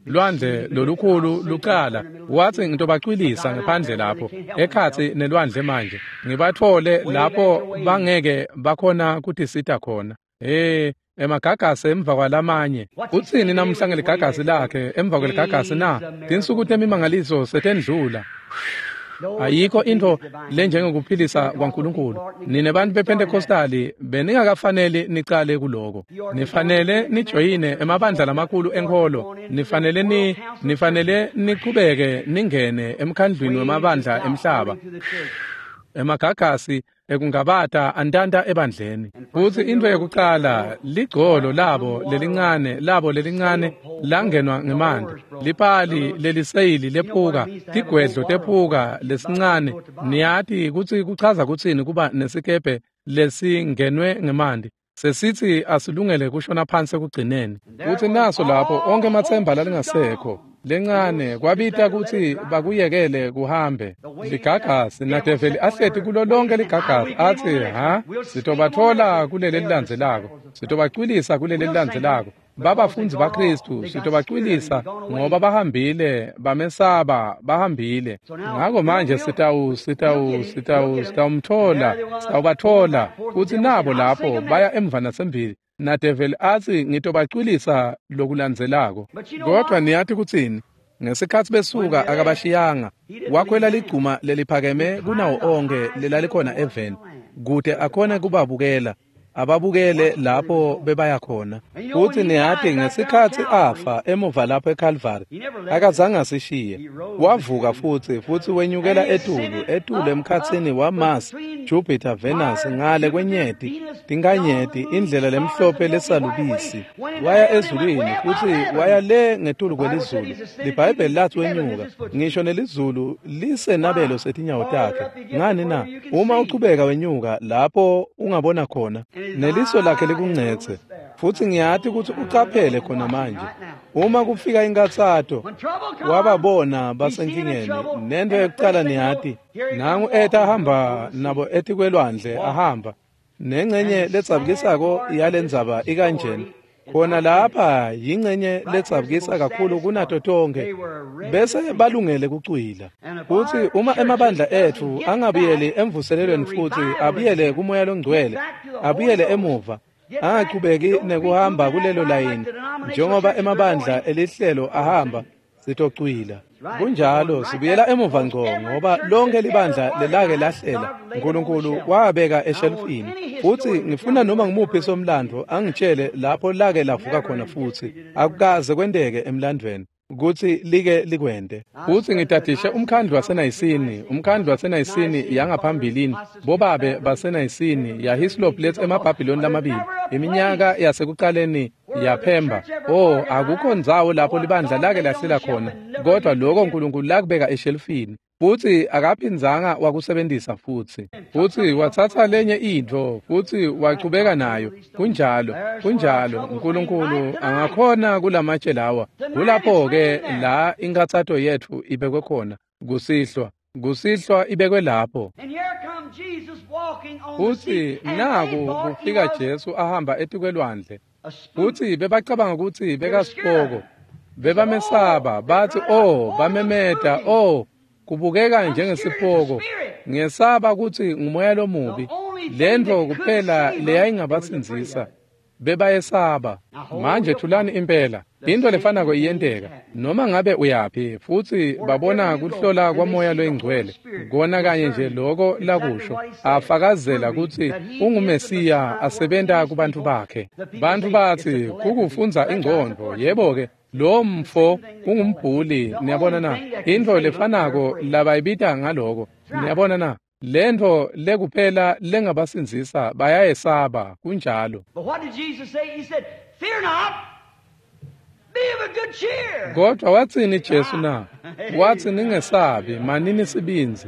S1: Lwandle lolukhulu lucala wathi ngitobacwilisa ngaphandle lapho ekhatsi nelwandle manje ngibathole lapho bangeke bakhona kutisita khona. Eh emagagasi emva kwalamanye utsini namhla ngeligagasi lakhe emva kweligagasi na tinsuku temimangaliso setendlula. Ayikho into lenjengokuphilisa kwaNkulunkulu. Nine bantu bePentecostali beningakafanele nicale kuloko. Nifanele nijoyine emabandla lamakhulu enkholo. Nifanele ni nifanele niqhubeke ningene emkhandlwini wemabandla emhlaba. Emagagasi ekungabata antanta ebandleni. Futhi into yokuqala ligcolo labo lelincane labo lelincane langenwa ngemanti. Lipali leliseyili lephuka, tigwedlo tephuka lesincane. Niyati kutsi kuchaza kutsini kuba nesikebhe lesingenwe ngemanti. Sesithi asilungele kushona phansi ekugcineni. Futhi naso lapho onke amatsemba lalingasekho. Lencane kwabita kutsi bakuyekele kuhambe. Ligagasi nadeveli ahleti kulo lonke ligagasi athi ha sitobathola kuleli lilandzelako, sitobacwilisa kuleli lilandzelako. Babafundzi baKristu sitobacwilisa ngoba bahambile, bamesaba, bahambile. Ngako manje sitawu sitawu sitawu sitawumthola, sitawubathola futhi nabo lapho baya emva nasembili. Nadeveli athi ngitobacwilisa lokulandzelako. Kodwa niyathi kutsini? Ngesikhatsi besuka akabashiyanga. Wakhwela ligcuma leliphakeme kunawo onke lelalikhona eveni kute akhone kubabukela. Ababukele lapho bebaya khona. Futhi niyati ngesikhatsi afa emuva lapho eCalvary akazange asishiye. Wavuka futhi futhi wenyukela etulu etulu emkhatsini wa Mars, Jupiter, Venus ngale kwenyeti tinkanyeti indlela lemhlophe lesalubisi. Waya ezulwini futhi waya le ngetulu kwelizulu. LiBhayibheli lathi wenyuka ngisho nelizulu lisenabelo setinyawo takhe. Ngani na? Uma uchubeka wenyuka lapho ungabona khona neliso lakhe likungcetse. Futhi ngiyati ukuthi ucaphele khona manje. Uma kufika inkatsato wababona basenkingeni nento yokucala niyati nangu eta ahamba nabo etikwelwandle ahamba nengcenye letsabukisako yalendzaba ikanjena. Khona lapha yingcenye letsabukisa kakhulu kunato tonke bese balungele kucwila. Futhi uma emabandla ethu angabuyeli emvuselelweni futhi abuyele kumoya longcwele, abuyele emuva, angachubeki nekuhamba kulelo layini njengoba emabandla elihlelo ahamba, sitocwila. Kunjalo sibuyela emuva ngco ngoba lonke libandla lelake lahlela uNkulunkulu wabeka eshelfini. Futhi ngifuna noma ngimuphi somlando angitshele lapho lake lavuka khona futhi akukaze kwenteke emlandweni kutsi like likwente. Futhi ngitadishe umkhandlu waseNayisini, umkhandlu waseNayisini yangaphambilini, bobabe baseNayisini yaHislop lethe emaBhabhiloni lamabili, iminyaka yasekuqaleni yaphemba. Oh, akukho ndzawo lapho libandla lake lahlela khona, kodwa lokho uNkulunkulu lakubeka eshelfini. Futhi akaphindzanga wakusebenzisa futhi. Futhi wathatha lenye intfo futhi wachubeka nayo. Kunjalo, kunjalo uNkulunkulu angakhona kulamatshe lawa. Kulapho ke la inkathato yethu ibekwe khona kusihlwa. Kusihlwa ibekwe lapho. Futhi naku kufika Jesu ahamba etikwelwandle. Futhi bebacabanga ukuthi bekasipoko. Bebamesaba bathi oh, bamemeta oh, kubukeka njengesipoko. Ngesaba ukuthi ngumoya lomubi. Lento kuphela leyayingabasindzisa. Bebayesaba. Manje thulani impela. Into lefanako iyenteka noma ngabe uyaphi futhi babona kuhlola kwamoya loyingcwele kona kanye nje lokho lakusho afakazela ukuthi unguMesiya asebenta kubantu bakhe. Bantu bathi kukufunza ingqondo, yebo ke lo mfo ungumbhuli. Niyabona na? Into lefanako labayibita ngaloko. Niyabona na? Lento lekuphela lengabasindzisa bayayesaba. Kunjalo.
S2: But what did Jesus say? He said, "Fear not,
S1: Kodwa watsini Jesu na? Watsi ningesabi, manini sibindzi.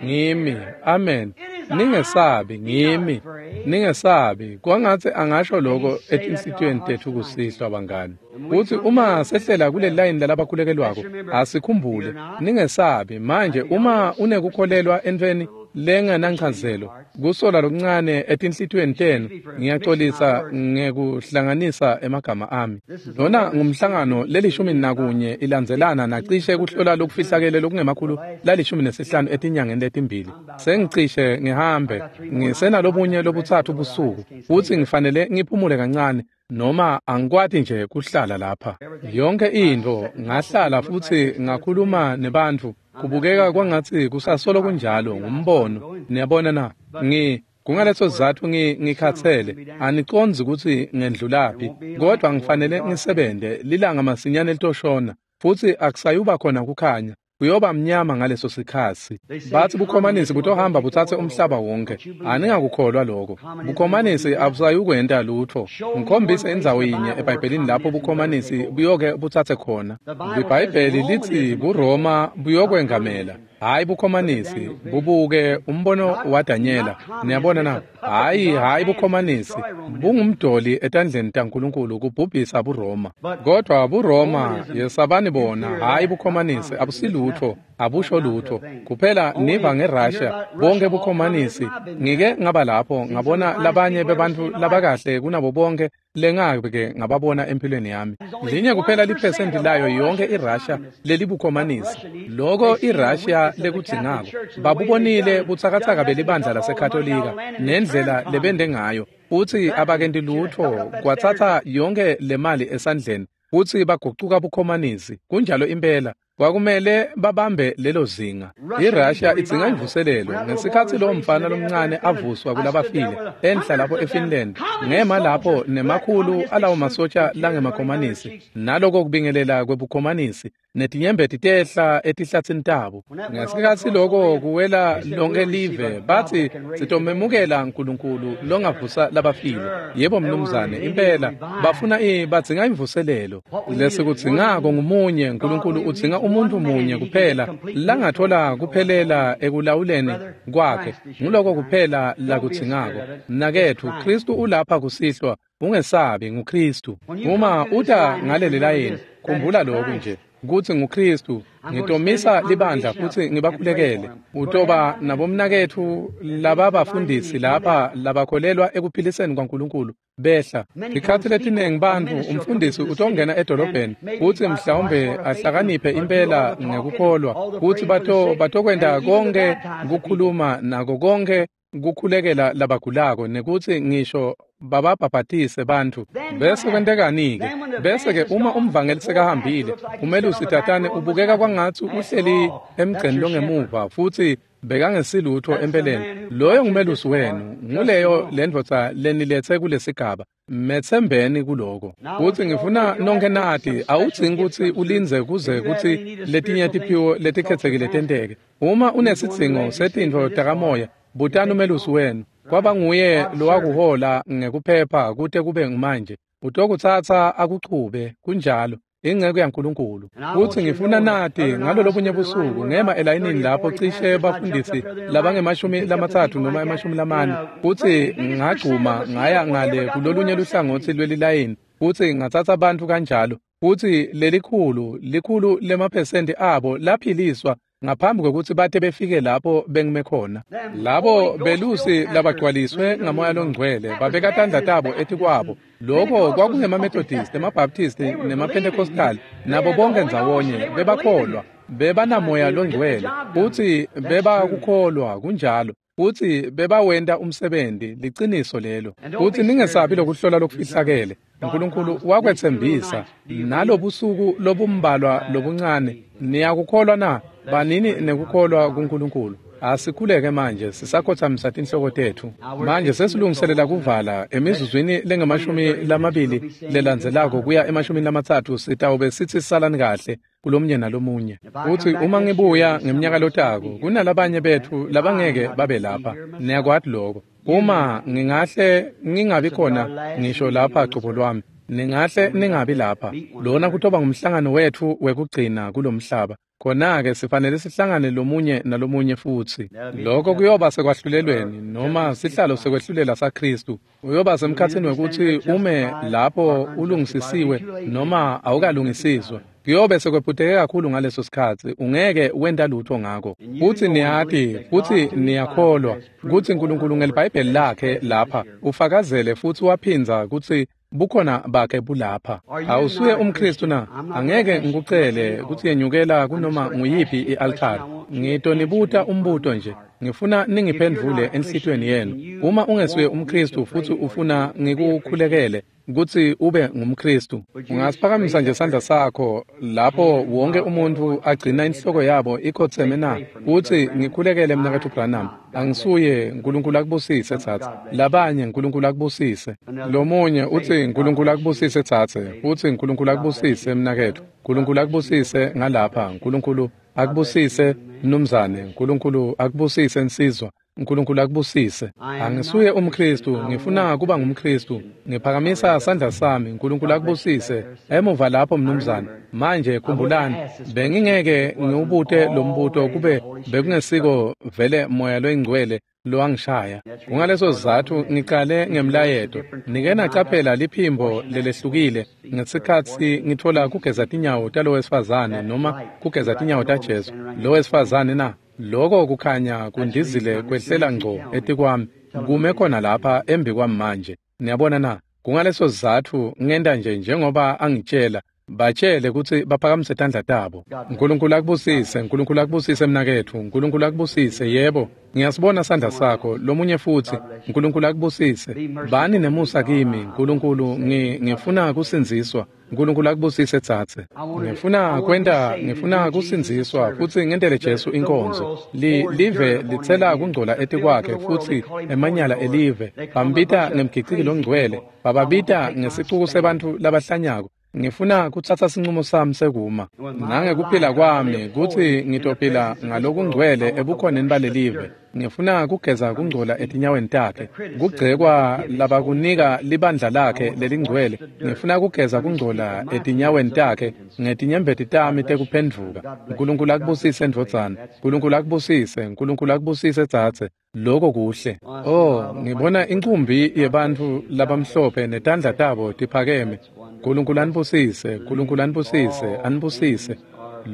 S1: Ngimi. Amen. Ningesabi, ngimi. Ningesabi. Kwangatsi angasho lokho etinhlitiyweni tetfu kusihlwa bangani. Kutsi uma sehlela kule line lalabakhulekelwako, asikhumbule, ningesabi. Manje uma unekukholelwa entfweni lengenanchazelo, kusola lokuncane etinhlitiyweni tenu, ngiyaxolisa ngekuhlanganisa emagama ami. Lona ngumhlangano lelishumi nakunye ilandzelana nacishe kuhlola lokufihlakele lokungemakhulu lalishumi nesihlanu etinyangeni letimbili. Sengicishe ngihambe, ngisenalobunye lobutsatfu busuku, futsi ngifanele ngiphumule kancane, noma angikwati nje kuhlala lapha. Yonke intfo ngahlala futsi ngakhuluma nebantfu, kubukeka kwangatsi kusasolo kunjalo ngumbono. Niyabona na? Ngi kungaleso sizatfu ngi ngikhatsele, anicondzi kutsi ngendlulaphi, kodwa ngifanele ngisebente lilanga masinyane litoshona, futsi akusayuba khona kukhanya. Kuyoba mnyama ngaleso sikhatsi. Batsi bukhomanisi butohamba butsatse umhlaba wonke. Aningakukholwa lokho. Bukhomanisi abusayukwenta lutfo. Ngikhombise indzawo yinye eBhayibhelini lapho bukhomanisi buyoke butsatse khona. LiBhayibheli litsi buRoma buyokwengamela. Hayi bukhomanisi, bubuke umbono waDanyela. Niyabona na? Hayi, hayi bukhomanisi. Bungumdoli etandleni taNkulunkulu kubhubhisa buRoma. Kodwa buRoma yesabani bona, hayi bukhomanisi, abusilutfo, abusho lutfo. Kuphela niva ngeRussia, bonke bukhomanisi. Ngike ngaba lapho ngabona labanye bebantfu labakahle kunabo bonke lengake ngababona empilweni yami. Linye kuphela liphesenti layo yonke iRussia lelibukhomanisi. Loko iRussia lekudzingako. Babubonile butsakatsaka belibandla laseKatolika nendlela lebende ngayo. Futsi abakenti lutfo kwatsatsa yonke lemali esandleni futsi bagucuka bukhomanisi. Kunjalo impela. Kwakumele babambe lelo zinga. IRussia idzinga imvuselelo. Ngesikhatsi lo mfana lomncane avuswa kulabafile enhla lapho eFinland, ngema lapho nemakhulu alawo masotsha langemakhomanisi, naloko kubingelela kwebukhomanisi, netinyembeti tehla etihlatsini tabo. Ngesikhatsi loko kuwela lonke live, batsi sitomemukela Nkulunkulu longavusa labafile. Yebo mnumzane, impela bafuna i badzinga imvuselelo. Lesikudzingako ngumunye. Nkulunkulu udzinga umuntu munye kuphela langathola kuphelela ekulawuleni kwakhe. Nguloko kuphela lakudzingako. Mnaketfu, Kristu ulapha kusihlwa. Ungesabi, nguKristu. Uma uta ngaleli layini, khumbula lokhu nje kutsi nguKristu. Ngitomisa libandla futsi ngibakhulekele. Utoba nabomnaketfu lababafundisi lapha labakholelwa ekuphiliseni kwaNkulunkulu behla. Tikhatsi letiningi bantfu umfundisi utongena edolobheni futsi mhlawumbe ahlakaniphe impela ngekukholwa, futsi bato batokwenta konke kukhuluma nako konke kukhulekela labagulako, nekutsi ngisho bababhabhatise bantfu. Bese kwentekani-ke? Bese-ke uma umvangeli sekahambile, umelusi tatane ubukeka kwangatsi uhleli emgceni longemuva futsi bekangesilutfo empeleni. Loyo ngumelusi wenu, nguleyo lendvodza leniletse kulesigaba. Metsembeni kuloko. Futsi ngifuna nonke nati, awudzingi kutsi ulindze kuze kutsi letinye tiphiwo letikhetsekile tenteke. Uma unesidzingo setintfo takamoya, butani umelusi wenu. Kwaba nguye lowakuhola ngekuphepha kute kube ngumanje. Utokutsatsa akuchube, kunjalo, inceku yaNkulunkulu. Futsi ngifuna nati ngalolobunye busuku ngema elayinini lapho cishe bafundisi labangemashumi lamatsatfu noma emashumi lamane, futsi ngagcuma ngaya ngale kulolunye luhlangotsi lwelilayini, futsi ngatsatsa bantfu kanjalo. Futsi lelikhulu, likhulu lemaphesenti abo laphiliswa ngaphambi kwekutsi bate befike lapho bengime khona. Labo belusi labagcwaliswe ngamoya longcwele babeka tandla tabo etikwabo. Loko kwakungema-Methodist, emaBaptist nema-Pentecostal, nabo bonke ndzawonye bebakholwa, bebanamoya longcwele, futsi bebakukholwa kunjalo. Futsi bebawenta umsebenzi, liciniso lelo. Futsi ningesabi lokuhlola lokufihlakele. Nkulunkulu wakwetsembisa nalobusuku lobumbalwa lobuncane. Niyakukholwa na? Banini nekukholwa kuNkulunkulu. Asikhuleke manje sisakhothamisa tinhloko tetfu. Manje sesilungiselela kuvala emizuzwini lengemashumi lamabili lelandzelako kuya emashumini lamatsatfu sitawube sitsi salani kahle kulomunye nalomunye. Futsi uma ngibuya ngemnyaka lotako kunalabanye betfu labangeke babe lapha. Niyakwati lokho. Uma ngingahle ngingabi khona ngisho lapha cobo lwami, Ningahle ningabi lapha. Lona kutoba ngumhlangano wetfu wekugcina kulomhlaba. Khona-ke sifanele sihlangane lomunye nalomunye futsi. Lokho kuyoba sekwahlulelweni noma sihlalo sekwehlulela saKhristu. Uyoba semkhatsini wekutsi ume lapho ulungisisiwe noma awukalungisiswa. Kuyobe sekwephuteke kakhulu ngaleso sikhatsi, ungeke wenta lutho ngako. Futsi niyati, futsi niyakholwa kutsi Nkulunkulu ngeliBhayibheli lakhe lapha ufakazele futsi waphindza kutsi bukhona bakhe bulapha. Awusuye umKhristu na? Angeke ngikucele kutsi yenyukela kunoma nguyiphi i-altari. Ngitonibuta umbuto nje. Ngifuna ningiphendvule enhlitiyweni yenu. Uma ungesuye umKhristu futsi ufuna ngikukhulekele kutsi ube ngumKhristu, ungasiphakamisa nje sandla sakho lapho wonke umuntu agcina inhloko yabo ikhotseme na? Utsi ngikhulekele mnaketfu Branham. Angisuye, Nkulunkulu akubusise tsatse. Labanye Nkulunkulu akubusise. Lomunye utsi Nkulunkulu akubusise tsatse. Utsi Nkulunkulu akubusise mnaketfu. Nkulunkulu akubusise ngalapha. Nkulunkulu akubusise mnumzane. Nkulunkulu akubusise nsizwa. Nkulunkulu akubusise. Angisuye umKhristu, ngifuna kuba ngumKhristu. Ngiphakamisa sandla sami. Nkulunkulu akubusise. Emuva lapho mnumzane. Manje khumbulani, bengingeke ngiwubute lo mbuto kube bekungesiko vele moya loyingcwele lowangishaya. Kungaleso sizatfu ngicale ngemlayeto. Nike nacaphela liphimbo lelehlukile ngesikhatsi ngitfola kugeza tinyawo talowesifazane noma kugeza tinyawo taJesu. Lowesifazane na? Lokho kukhanya kundizile kwehlela ngco etikwami, kume khona lapha embi kwami manje. Niyabona na? Kungaleso sizatfu ngenta nje njengoba angitshela. Batshele kutsi baphakamise tandla tabo. Nkulunkulu akubusise, Nkulunkulu akubusise mnaketfu, Nkulunkulu akubusise. Yebo, ngiyasibona sandla sakho. Lomunye futsi, Nkulunkulu akubusise. Bani nemusa kimi, Nkulunkulu, ngifuna kusindziswa. Nkulunkulu akubusise tsatse. Ngifuna kwenta, ngifuna kusindziswa futsi ngentele Jesu inkonzo. Li live litsela kungcola etikwakhe futsi emanyala elive. Bambita ngemgiciki longcwele, bababita ngesicuku sebantfu labahlanyako. Ngifuna kutsatsa sincumo sami sekuma nangekuphila kwami kutsi ngitophila ngalokungcwele ebukhoneni balelive. Ngifuna kugeza kungcola etinyaweni takhe, kugcekwa labakunika libandla lakhe lelingcwele. Ngifuna kugeza kungcola etinyaweni takhe ngetinyembeti tami tekuphendvuka. Nkulunkulu akubusise ndvodzana, Nkulunkulu akubusise, Nkulunkulu akubusise tsatse. Lokho kuhle. Oh, ngibona incumbi yebantfu labamhlophe netandla tabo tiphakeme. Nkulunkulu anibusise, Nkulunkulu anibusise, anibusise.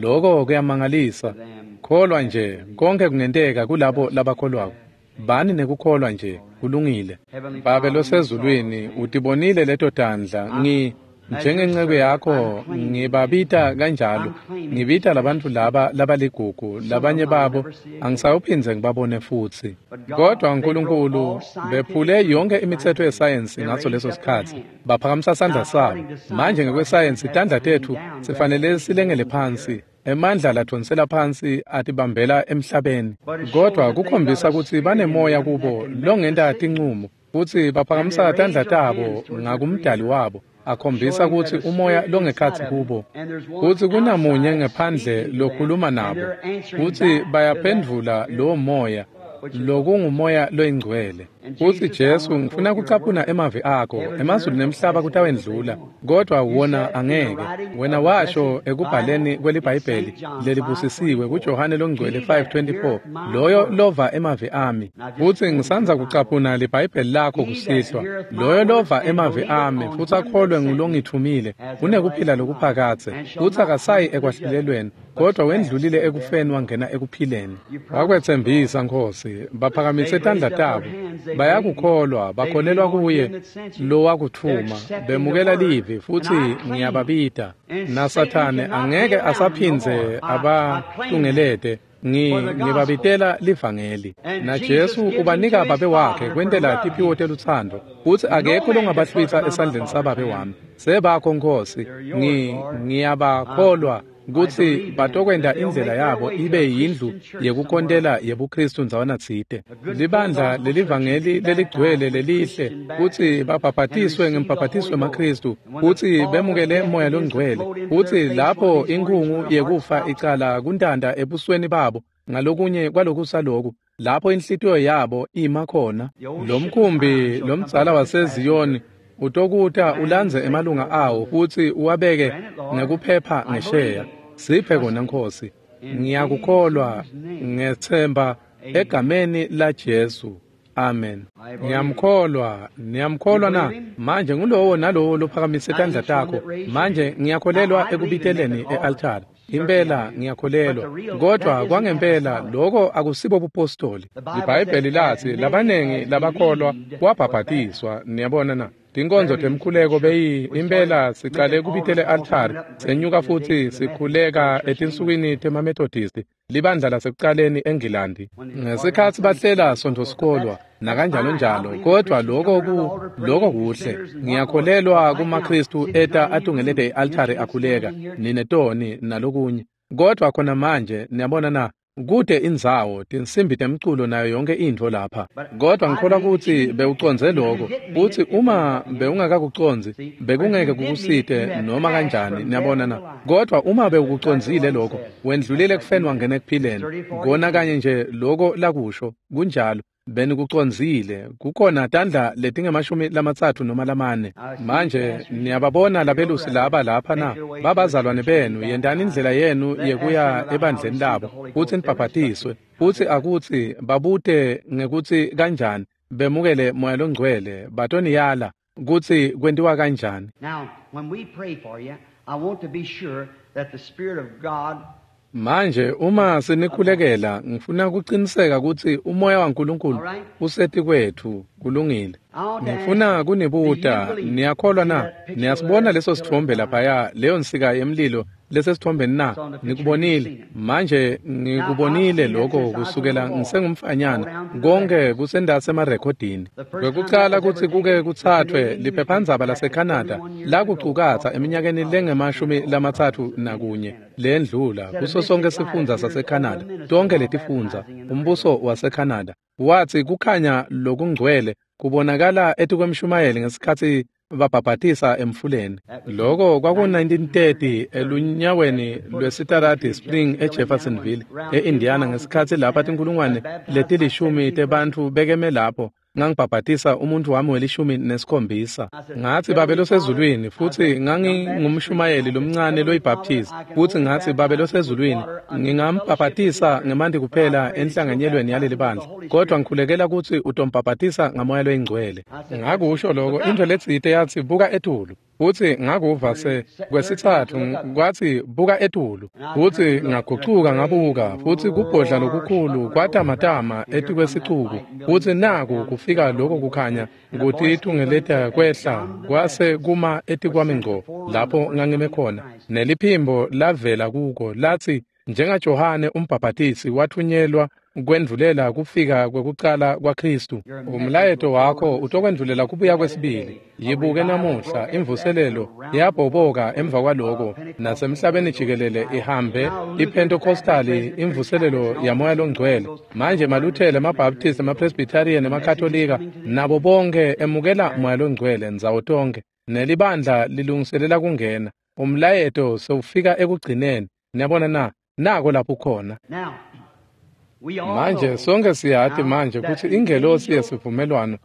S1: Lokho kuyamangalisa. Kholwa nje, konke kungenteka kulabo labakholwako. Bani nekukholwa nje, kulungile. Babe losezulwini, utibonile leto tandla. Ngi njengenceku yakho ngibabita kanjalo. Ngibita labantfu laba labaligugu, labanye babo angisawuphindze ngibabone futsi. Kodwa Nkulunkulu, bephule yonke imitsetfo yesayensi ngaso leso sikhatsi. Baphakamisa sandla sabo. Manje ngekwesayensi tandla tetfu sifanele silengele phansi. Emandla ladvonsela phansi atibambela emhlabeni. Kodwa kukhombisa kutsi banemoya kubo longenta tincumo, futsi baphakamisa tandla tabo ngakumdali wabo. Akhombisa kutsi umoya longekhatsi kubo, kutsi kunamunye ngephandle lokhuluma nabo, kutsi bayaphendvula lowo moya, lokungumoya loyingcwele. Futsi Jesu, ngifuna kucaphuna emavi akho, emazulu nemhlaba kutawendlula, kodwa wona angeke. Wena washo ekubhaleni kweliBhayibheli lelibusisiwe kuJohane longcwele five twenty-four, loyo lova emavi ami. Futsi ngisandza kucaphuna liBhayibheli lakho kusihlwa. Loyo lova emavi ami futsi akholwe ngulongitfumile, unekuphila lokuphakadze, futsi akasayi ekwahlulelweni, kodwa wendlulile ekufeni wangena ekuphileni. Wakwetsembisa Nkhosi, baphakamise tandla tabo. Bayakukholwa, bakholelwa kuye lowakutfuma, bemukela livi futsi ngiyababita. NaSathane angeke asaphindze abatungelete. Ngibabitela livangeli. Na Jesu ubanika babe wakhe kwentela tiphiwo telutsandvo, futsi akekho longabahlwitsa esandleni sababe wami. Sebakho Nkhosi, ngiyabakholwa kutsi batokwenta indlela yabo ibe yindlu yekukhontela yebuKhristu ndzawana tsite. Libandla lelivangeli leligcwele lelihle, kutsi babhabhatiswe ngembhabhatiso wemaKhristu, kutsi bemukele moya longcwele, kutsi lapho inkhungu yekufa icala kuntanta ebusweni babo ngalokunye kwalokusaloku, lapho inhlitiyo yabo ima khona. Lomkhumbi lomdzala waseZiyoni utokuta ulandze emalunga awo futsi uwabeke ngekuphepha ngesheya. Siphe kona Nkosi. Ngiyakukholwa, ngethemba egameni la Jesu. Amen. Ngiyamkholwa, niyamkholwa na? Manje ngulowo nalowo lophakamise tandla takho. Manje ngiyakholelwa ekubiteleni e-altare. Impela ngiyakholelwa, kodwa kwangempela lokho akusibo bupostoli. IBhayibheli lathi labanengi labakholwa wabhabhatiswa. Niyabona na? Tinkonzo temkhuleko beyi impela sicale kubitele altare senyuka futhi sikhuleka etinsukwini temaMethodist, libandla lasekucaleni eNgilandi ngesikhatsi bahlela Sonto sikolwa nakanjalo njalo. Kodwa lokho ku lokho kuhle. Ngiyakholelwa kumaKristu eta atungelete i-altare akhuleka ninetoni nalokunye, kodwa khona manje niyabona na, kude indzawo tinsimbi temculo nayo yonke intfo lapha. Kodwa ngikholwa ukuthi bewucondze lokho, futhi uma bewungakakucondzi bekungeke kukusite noma kanjani. Niyabona na? Kodwa uma bewukucondzile lokho, wendlulile ekufeni wangena ekuphileni. Kona kanye nje lokho lakusho kunjalo. Benikucondzile. Kukhona tandla letingemashumi lamatsatfu noma lamane. Manje niyababona labelusi laba lapha na? Babazalwane benu, yentani indlela yenu yekuya ebandleni labo futsi nibhabhatiswe, futsi akutsi babute ngekutsi kanjani bemukele Moya Longcwele, batoniyala kutsi kwentiwa kanjani.
S2: Now, when we pray for you, I want to be sure that the Spirit of God.
S1: Manje uma sinikhulekela, ngifuna kuqiniseka kutsi umoya waNkulunkulu usetikwetfu. Kulungile. Ngifuna kunibuta, niyakholwa na? Niyasibona leso sithombe laphaya, leyo nsika yemlilo lesesithombeni na? Nikubonile. Manje ngikubonile lokho kusukela ngisengumfanyana, konke kusendasi emarekhodini. Kwekucala kutsi kuke kutsathwe liphephandzaba laseCanada lakucukatsa eminyakeni lengemashumi lamatsatfu nakunye lendlula kuso sonke sifundza saseCanada, tonke letifundza, umbuso waseCanada, wathi kukhanya lokungcwele kubonakala etikwemshumayeli ngesikhatsi babhabhatisa emfuleni. Lokho kwaku nineteen thirty elunyaweni lwesitaradi Spring eJeffersonville eIndiana, ngesikhatsi lapha tinkulungwane letilishumi tebantfu bekeme lapho. Ngangibhabhatisa umuntu wami welishumi nesikhombisa. Ngathi, Babe losezulwini, futhi ngangingumshumayeli lomncane loyibaptist, futhi ngathi, Babe losezulwini, ngingambhabhatisa ngemanti kuphela enhlanganyelweni yaleli bandla, kodwa ngikhulekela kutsi utombhabhatisa ngamoya loyingcwele. Ngakusho lokho, intfo letsite yathi, buka etulu. Futhi ngakuva se kwesitsatfu kwathi, buka etulu. Futhi ngagucuka ngabuka, futhi kubhodla lokukhulu kwatamatama etikwesicuku, futhi naku kufika lokho kukhanya kutitungeleta kwehla kwase kuma etikwami ngco lapho ngangime khona. Neliphimbo lavela kuko lathi, njengaJohane umbhabhatisi wathunyelwa kwendvulela kufika kwekucala kwaKristu, umlayeto wakho utokwendvulela kubuya kwesibili. Yibuke namuhla imvuselelo yabhoboka emva kwaloko nasemhlabeni jikelele ihambe iPentecostali, imvuselelo yamoya longcwele. Manje maLuthela, emaBaptist, emaPresbyterian, emaKatolika nabo bonke emukela moya longcwele ndzawo tonke, nelibandla lilungiselela kungena. Umlayeto sewufika ekugcineni. Niyabona na? Nako lapho khona. Manje sonke siyati manje kutsi ingelosi yesivumelwano,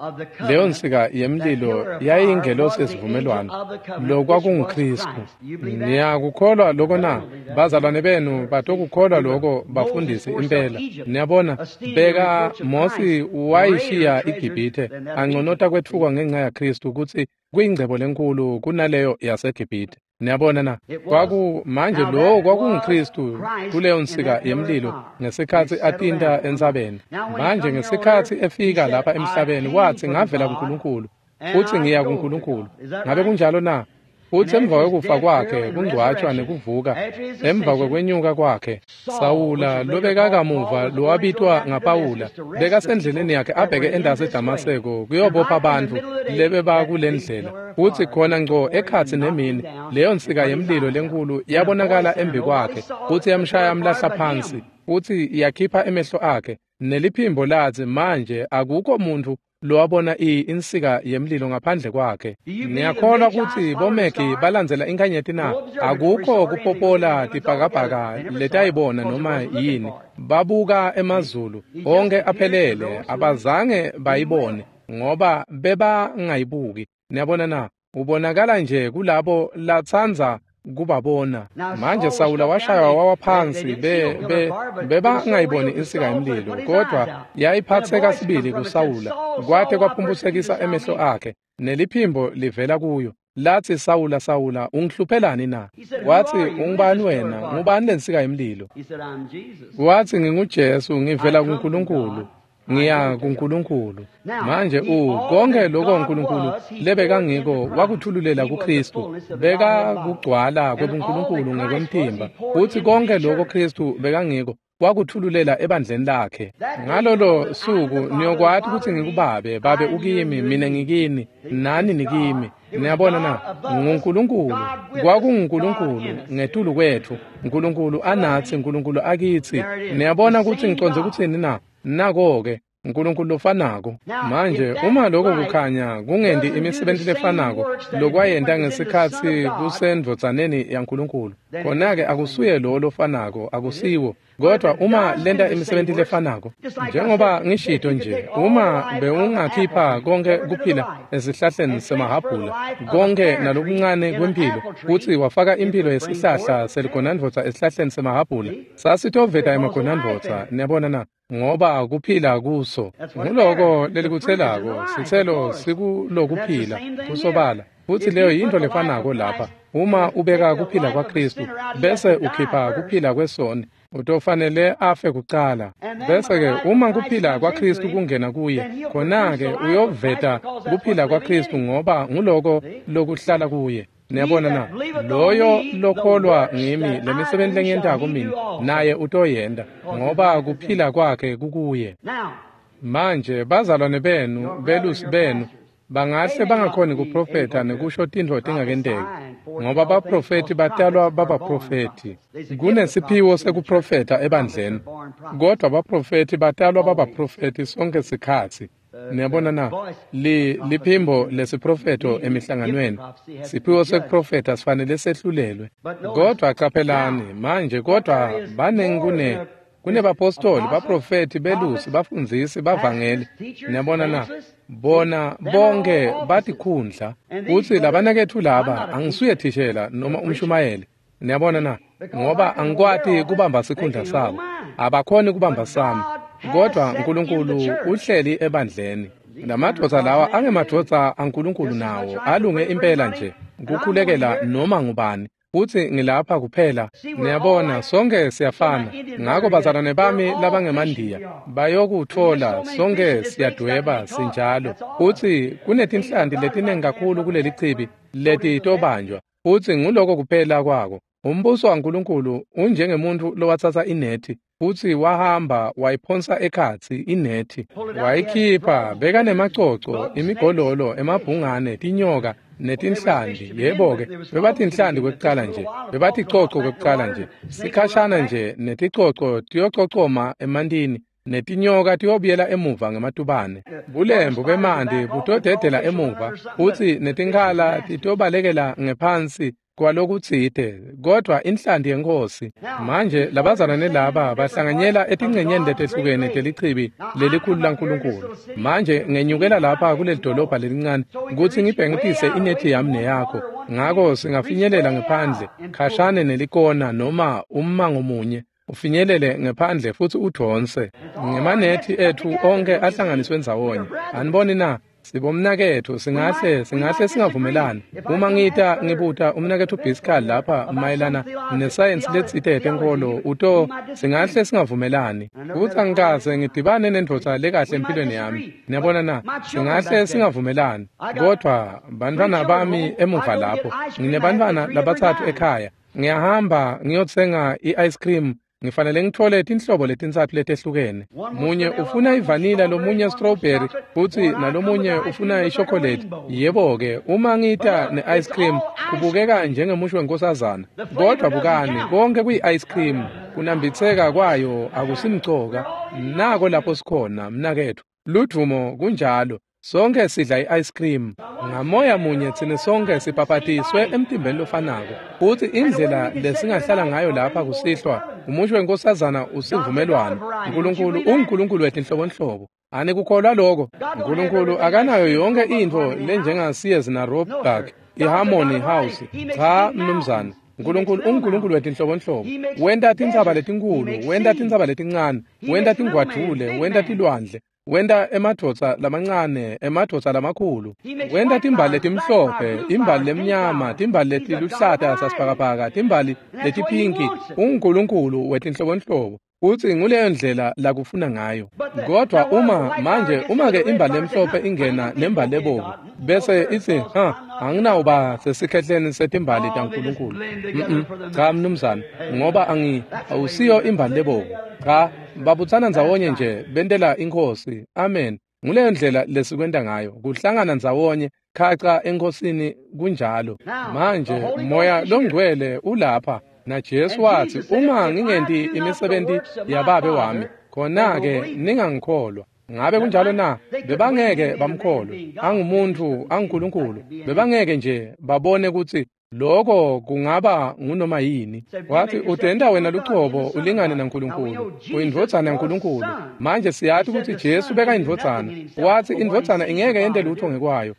S1: leyo nsika yemlilo yayiyingelosi yesivumelwano, lokwakunguKristu. Niyakukholwa lokho na? Bazalwane benu batokukholwa lokho, bafundisi impela. Niyabona, beka Mosi wayishiya iGibhithe anconota kwetfukwa ngenxa yaKristu kutsi kuyingcebo lenkulu kunaleyo yaseGibhithe. Niyabona na? Kwaku manje lowo kwakunguKristu kuleyo nsika yemlilo ngesikhatsi atinta entsabeni. Manje ngesikhatsi efika lapha emhlabeni wathi, ngavela kuNkulunkulu futhi ngiya kuNkulunkulu. Ngabe kunjalo na? Futhi emva kwekufa kwakhe kungcwatshwa nekuvuka, emva kwekwenyuka kwakhe, Sawula lobeka kamuva lowabitwa ngaPawula bekasendleleni yakhe abheke endasi eDamaseko kuyobopha abantu lebebakule ndlela. Futhi khona ngco ekhatsi nemini, leyo nsika yemlilo lenkulu yabonakala embi kwakhe, futhi yamshaya amlahla phansi, futhi yakhipha emehlo akhe. Neliphimbo lathi, manje akukho muntu lowabona insika yemlilo ngaphandle kwakhe. Niyakholwa kutsi bomegi balandzela inkanyeti na? Akukho kupopola tibhakabhaka letayibona noma yini. Babuka emazulu onke aphelele, abazange bayibone ngoba bebangayibuki. Niyabona na? Ubonakala nje kulabo latsanza kubabona. Manje Sawula washaywa wawa phansi, be be bebangayiboni insika yemlilo, kodwa yayiphatheka sibili kuSawula, kwate kwaphumpusekisa emehlo akhe, neliphimbo livela kuyo lathi, Sawula, Sawula, ungihluphelani na? Wathi, ungubani wena? Ngubani lensika yemlilo? Wathi, nginguJesu, ngivela kuNkulunkulu, ngiya kuNkulunkulu. Manje u konke lokho uNkulunkulu lebekangiko wakuthululela kuKristu, bekakugcwala kwebuNkulunkulu ngekwemtimba, futhi konke lokho Kristu bekangiko wakuthululela ebandleni lakhe. Ngalolo suku niyokwati ukuthi ngikubabe, babe ukimi, mina ngikini, nani nikimi. Niyabona na? NguNkulunkulu, kwakunguNkulunkulu ngetulu kwethu, uNkulunkulu anathi, uNkulunkulu akithi. Niyabona ukuthi ngicondze ukuthini na? Nako-ke uNkulunkulu lofanako. Manje uma lokho kukhanya kungendi imisebenzi lefanako lokwayenta ngesikhatsi kusendvodzaneni yaNkulunkulu, khona-ke akusuye lo lofanako, akusiwo. Kodwa uma lenta imisebenzi lefanako, njengoba ngishito nje, uma bewungakhipha konke kuphila esihlahleni semahhabhula, konke nalokuncane kwemphilo, kutsi wafaka impilo yesihlahla seligonandvodza esihlahleni semahhabhula, sasitoveta emagonandvodza. Niyabona na? Ngoba kuphila kuso. Nguloko lelikutselako, sitselo sikulokuphila kusobala. Futhi leyo yinto lefanako lapha. Uma ubeka kuphila kwaKristu bese ukhipha kuphila kwesoni, utofanele afe kucala. Bese-ke uma kuphila kwaKristu kungena kuye, khona-ke uyoveta kuphila kwaKristu, ngoba nguloko lokuhlala kuye. Niyabona na? Loyo lokholwa ngimi, lemisebenzi lengiyentako mina, naye utoyenta, ngoba kuphila kwakhe kukuye. Manje bazalwane benu, belusi benu, bangahle bangakhoni kuprofetha nekusho tintfo tingakenteki, ngoba baprofethi batalwa babaprofethi. Kunesiphiwo sekuprofetha ebandleni, kodwa baprofethi batalwa babaprofethi sonke sikhatsi. Niyabona na? Li liphimbo lesiprofetho emihlanganweni. Siphiwo sekuprofetha sifanele sehlulelwe. Kodwa qaphelani manje, kodwa baningi kune kunebapostoli, baprofethi, belusi, bafundzisi, bavangeli. Niyabona na? Bona bonke batikhundla. Utsi labanaketfu laba, angisuye thishela noma umshumayeli. Niyabona na? Ngoba angikwati kubamba sikhundla sabo, abakhoni kubamba sami. Kodwa uNkulunkulu uhleli ebandleni. Lamadvodza lawa angemadvodza aNkulunkulu nawo, alunge impela nje kukhulekela noma ngubani. Futhi ngilapha kuphela. Niyabona, sonke siyafana. Ngako bazalwane bami labangemandiya bayokuthola, sonke siyadweba sinjalo. Futhi kunetinhlanti letiningi kakhulu kuleli chibi letitobanjwa. Futhi nguloko kuphela kwako. Umbuso waNkulunkulu unjengemuntu lowatsatsa inethi futhi wahamba wayiphonsa ekhatsi inethi, wayikhipha, bekanemacoco, imigololo, emabhungane, tinyoka netinhlanti. Yebo-ke, bebatinhlanti kwekucala nje, bebaticoco kwekucala nje, sikhashana nje neticoco tiyococoma emantini, netinyoka tiyobuyela emuva ngematubane. Bulembu bemanti butodedela emuva, futsi netinkhala titobalekela ngephansi kwalokutsite, kodwa inhlanti yeNkhosi. Manje labazalwane laba bahlanganyela etingcenyeni letehlukene telichibi lelikhulu laNkulunkulu. Manje ngenyukela lapha kuleli dolobha lelincane kutsi ngibhengitise inethi yami neyakho, ngako singafinyelela ngephandle khashane nelikona noma ummango munye, ufinyelele ngephandle futhi udvonse ngemanethi ethu onke ahlanganiswe ndzawonye. Aniboni na? Sibomnaketfu, singahle singahle singavumelani. Uma ngita ngibuta umnaketfu Biskal lapha mayelana nesayensi letsite yetenkolo, uto singahle singavumelani. Futhi angikaze ngidibane nendvodza lekahle empilweni yami. Niyabona na? Singahle singavumelani. Kodwa bantfwana bami emuva lapho, nginebantfwana labatsatfu ekhaya. Ngiyahamba ngiyotsenga i-ice cream. Ngifanele ngithole tinhlobo letintsatfu letehlukene. Munye ufuna ivanilla, lomunye strawberry, futhi nalomunye ufuna ishokolate. Yebo-ke, uma ngita ne-ice cream kubukeka njengemusho wenkosazana. Kodwa bukani, konke kuyi-ice cream, kunambitseka kwayo akusimcoka. Nako lapho sikhona, mnaketfu. Ludvumo kunjalo. Sonke sidla i-ice cream. Ngamoya munye tsine sonke sibhabhatiswe emtimbeni lofanako. Futhi indlela lesingahlala ngayo lapha kusihlwa, umusho wenkosazana usivumelwano. uNkulunkulu unguNkulunkulu wetinhlobonhlobo. Anikukholwa lokho? Nkulunkulu akanayo yonke intfo lenjenga-Sears na-Roebuck, i-Harmony House. Cha, mnumzane. Nkulunkulu unguNkulunkulu wetinhlobonhlobo. Wenta tintsaba letinkulu, wenta tintsaba letincane, wenta tingwadvule, wenta tilwandle, wenta emadvodza lamancane, emadvodza lamakhulu, wenta timbali letimhlophe, imbali lemnyama, timbali letiluhlata sasibhakabhaka, timbali letipinki. UnguNkulunkulu wetinhlobonhlobo. Futsi nguleyo ndlela lakufuna ngayo. Kodwa uma manje uma-ke imbali lemhlophe ingena nembali lebovu bese itsi, ha, anginawuba sesikhehleni setimbali taNkulunkulu. Mm-mm. Cha, mnumzane, ngoba angi awusiyo imbali lebovu. Cha, babutsana ndzawonye nje bentela inkhosi. Amen. Nguleyo ndlela lesikwenta ngayo, kuhlangana ndzawonye khaca enkhosini kunjalo. Manje Moya Longcwele ulapha. Na Jesu wathi, uma ngingenti imisebenti yababe wami, khona-ke ningangikholwa. Ngabe kunjalo na? Bebangeke bamkholwe. Angumuntu, anguNkulunkulu. Bebangeke nje babone kutsi lokho kungaba ngunoma yini. Wathi, utenta wena lucobo ulingane naNkulunkulu. Uyindvodzana yaNkulunkulu. Manje siyati kutsi Jesu bekayindvodzana. Wathi indvodzana ingeke yente lutho ngekwayo,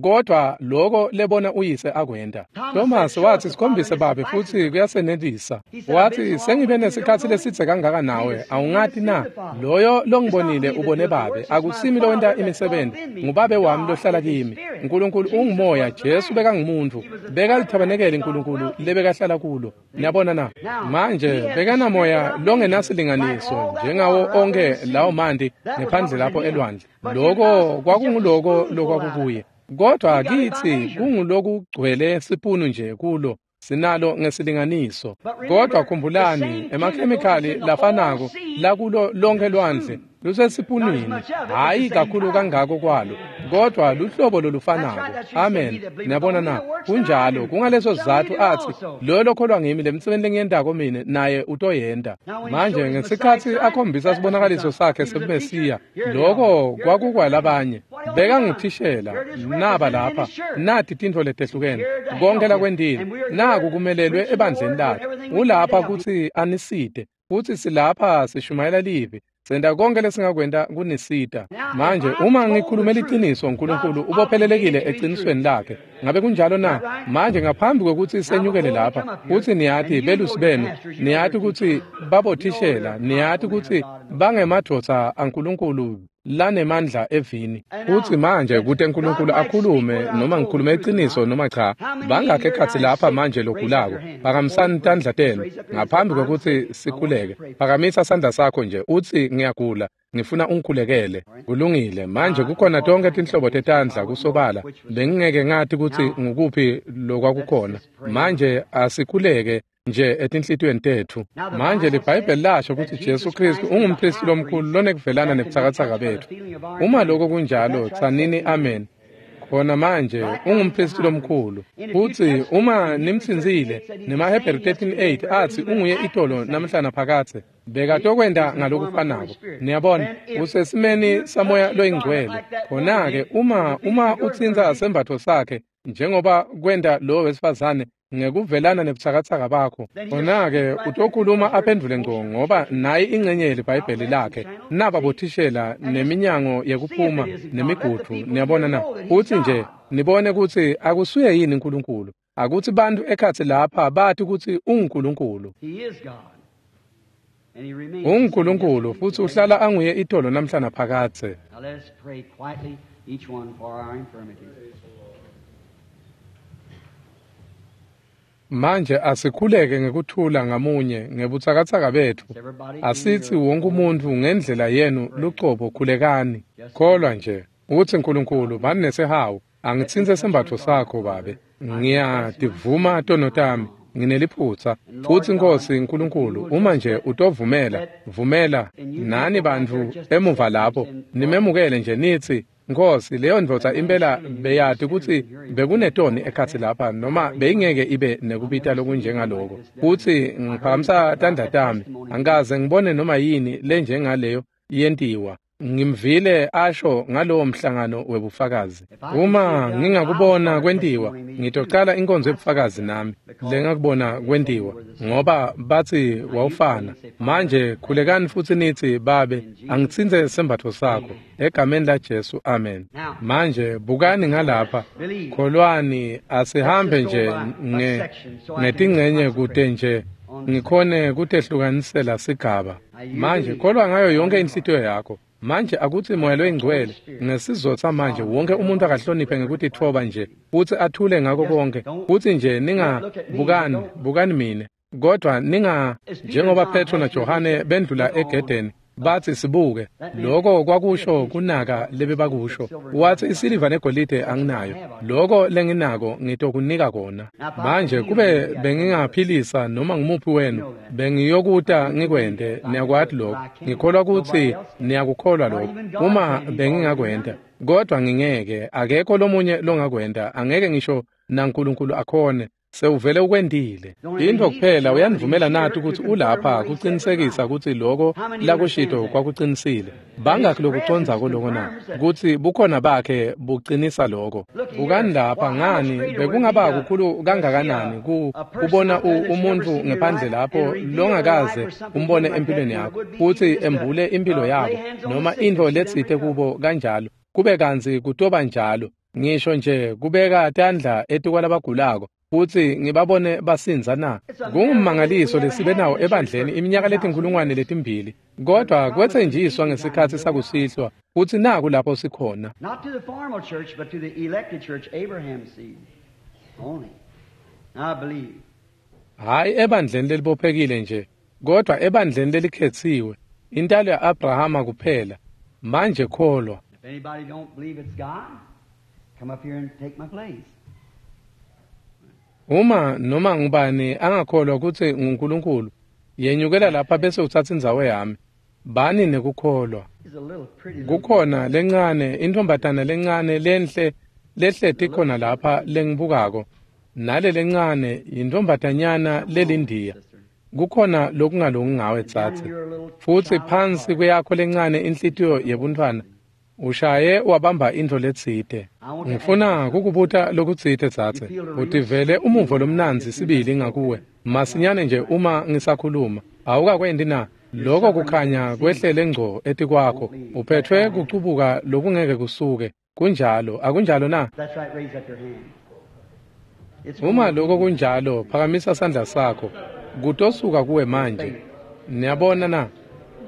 S1: kodwa lokho lebona uyise akwenta. Thomas wathi, sikhombise babe futsi kuyasenelisa. Wathi, sengibe nesikhatsi lesidze kangaka nawe, awungati na? Loyo longibonile ubone babe. Akusimi lowenta imisebenti, ngubabe wami lohlala kimi. Nkulunkulu ungumoya, Jesu bekangumuntu, bekalithabanekele Nkulunkulu lebekahlala kulo. Niyabona na? Manje bekanamoya longenasilinganiso njengawo onke lawo manti ngephandle lapho elwandle. Lokho kwakunguloko lokwakukuye. Kodwa kithi kungulokugcwele sipunu nje kulo, sinalo ngesilinganiso. Kodwa khumbulani, emakhemikhali lafanako lakulo lonke lwandle lusesipunwini, hhayi kakhulu kangako kwalo, kodwa luhlobo lolufanako. Amen. Niyabona na? Kunjalo. Kungaleso sizatfu athi, loyo lokholwa ngimi, lemisebenti lengiyentako mine naye utoyenta. Manje ngesikhatsi akhombisa sibonakaliso sakhe sebuMesiya, lokho kwakukwalabanye. Bekanguthishela, naba lapha, nati tintfo letehlukene, konke lakwentile, naku kumelelwe ebandleni lakhe. Ulapha kutsi anisite, futsi silapha sishumayela livi. Senta konke lesingakwenta kunisita. Manje uma ngikhulume liciniso, Nkulunkulu ubophelelekile eqinisweni lakhe. Ngabe kunjalo na? Manje ngaphambi kwekutsi senyukele lapha, futsi niyati belusi benu, niyati kutsi babothishela, niyati kutsi bangemadvodza aNkulunkulu lanemandla evini. Futsi manje kute Nkulunkulu akhulume, noma ngikhulume iqiniso noma cha, bangakhe ekhatsi lapha manje logulako, phakamisani tandla tenu ngaphambi kwekutsi sikhuleke. Phakamisa sandla sakho nje utsi, ngiyagula, ngifuna ungikhulekele. Kulungile. Manje kukhona tonke tinhlobo tetandla kusobala. Bengingeke ngati kutsi ngukuphi lokwakukhona. Manje asikhuleke nje etinhlitiyweni tetfu. Manje liBhayibheli lasho kutsi Jesu Kristu ungumpristi lomkhulu lonekuvelana nebutsakatsaka betfu. Uma lokho kunjalo, tsanini amen. Khona manje ungumpristi lomkhulu. Futsi uma nimtsintsile, nemaHebheru thirteen eight atsi unguye itolo namhla naphakadze, bekatokwenta ngalokufanako. Niyabona, usesimeni samoya loyingcwele. Khona-ke uma uma utsintsa sembatfo sakhe njengoba kwenta lo wesifazane ngekuvelana nebutsakatsaka bakho, khona-ke utokhuluma aphendvule ngco, ngoba nayi ingcenye yeliBhayibheli lakhe. Naba bothishela neminyango yekuphuma nemigudu. Niyabona na? Utsi nje nibone kutsi akusuye yini Nkulunkulu. Akutsi bantfu ekhatsi lapha bati kutsi unguNkulunkulu. UnguNkulunkulu futsi uhlala anguye itolo namhla naphakadze. Manje asikhuleke ngekuthula ngamunye ngebutsakatsaka betfu. Asitsi wonke umuntfu ngendlela yenu lucobo khulekani. Kholwa nje utsi, Nkulunkulu bani nesihawu, angitsintse sembatfo sakho babe. Ngiyativuma tono tami, ngineliphutsa. Futsi Nkosi Nkulunkulu, uma nje utovumela, vumela nani bantfu emuva lapho nimemukele nje nitsi, Nkosi, leyo ndvodza impela beyati kutsi bekunetoni ekhatsi lapha, noma beyingeke ibe nekubita lokunjengaloko. Futsi ngiphakamisa tandla tami, angikaze ngibone noma yini lenjengaleyo yentiwa. Ngimvile asho ngalowo mhlangano webufakazi. Uma ngingakubona kwentiwa, ngitocala inkonzo yebufakazi nami lengakubona kwentiwa, ngoba bathi wawufana. Manje khulekani futhi nithi, Babe, angitsintse sembatfo sakho egameni laJesu, amen. Manje bukani ngalapha, kholwani, asihambe nje nge ngetingcenye kute nje ngikhone kutehlukanisela sigaba. Manje kholwa ngayo yonke inhlitiyo yakho. Manje akuthi Moya loyiNgcwele ngesizotha manje wonke umuntu akahloniphe ngekutitfoba nje futhi athule ngako konke, futhi nje ningabukani, bukani mine, kodwa ninga njengoba Petro naJohane bendlula egedeni bathi sibuke, lokho kwakusho kunaka lebebakusho. Wathi isiliva negolide anginayo, lokho lenginako ngitokunika kona. Manje kube bengingaphilisa noma ngumuphi wenu, bengiyokuta ngikwente. Niyakwati lokho, ngikholwa ukuthi niyakukholwa lokho. Uma bengingakwenta, kodwa ngingeke, akekho lomunye longakwenta, angeke ngisho naNkulunkulu akhone. Sewuvele ukwentile. Into kuphela uyanivumela nathi ukuthi ulapha kuqinisekisa ukuthi lokho lakushito kwakuqinisile. Bangakhi lokucondzako lokho na? Ukuthi bukhona bakhe buqinisa lokho. Bukani lapha, ngani bekungaba kukhulu kangakanani ku kubona umuntu ngephandle lapho longakaze umbone empilweni yakho, futhi embule impilo yabo noma into letsite kubo kanjalo, kube kantsi kutoba njalo. Ngisho nje kubeka tandla etikwalabagulako futhi ngibabone basinza na. Kungumangaliso lesibe nawo ebandleni iminyaka letinkulungwane letimbili, kodwa kwetsenjiswa ngesikhathi sakusihlwa futhi naku lapho sikhona.
S2: Not to the formal church, but to the elected church, Abraham's seed only. I believe.
S1: Hayi ebandleni lelibophekile nje, kodwa ebandleni lelikhetsiwe, intalo ya-Abrahama kuphela. Manje kholwa.
S2: If anybody don't believe it's God, come up here and take my place.
S1: Uma noma ngubani angakholwa ukuthi nguNkulunkulu, yenyukela lapha bese uthatha indzawo yami. Bani nekukholwa.
S2: He's a little pretty little
S1: Kukhona lencane, intombatana lencane lenhle lehleti khona lapha lengibukako. Nale lencane yintombatanyana lelindiya. Kukhona lokungalungi ngawe tsatse. Futhi phansi kweyakho lencane inhlitiyo yebuntfwana ushaye wabamba intfo letsite. Ngifuna kukubuta lokutsite tsatse. Utivele umuvo lomnandzi sibili ngakuwe masinyane nje uma ngisakhuluma. Awukakwendi na? Lokho kukhanya kwehlele ngco etikwakho. Uphethwe kucubuka lokungeke kusuke. Kunjalo, akunjalo na?
S2: That's right, raise up your hand. It's
S1: Uma lokho kunjalo, phakamisa sandla sakho. Kutosuka kuwe manje. Niyabona na?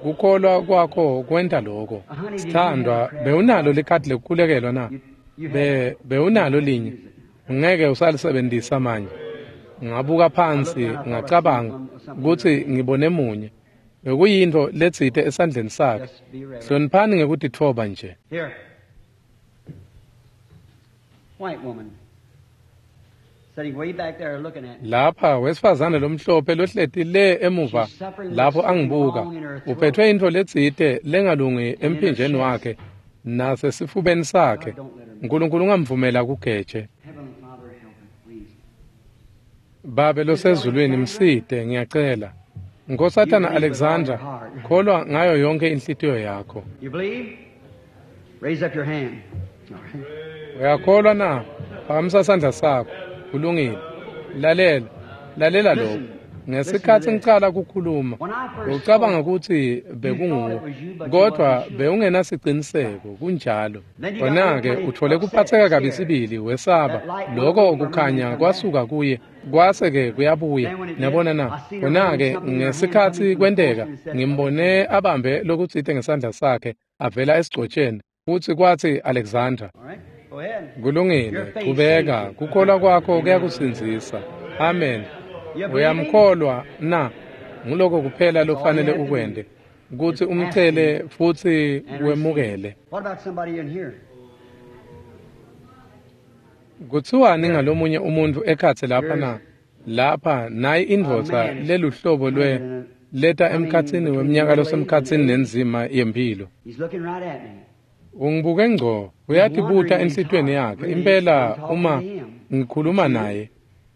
S1: Kukholwa kwakho kwenta lokho. Sithandwa, bewunalo likhadi lekukhulekelwa na? Be bewunalo linye. Ngeke usalisebenzisa manje. Ngabuka phansi ngacabanga ukuthi ngibone munye. Bekuyinto letsite esandleni sakhe.
S2: Just be ready.
S1: Hloniphani ngekutitfoba nje.
S2: Here. White woman. Sitting way back there looking at me.
S1: Lapha wesifazane lomhlophe lohleti le emuva lapho angibuka, uphethwe into letsite lengalungi emphinjeni wakhe nasesifubeni sakhe. uNkulunkulu ungamvumela kugeje.
S2: Heavenly Father, help her, please.
S1: Babe losezulwini, msite ngiyacela. Nkosatana Alexandra, kholwa ngayo yonke inhlitiyo yakho.
S2: You believe? Raise up your hand. All right.
S1: Uyakholwa na? Phakamisa sandla sakho. Kulungile. Lalela, lalela lokho. Ngesikhathi ngicala kukhuluma, ucabanga ukuthi bekunguwe, kodwa bewungenasiciniseko. Kunjalo. Khona-ke uthole kuphatheka kabi sibili, wesaba. Lokho kukhanya kwasuka kuye, kwase-ke kuyabuya. Niyabona na? Khona-ke ngesikhathi kwenteka, ngimbone abambe lokutsite ngesandla sakhe avela esigcotsheni, futhi kwathi Alexandra.
S2: All right. Go ahead.
S1: Kulungile, qhubeka, kukholwa kwakho kuyakusindzisa. Amen. Uyamkholwa na? Nguloko kuphela lofanele ukwente, ukuthi umcele futhi wemukele.
S2: What about somebody in here?
S1: Kuthiwani ngalomunye umuntu ekhatsi lapha na? Lapha nayi indvodza leluhlobo lwe leta emkhatsini weminyaka losemkhatsini nenzima yempilo.
S2: He's looking right at me.
S1: Ungibuke ngco, uyatibuta enhlitiyweni yakhe. Impela uma ngikhuluma naye,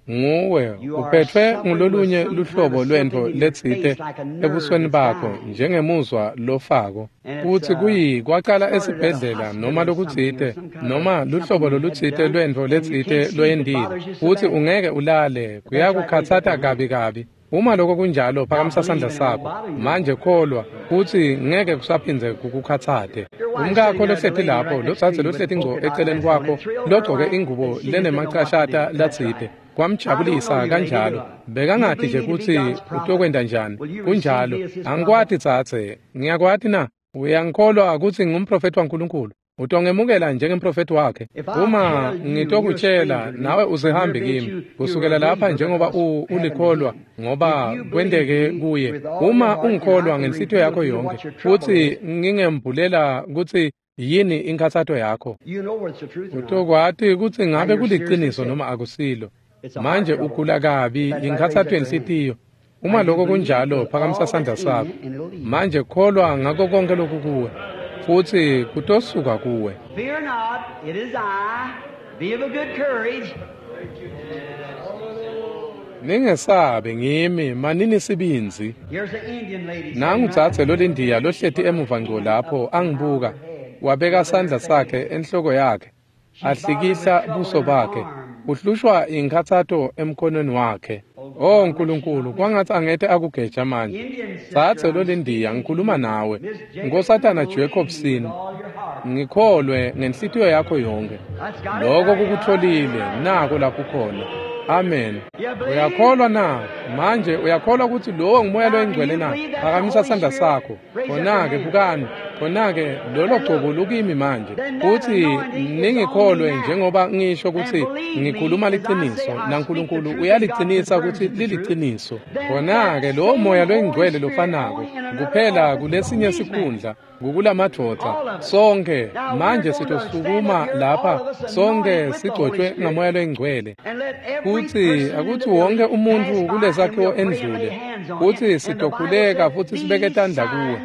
S1: Nguwe uphetfwe ngulolunye luhlobo lwentfo letsite ebusweni bakho njengemuzwa lofako kutsi kuyi kwacala esibhedlela noma lokutsite noma luhlobo lolutsite lwentfo letsite loyentile kutsi ungeke ulale kuyakukhatsata kabi kabi. Uma lokho kunjalo phakamisa sandla sakho manje kholwa kutsi ngeke kusaphindze kukukhatsate. Umkakho lohleti lapho lotsatse lohleti ngco eceleni kwakho logcoke ingubo lenemacashata latsite kwamjabulisa kanjalo bekangati nje kutsi utokwenta njani. Kunjalo angikwati tsatse ngiyakwati na uyangikholwa kutsi ngumprofeti waNkulunkulu utongemukela njengemprofeti wakhe. Uma ngitokutshela nawe usehambe kimi kusukela lapha njengoba ulikholwa ngoba kwenteke kuye. Uma ungikholwa ngenhlitiyo yakho yonke futsi ngingembulela kutsi yini inkhatsato yakho utokwati kutsi ngabe kuliciniso noma akusilo. Manje ugula kabi inkhatsato yenhlitiyo. Uma lokho kunjalo phakamisa sandla sakho manje kholwa ngako konke lokhu kuwe futsi kutosuka kuwe.
S2: Fear not, it is I. Be of a good courage.
S1: Ningesabe ngimi manini sibindzi. Nangu dzadze lolindiya lohleti emuva ngco lapho angibuka wabeka sandla sakhe enhloko yakhe ahlikihla buso bakhe uhlushwa inkhatsato emkhonweni wakhe. Oh Nkulunkulu kwangatsi angete akugeja manje. Dzadze lolindiya ngikhuluma nawe Nkosatana Jacobson ngikholwe ngenhlitiyo yakho yonke. Lokho kukutholile nako lapho khona. Amen. Uyakholwa na? Manje uyakholwa kutsi lowo ngumoya loyingcwele na? Phakamisa sandla sakho. Khona-ke bukani khona-ke lolo gcobo lukimi manje futsi ningikholwe njengoba ngisho kutsi ngikhuluma liciniso naNkulunkulu uyalicinisa kutsi liliciniso. Khona-ke lowo moya loyingcwele lofanako kuphela kulesinye sikhundla kukulamadvodza sonke manje sitosukuma lapha sonke sigcotshwe ngamoya loyingcwele kutsi akutsi wonke umuntfu kulesakhiwo endlule kutsi sitokhuleka futsi sibeke tandla kuwe.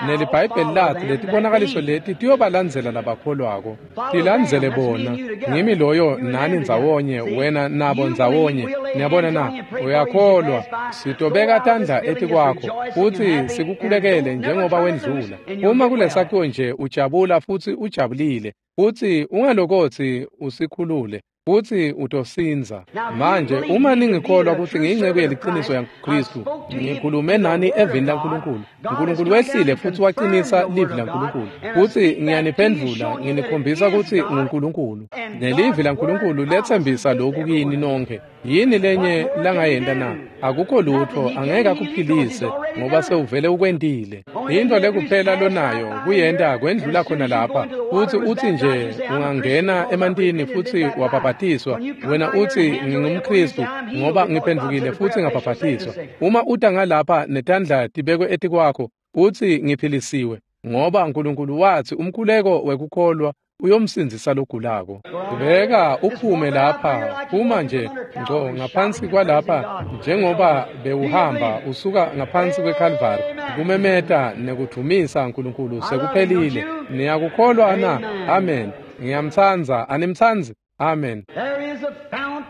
S1: NeliBhayibheli lathi letibonakaliso leti tiyobalandzela labakholwako tilandzele bona. Ngimi loyo nani ndzawonye wena nabo ndzawonye. Niyabona na? Uyakholwa sitobeka tandla etikwakho futsi sikukhulekele njengoba wendlula. Uma kulesakhiwo nje ujabula futsi ujabulile futsi ungalokotsi usikhulule futsi utosindza. Manje uma ningikholwa kutsi ngiyinceku yeliciniso yaKristu ngikhulume nani evini laNkulunkulu. Nkulunkulu wehlile futsi wacinisa livi laNkulunkulu futsi ngiyaniphendvula nginikhombisa kutsi nguNkulunkulu nelivi laNkulunkulu letsembisa lokhu kini nonke. Yini lenye langayenta na? Akukho lutho angeke akuphilise ngoba sewuvele ukwentile. Into lekuphela lonayo kuyenta kwendlula khona lapha futsi utsi nje ungangena emantini futsi wabhabhatiswa wena utsi ngingumKristu ngoba ngiphendvukile futsi ngabhabhatiswa. Uma uta ngalapha netandla tibekwe etikwakho utsi ngiphilisiwe ngoba Nkulunkulu watsi umkhuleko wekukholwa uyomsindzisa logulako. Beka uphume lapha phuma nje ngco ngaphansi kwalapha njengoba bewuhamba usuka ngaphansi kweKalvari kumemeta nekudvumisa Nkulunkulu sekuphelile. Niyakukholwa na? Amen. Ngiyamtsandza animtsandzi? Amen.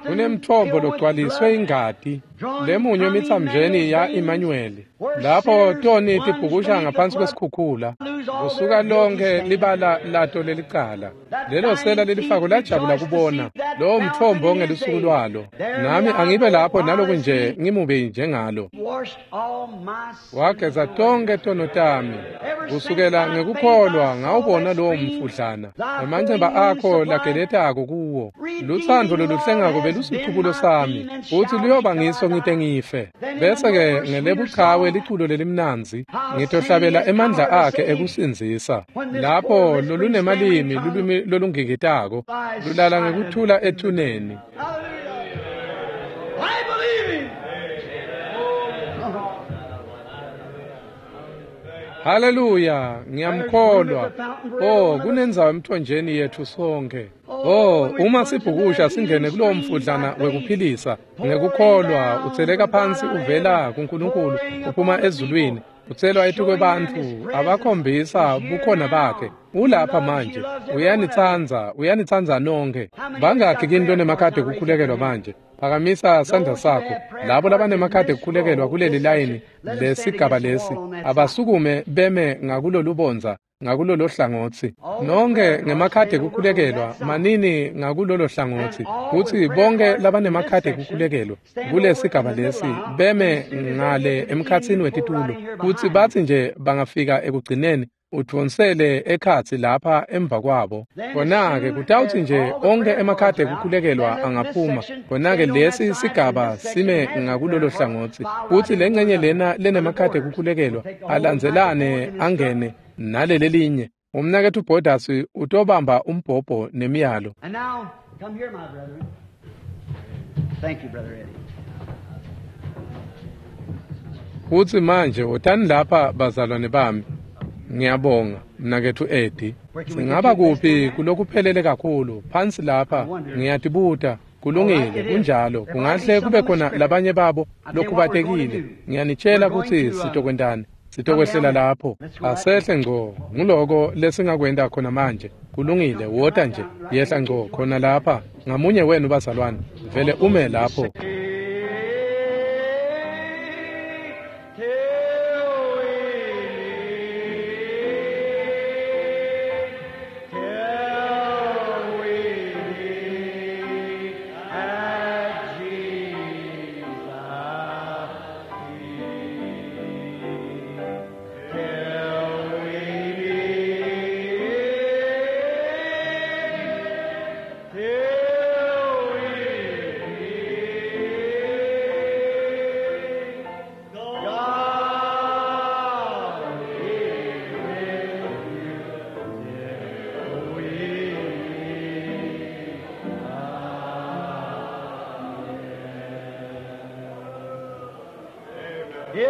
S1: Kunemthombo logcwaliswe ingati lemunywe emitsamjeni ya Emmanuel lapho toni tibhukusha ngaphansi kwesikhukhula kusuka lonke libala lato lelicala. Lelo sela lelifako lajabula kubona lowo mthombo ngelusuku lwalo. Nami angibe lapho naloku nje ngimube njengalo. Wageza tonke tono tami kusukela ngekukholwa ngawubona lowo mfudlana emanceba akho lageletako kuwo. Lutsandvo loluhlengako belusichubulo sami futsi luyoba ngiso ngite ngife. Bese-ke ngelebuchawe liculo lelimnandzi ngitohlabela emandla akhe ekusindzisa lapho lolunemalimi lulwimi lolungikitako lulala ngekuthula ethuneni. Haleluya, ngiyamkholwa. Oh, kunendzawo emthonjeni yethu sonke. Oh, uma sibhukusha singene kulowo mfudlana wekuphilisa ngekukholwa utseleka phansi uvela kuNkulunkulu uphuma ezulwini utselwa etukwebantfu abakhombisa bukhona bakhe. Ulapha manje uyanitsandza uyanitsandza nonke. Bangakhi kini lonemakhadi ekukhulekelwa manje? Phakamisa sandla sakho. Labo labanemakhadi ekukhulekelwa kuleli layini lesigaba lesi, abasukume beme ngakulolubondza ngakulolo hlangothi. Nonke ngemakhadi ekukhulekelwa manini ngakulolo hlangothi. Kutsi bonke labanemakhadi ekukhulekelwa kulesigaba lesi beme ngale emkhatsini wetitulo. Kutsi batsi nje bangafika ekugcineni udvonsele ekhatsi lapha emva kwabo. Kona-ke kutawutsi nje onke emakhadi ekukhulekelwa angaphuma. Kona-ke lesi sigaba sime ngakulolo hlangothi. Kutsi lengcenye lena lenemakhadi ekukhulekelwa alandzelane angene naleli linye. Umnaketfu Borders utobamba umbhobho nemiyalo.
S2: And now, come here, my brethren. Thank you, Brother Eddie.
S1: Kutsi manje wotani lapha bazalwane bami. Ngiyabonga mnaketfu Eddie. Singaba kuphi kulokuphelele kakhulu phansi lapha? Ngiyatibuta. Kulungile, kunjalo. Kungahle kube khona labanye babo lokhubatekile. Ngiyanitshela kutsi sitokwentani. Sitokwehlela lapho. Asehle ngco. Nguloko lesingakwenta khona manje. Kulungile, wota nje. Yehla ngco khona lapha. Ngamunye wenu bazalwane, vele ume lapho.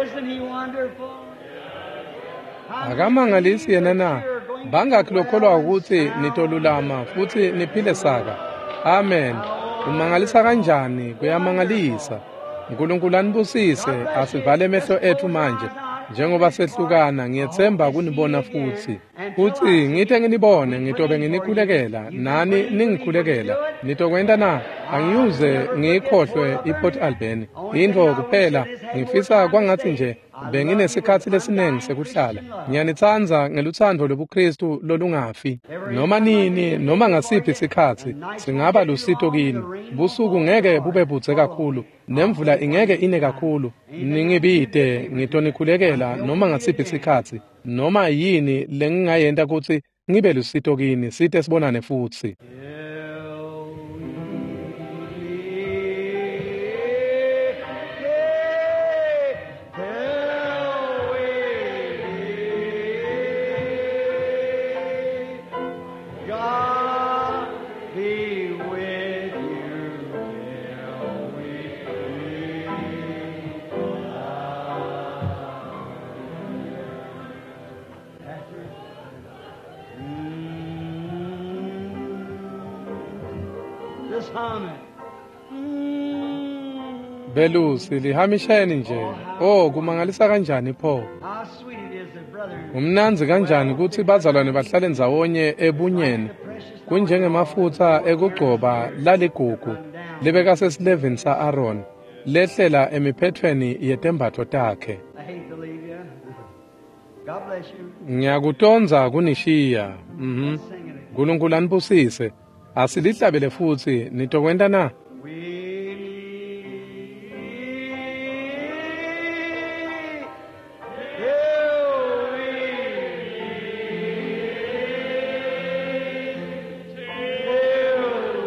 S2: Isn't he wonderful?
S1: Akamangalisi yena na? Bangakhi lokholwa ukuthi nitolulama futsi niphile saka? Amen. Umangalisa kanjani? Kuyamangalisa. Nkulunkulu anibusise. Asivale emehlo etfu manje. Njengoba sehlukana, ngiyetsemba kunibona futsi. Futsi ngite nginibone, ngitobe nginikhulekela, nani ningikhulekela. Nitokwenta na? Angiyuze ngiyikhohlwe iPort Alberni. Intfo kuphela ngifisa kwangatsi nje benginesikhatsi lesiningi sekuhlala. Ngiyanitsandza ngelutsandvo lobuKristu lolungafi. Noma nini, noma ngasiphi sikhatsi, singaba lusito kini. Busuku ngeke bube budze kakhulu, nemvula ingeke ine kakhulu. Ningibite, ngitonikhulekela noma ngasiphi sikhatsi. Noma yini lengingayenta kutsi ngibe lusito kini, site sibonane futsi.
S2: God be with you till we meet again. Just hum it. Mm.
S1: Belusi lihamisheni nje. Oh, kumangalisa kanjani pho?
S2: How sweet it is that brethren
S1: Kumnandzi kanjani kutsi bazalwane bahlale ndzawonye ebunyeni. Kunjengemafutsa ekugcoba laligugu lebekasesilevini sa-Aaron lehlela emiphethweni yetembatfo takhe.
S2: I hate to leave you. God bless you.
S1: Ngiyakutondza kunishiya. Mhm.
S2: Sing it again.
S1: Nkulunkulu anibusise. Asilihlabele futsi nitokwenta na?
S2: We meet till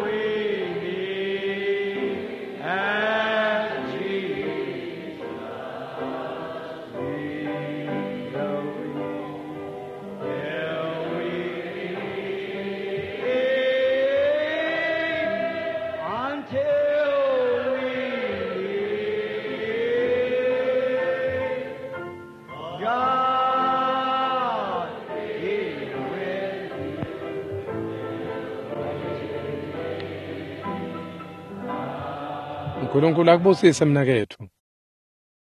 S2: we meet, till we meet at Jesus' feet. Till we meet, until we meet, God be with you.
S1: Nkulunkulu akubusise mnaketfu.